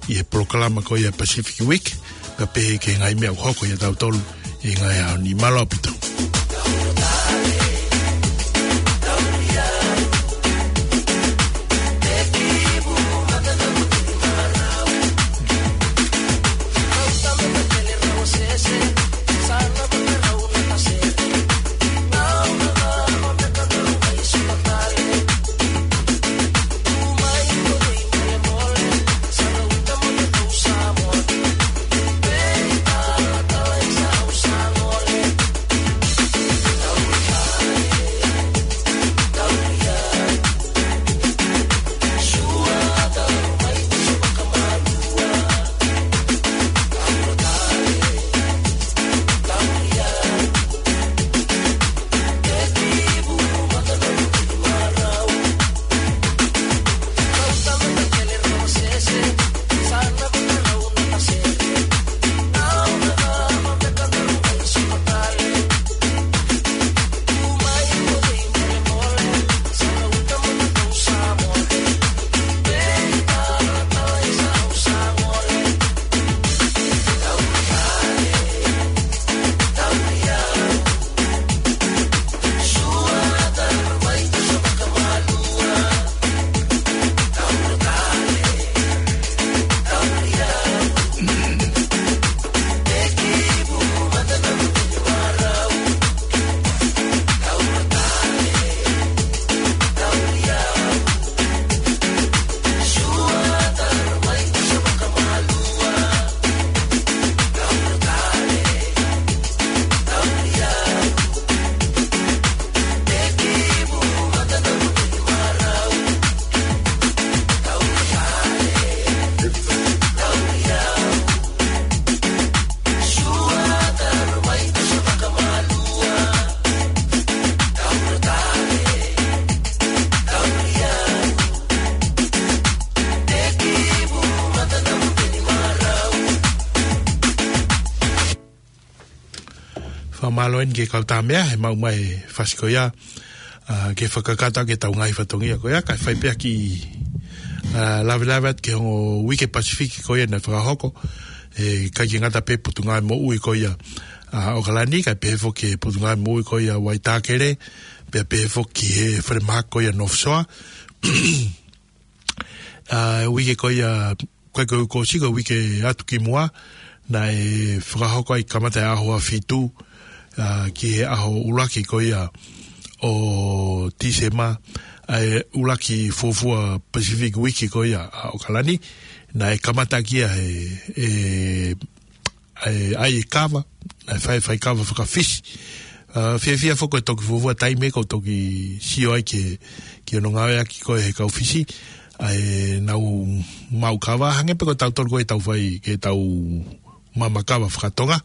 ʻi he polokalama ko ia Pacific Week, kae pehē ki he ngaahi meʻa ʻoku hoko ʻia tautolu ʻi he ngaahi ʻaho ni. Mālō ʻaupito. Fakamālō eni ki he kau Tāmea he maʻu mai e fasi ko ia, ā, ke fakakakato ki heʻetau ngaahi fatongia ko ia, kae fai pē ha kiʻi ʻa, lavelave atu ki he ongo uike Pasifiki ko ia naʻe fakahoko, ʻe, ʻikai ke ngata pē Potungāue Moʻui ko ia ʻa ʻAokalani, kae pehē foki ki he Potungāue Moʻui ko ia Waitākere, pea pehē foki ki he falemahaki ko ia North Shore. ʻA, uike ko ia, ko e, ko e, ko e siʻi uike atu ki muʻa, naʻe fakahoko ai kamata he ʻaho ua fitu, ʻa, ki he ʻaho ʻuluaki ko ia ʻo Tīsema, ʻa e ʻuluaki fuofua Pacific Week ko ia ʻa ʻAokalani, naʻe kamata ki ai ʻa e, ʻa e, ʻa e kava, ʻa e fai, fai kava faka-Fisi. ʻA, fiefia foki ko e toki fuofua taimi ʻoku ou toki sio ai ki, ki hono ngāueʻaki ko ē ʻe he kau Fisi, ʻa ʻenau maʻu kava, hangē pē ko tautolu ko ē ʻoku tau fai, ke tau maʻu kava faka-Tonga.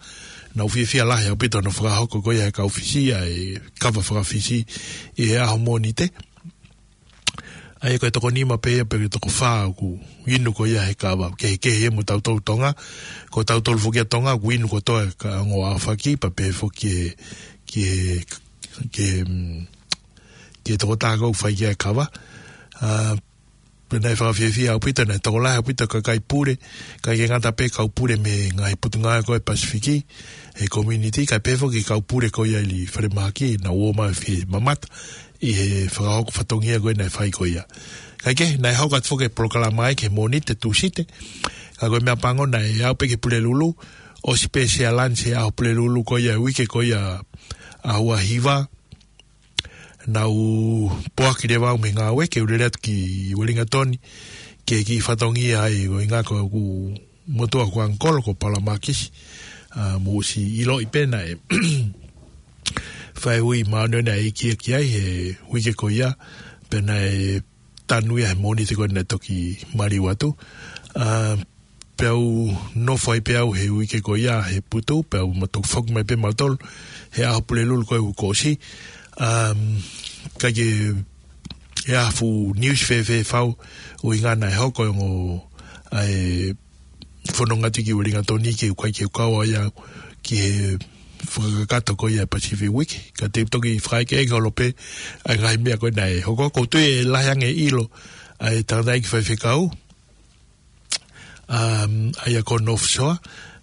Naʻa ku fiefia lahi ʻaupito hono fakahoko ko ia ʻe he kau Fisi ʻa e kava faka-Fisi ʻi he ʻaho Mōnite. ʻA ia ko e toko nima pē ia pe ko e toko fā ʻoku inu ko ia he kava. Kehekehe ia mo tautolu Tonga. Ko tautolu foki ʻa Tonga, ʻoku inu kotoa he ongo ʻaho faki, pea pehē foki ki he, ki he, ki he, mm, ki he tokotaha ʻoku fai ki ai e kava. ʻA, pea naʻe fakafiefia ʻaupito, naʻe tokolahi ʻaupito e kakai pule, ʻikai ke ngata pē kau pule mei he ngaahi potungāue ko ē Pasifiki, he community, kae pehē foki ki he kau pule ko ia ʻi falemahaki, naʻa nau ō mai ʻo fie mamata ʻi he fakahoko fatongia ko ē naʻe fai ko ia. Kae kehe, naʻe hoko atu foki e polokalama ia ki he Mōnite, Tūsite, ka ko e meʻapango naʻe aʻu pē ki he Pulelulu, ʻosi pē Sea Lunch he ʻaho Pulelulu ko ia, uike ko ia ʻaho ua hiva, naʻa ku poaki leva au mei he ngāue ke u lele atu ki Uelingatoni, ke kiʻi fatongia ai, ko e ʻuhinga ko ʻeku motuʻa ko Uncle ko Paula Makisi, ʻa, mou ʻosi ʻiloʻi pē naʻe fai e ui māʻoniʻoni ʻa e ʻEiki ia ki ai he uike ko ia, pea naʻe tanu ia he Mōnite ko ē naʻe toki maliu atu. ʻA, pea u nofo ai pē au he uike ko ia he putu, pea u matu foki mai pē mautolu he ʻaho Pulelulu ko ē kuo ʻosi. Um, ʻikai ke ʻi ai ha fuʻu news fēfē fau, ʻuhinga naʻe hoko e ongo, ʻa e fononga atu ki Uelingatoni ke u ʻikai ke u kau ai au ki he fakakakato ko ia Pacific Week. Ka te u toki fakaʻekeʻeke holo pē ʻa e ngaahi meʻa ko ē naʻe hoko, ʻoku ou tui ʻe lahi ange e ʻilo ʻa e tangataʻeiki faifekau, um, ʻa ia ko North Shore,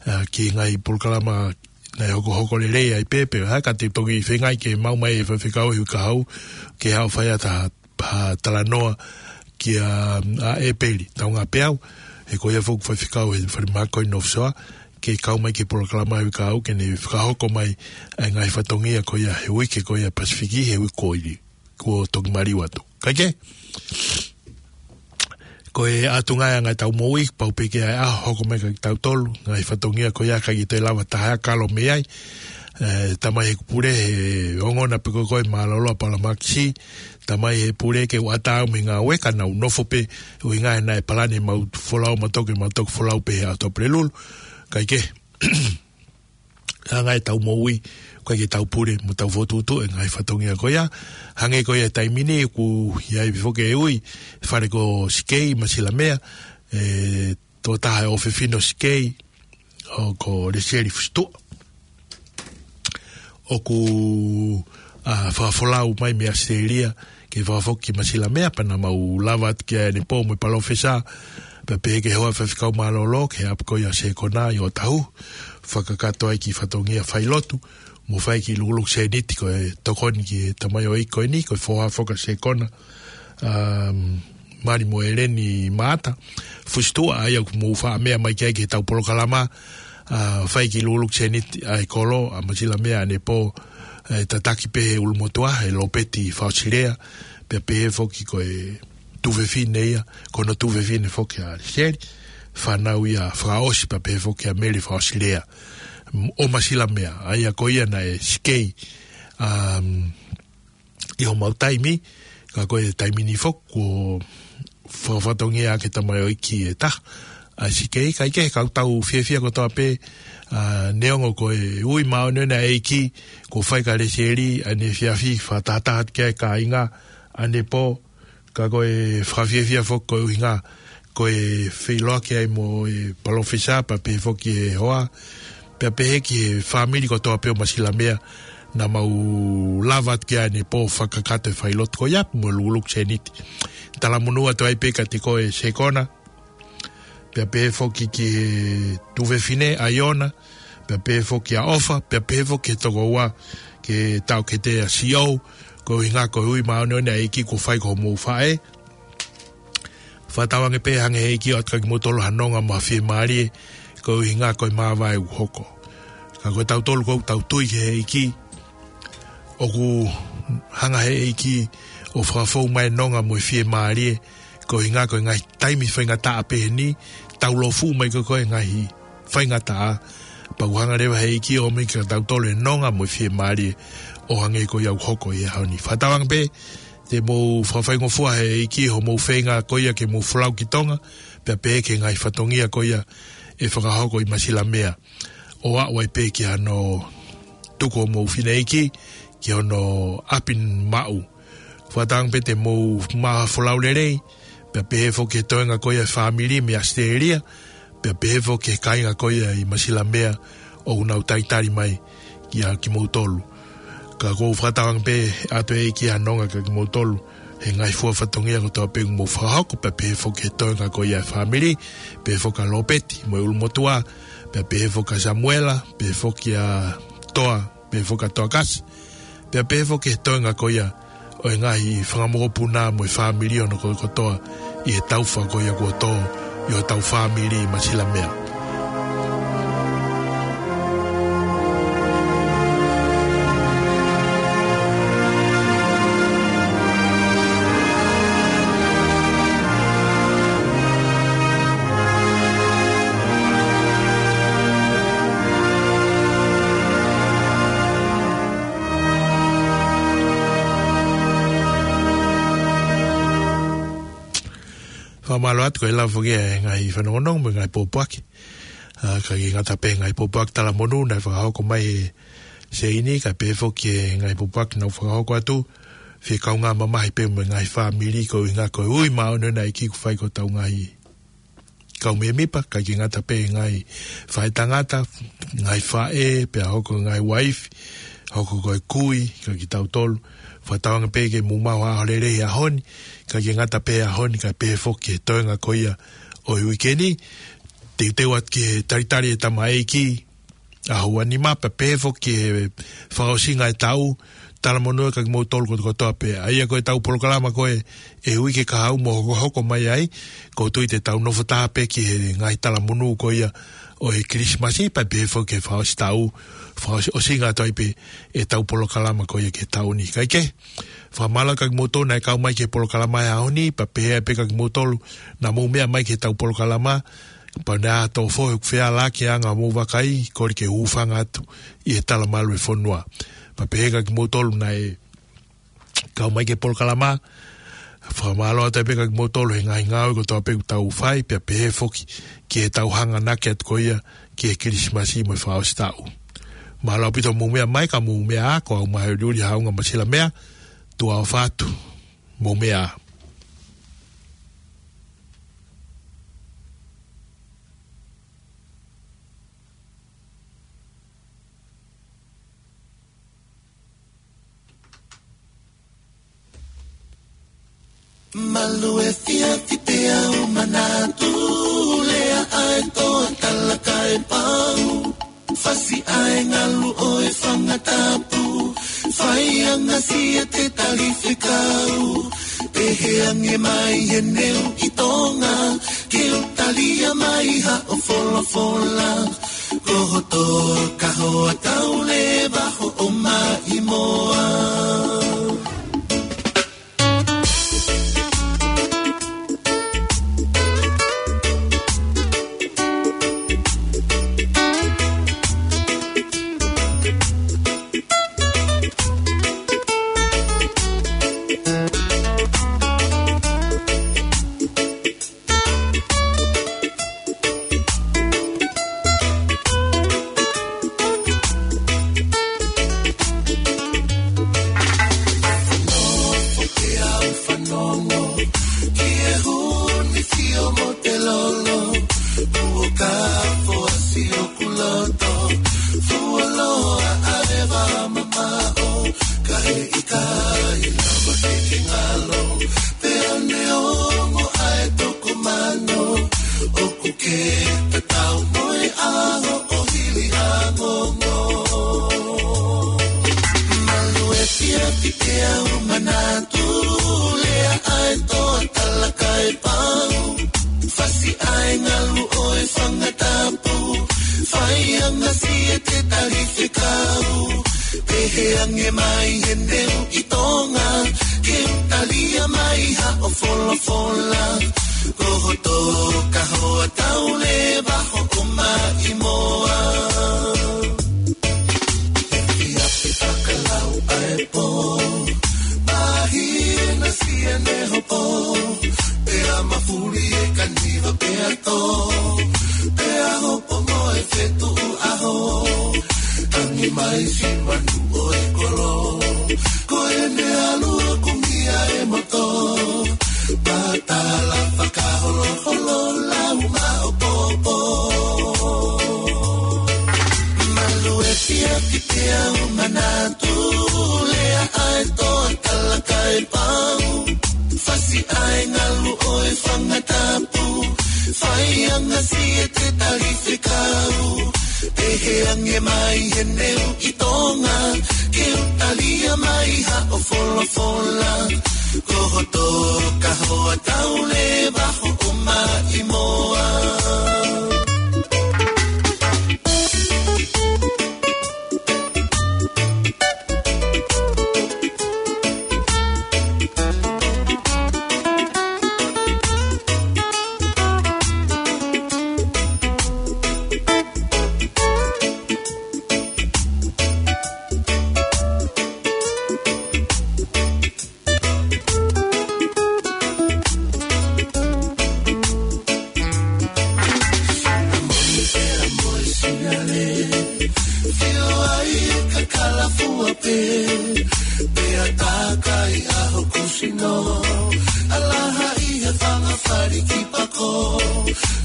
ʻa, ki he ngaahi polokalama naʻe hokohoko lelei ai pē, pea ka te u toki feinga ke maʻu mai e faifekau he uike kahaʻu, ke haʻu ʻo fai atu ha, ha talanoa kia, ʻa, ʻEpeli Taungapēʻau, he ko ia foki faifekau he falemahaki ko ē North Shore, ke kau mai ki he polokalama he uike kahaʻu, ke ne fakahoko mai ʻa e ngaahi fatongia ko ia he uike ko ia Pasifiki, he uike ko eni kuo toki maliu atu. Kae kehe, ko e ʻatunga ia ʻa e ngaahi taʻu moʻui, pau pē ke ʻi ai e ʻaho hoko mai kia kitautolu, ngaahi fatongia ko ia ʻikai ke toe lava ha taha ʻo kalo mei ai. ʻE, tamai he kupule, he ongona pē ko ē ko e mālōlō ʻa Paula Makisi, tamai he pule ke u ʻatā au mei he ngāue ka naʻa ku nofo pē, ʻuhinga he naʻe palani ʻemau folau mautolu ke mau toki folau pē he ʻaho Pulelulu. Kae kehe, ʻa e ngaahi taʻu moʻui, ʻoku ʻikai ke tau pule mo tau fokotuʻutuʻu e ngaahi fatongia ko ia. Hangē ko ia he taimi ni, ʻoku ʻi ai pē foki e ui, fale ko Sikei, Masilamea, ʻe, tokotaha e ʻofefine ʻo Sikei, ʻo ko Lesieli Fusituʻa. ʻOku, ʻa, fakafolau mai mei ʻAositelēlia, ke fakafoki ki Masilamea pea naʻa mau lava atu kia ʻAnepō mo e palōfesa, pea pehē ki he hoa faifekau mālōlō, ki he ʻapi ko ia ʻo Sekona ʻi ʻŌtāhuhu, fakakakato ai e kiʻi fatongia failotu, mo fai e kiʻi lukuluku sēniti ko e tokoni ki he tamaioʻeiki ko eni, ko e foha foki ʻa Sekona, um, Mali mo ʻEleni Maata Fusituʻa, ʻa ia ʻoku mou faʻa meʻa mai ki ai ki heʻetau polokalama, ʻa, fai e kiʻi lukuluku sēniti ʻa e kolo, ʻa Masilamea ʻAnepō, ʻe tataki pē he ʻulumotuʻa, ʻe Lopeti Fakaʻosilea, pea pehē foki ko e tuofefine ia, ko hono tuofefine foki ʻa Lesieli, fānau ia fakaʻosi pea pehē foki ʻa Mele Fakaʻosilea, ʻo Masilamea, ʻa ia ko ia naʻe Sikei, um, ʻi homau taimi, ka ko e taimi ni foki, kuo fakafatongia ʻaki e tamaioʻeiki ʻe taha ʻa Sikei, kae kehe, ka ʻoku tau fiefia kotoa pē, ʻa, neongo ko e ui māʻoniʻoni ʻa e ʻEiki kuo fai kia Lesieli, ʻa ʻene efiafi fakatahataha atu ki ai e kāinga ʻAnepō, ka ko e fakafiefia foki ko e ʻuhinga, ko e feʻiloaki ai mo e palōfesa pea pehē foki ki he hoa, pea pehē ki he fāmili kotoa pē ʻo Masilamea, naʻa mau lava atu ki ai ʻanepō fakakakato e failotu ko ia mo e lukuluku sēniti. Talamonū atu ai pē kiate koe Sekona, pea pehē foki ki he tuofefine ʻAiona, pea pehē foki ʻa ʻOfa, pea pehē foki ki he tokoua, ki he taʻokete ʻa Siou, ko e ʻuhinga ko e ui māʻoniʻoni ʻa e ʻEiki kuo fai ki hoʻomou faʻē. Fakatauange pē hanga ʻe he ʻEiki ʻo ʻoatu kiate kimoutolu ha nonga mo ha fiemālie, ko e ʻuhinga ko e māvae ʻoku hoko. Ka ko tautolu ʻoku tau tui ki he ʻEiki, ʻoku hanga ʻe he ʻEiki ʻo fakafou mai e nonga mo e fiemālie, ko e ʻuhinga ko e ngaahi taimi faingataʻa pehē ni, taulōfuʻu mai ko ē e ngaahi faingataʻa, pea ʻoku hanga leva ʻe he ʻEiki ʻo ʻomai kiate kitautolu e nonga mo e fiemālie ʻo hangē ko ia ʻoku hoko ʻi he ʻaho ni. Fakatauange pē te mou fakafaingofua ʻe he ʻEiki hoʻomou feinga ko ia ke mou folau ki Tonga, pea pehē ki he ngaahi fatongia ko ia ʻe fakahoko ʻi Masilamea, ʻo aʻu ai pē ki hano tuku hoʻomou fineʻeiki ki hono ʻapi maʻu. Fakatauange pē te mou maʻu ha folau lelei, pea pehē foki ki he toenga ko ia e fāmili mei ʻAositelēlia, pea pehē foki ki he kāinga ko ia ʻi Masilamea ʻoku nau talitali mai kiate kimoutolu. Ka ʻoku ou fakatauange pē ʻe ʻoatu ʻe he ʻEiki ha nonga kiate kimoutolu he ngaahi fua fatongia kotoa pē ʻoku mou fakahoko, pea pehē foki ki he toenga ko ia e fāmili, pehē foki kia Lopeti mo e ʻulumotuʻa, pea pehē foki kia Samuela, pehē foki kia Toa, pehē foki kia Toakasi, pea pehē foki ki he toenga ko ia ʻo e ngaahi fanga mokopuna mo e fāmili hono kotoa kotoa ʻi he taufa ko ia kuo tō ʻi hotau fāmili ʻi Masilamea. Fakamālō atu ko e lava foki e ngaahi fanongonongo mo e ngaahi pōpoaki. ʻA, ʻikai ke ngata pē he ngaahi pōpoaki talamonū naʻe fakahoko mai ʻe Seini, kae pehē foki ki he ngaahi pōpoaki naʻa nau fakahoko atu, fie kaungā mamahi pē mo e ngaahi fāmili ko e ʻuhinga ko e ui māʻoniʻoni ʻa e ʻEiki kuo fai ki hotau ngaahi kau mēmipa, ʻikai ke ngata pē he ngaahi faʻētangata, ngaahi faʻē, pea hoko ngaahi uaifi, hoko ko e kui, kiate kitautolu. Fakatauange pē ke mou maʻu ha ʻaho lelei he ʻaho ni, ʻikai ke ngata pē he ʻaho ni, kae pehē foki ki he toenga ko ia ʻo e uike ni, teuteu atu ki he talitali e tamaiki, ʻaho ua nima pea pehē foki ki he fakaʻosinga e taʻu, talamonū atu kiate kimoutolu kotoa kotoa pē. ʻA ia ko ʻetau polokalama ko ē ʻi he uike kahaʻu mo hokohoko mai ai, ʻoku ou tui te tau nofo taha pē ki he ngaahi talamonū ko ia ʻo e Kilisimasi, pea pehē foki ki he fakaʻosi taʻu, fakaʻosi, ʻosinga atu ai pē ʻetau polokalama ko ia ki he taʻu ni. Kae kehe, fakamālō atu kiate kimoutolu naʻe kau mai ki he polokalama he ʻaho ni, pea pehē pē kiate kimoutolu naʻa mou meʻa mai ki heʻetau polokalama, pea naʻa tau fohe ʻoku feala ki he anga hoʻomou vakai, kole ke u hūfanga atu ʻi he talamalu e fonua. Pea pehē kiate kimoutolu naʻe kau mai ki he polokalama, fakamālō atu pē kiate kimoutolu he ngaahi ngāue kotoa pē ʻoku tau fai, pea pehē foki ki heʻetau hanganaki atu ko ia ki he Kilisimasi mo e fakaʻosi taʻu. Mālō ʻaupito hoʻomou meʻa mai, ka mou meʻa ā, ko au Mahe ʻUliʻuli Haʻunga Masilamea, tuʻa ʻofa atu, mou meʻa ā. Malu e fiafi pea u manatu, lea ʻa e toa tala kae pau. Fasi ʻa e ngalu ʻo e fanga tapu, fai angasia te tali fekau. Pehē ange mai he neu ʻi Tonga, ke u talia mai haʻo folofola. Ko hoto kahoa tau leva hoʻo maʻimoa. Pehē ange mai he neu ʻi Tonga, ke u talia mai haʻo folofola. Ko hoto kahoa tau leva hoʻo maʻimoa. He fia pe fakalau ʻa e pō, mahi ena sia ne hopo. Pea mafuli e kaniva pea tō, pea hopo mo e fetuʻu ʻaho. Tangi mai si manu ʻo e kolo, ko ʻene ʻalu ʻo kumi ʻa e moto. Patala fakaholoholo lau maʻopoʻopo. Malu e fia ki te au manatu, lea ʻa e toa Talakaipau. Fasi ʻa e ngalu ʻo e fanga tapu, fai ange si e te tali fekau. Pehē ange mai he neu ʻi Tonga, ke u talia mai haʻo folofola. Ko hoto kahoa tau leva hoʻo maʻimoa. Fio ai e kakala fua pē, pea takai ʻa hoku sino. Alaha ʻi he fanga fali ki pako,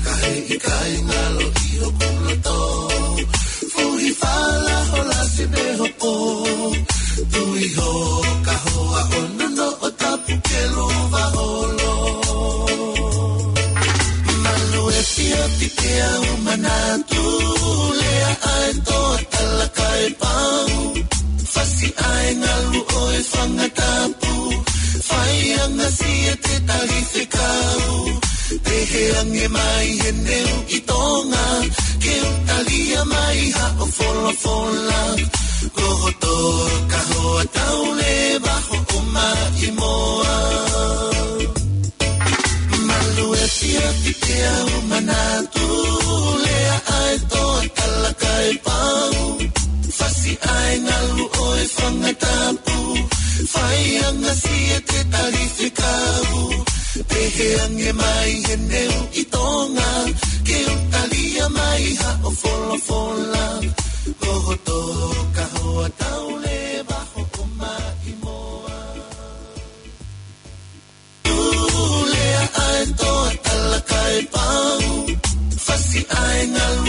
ka he ʻikai ngalo ʻi hoku loto. Fuhi fala hola se me hopo, tui ho kahoa ʻo nono ʻo tapu ke luva holo. Malu e fia ki te au manatu, lea ʻa e toa Talakaipau. Fasi ʻa e ngalu ʻo e fanga tapu, fai ange si e te tali fekau. Pehē ange mai he neu ʻi Tonga, ke u talia mai haʻo folofola. Ko hoto kahoa tau leva hoʻo maʻimoa. Malu e fia ki te au manatu, lea ʻa e toa Talakaipau. Fasi ʻa e ngalu ʻo e fanga tapu, fai ange si e te tali fekau. Pehē ange mai he neu ʻi Tonga, ke u talia mai haʻo folofola. Ko hoto kahoa tau leva hoʻo maʻimoa. Lea ʻa e toa Talakaipau. Fasi ʻa e ngalu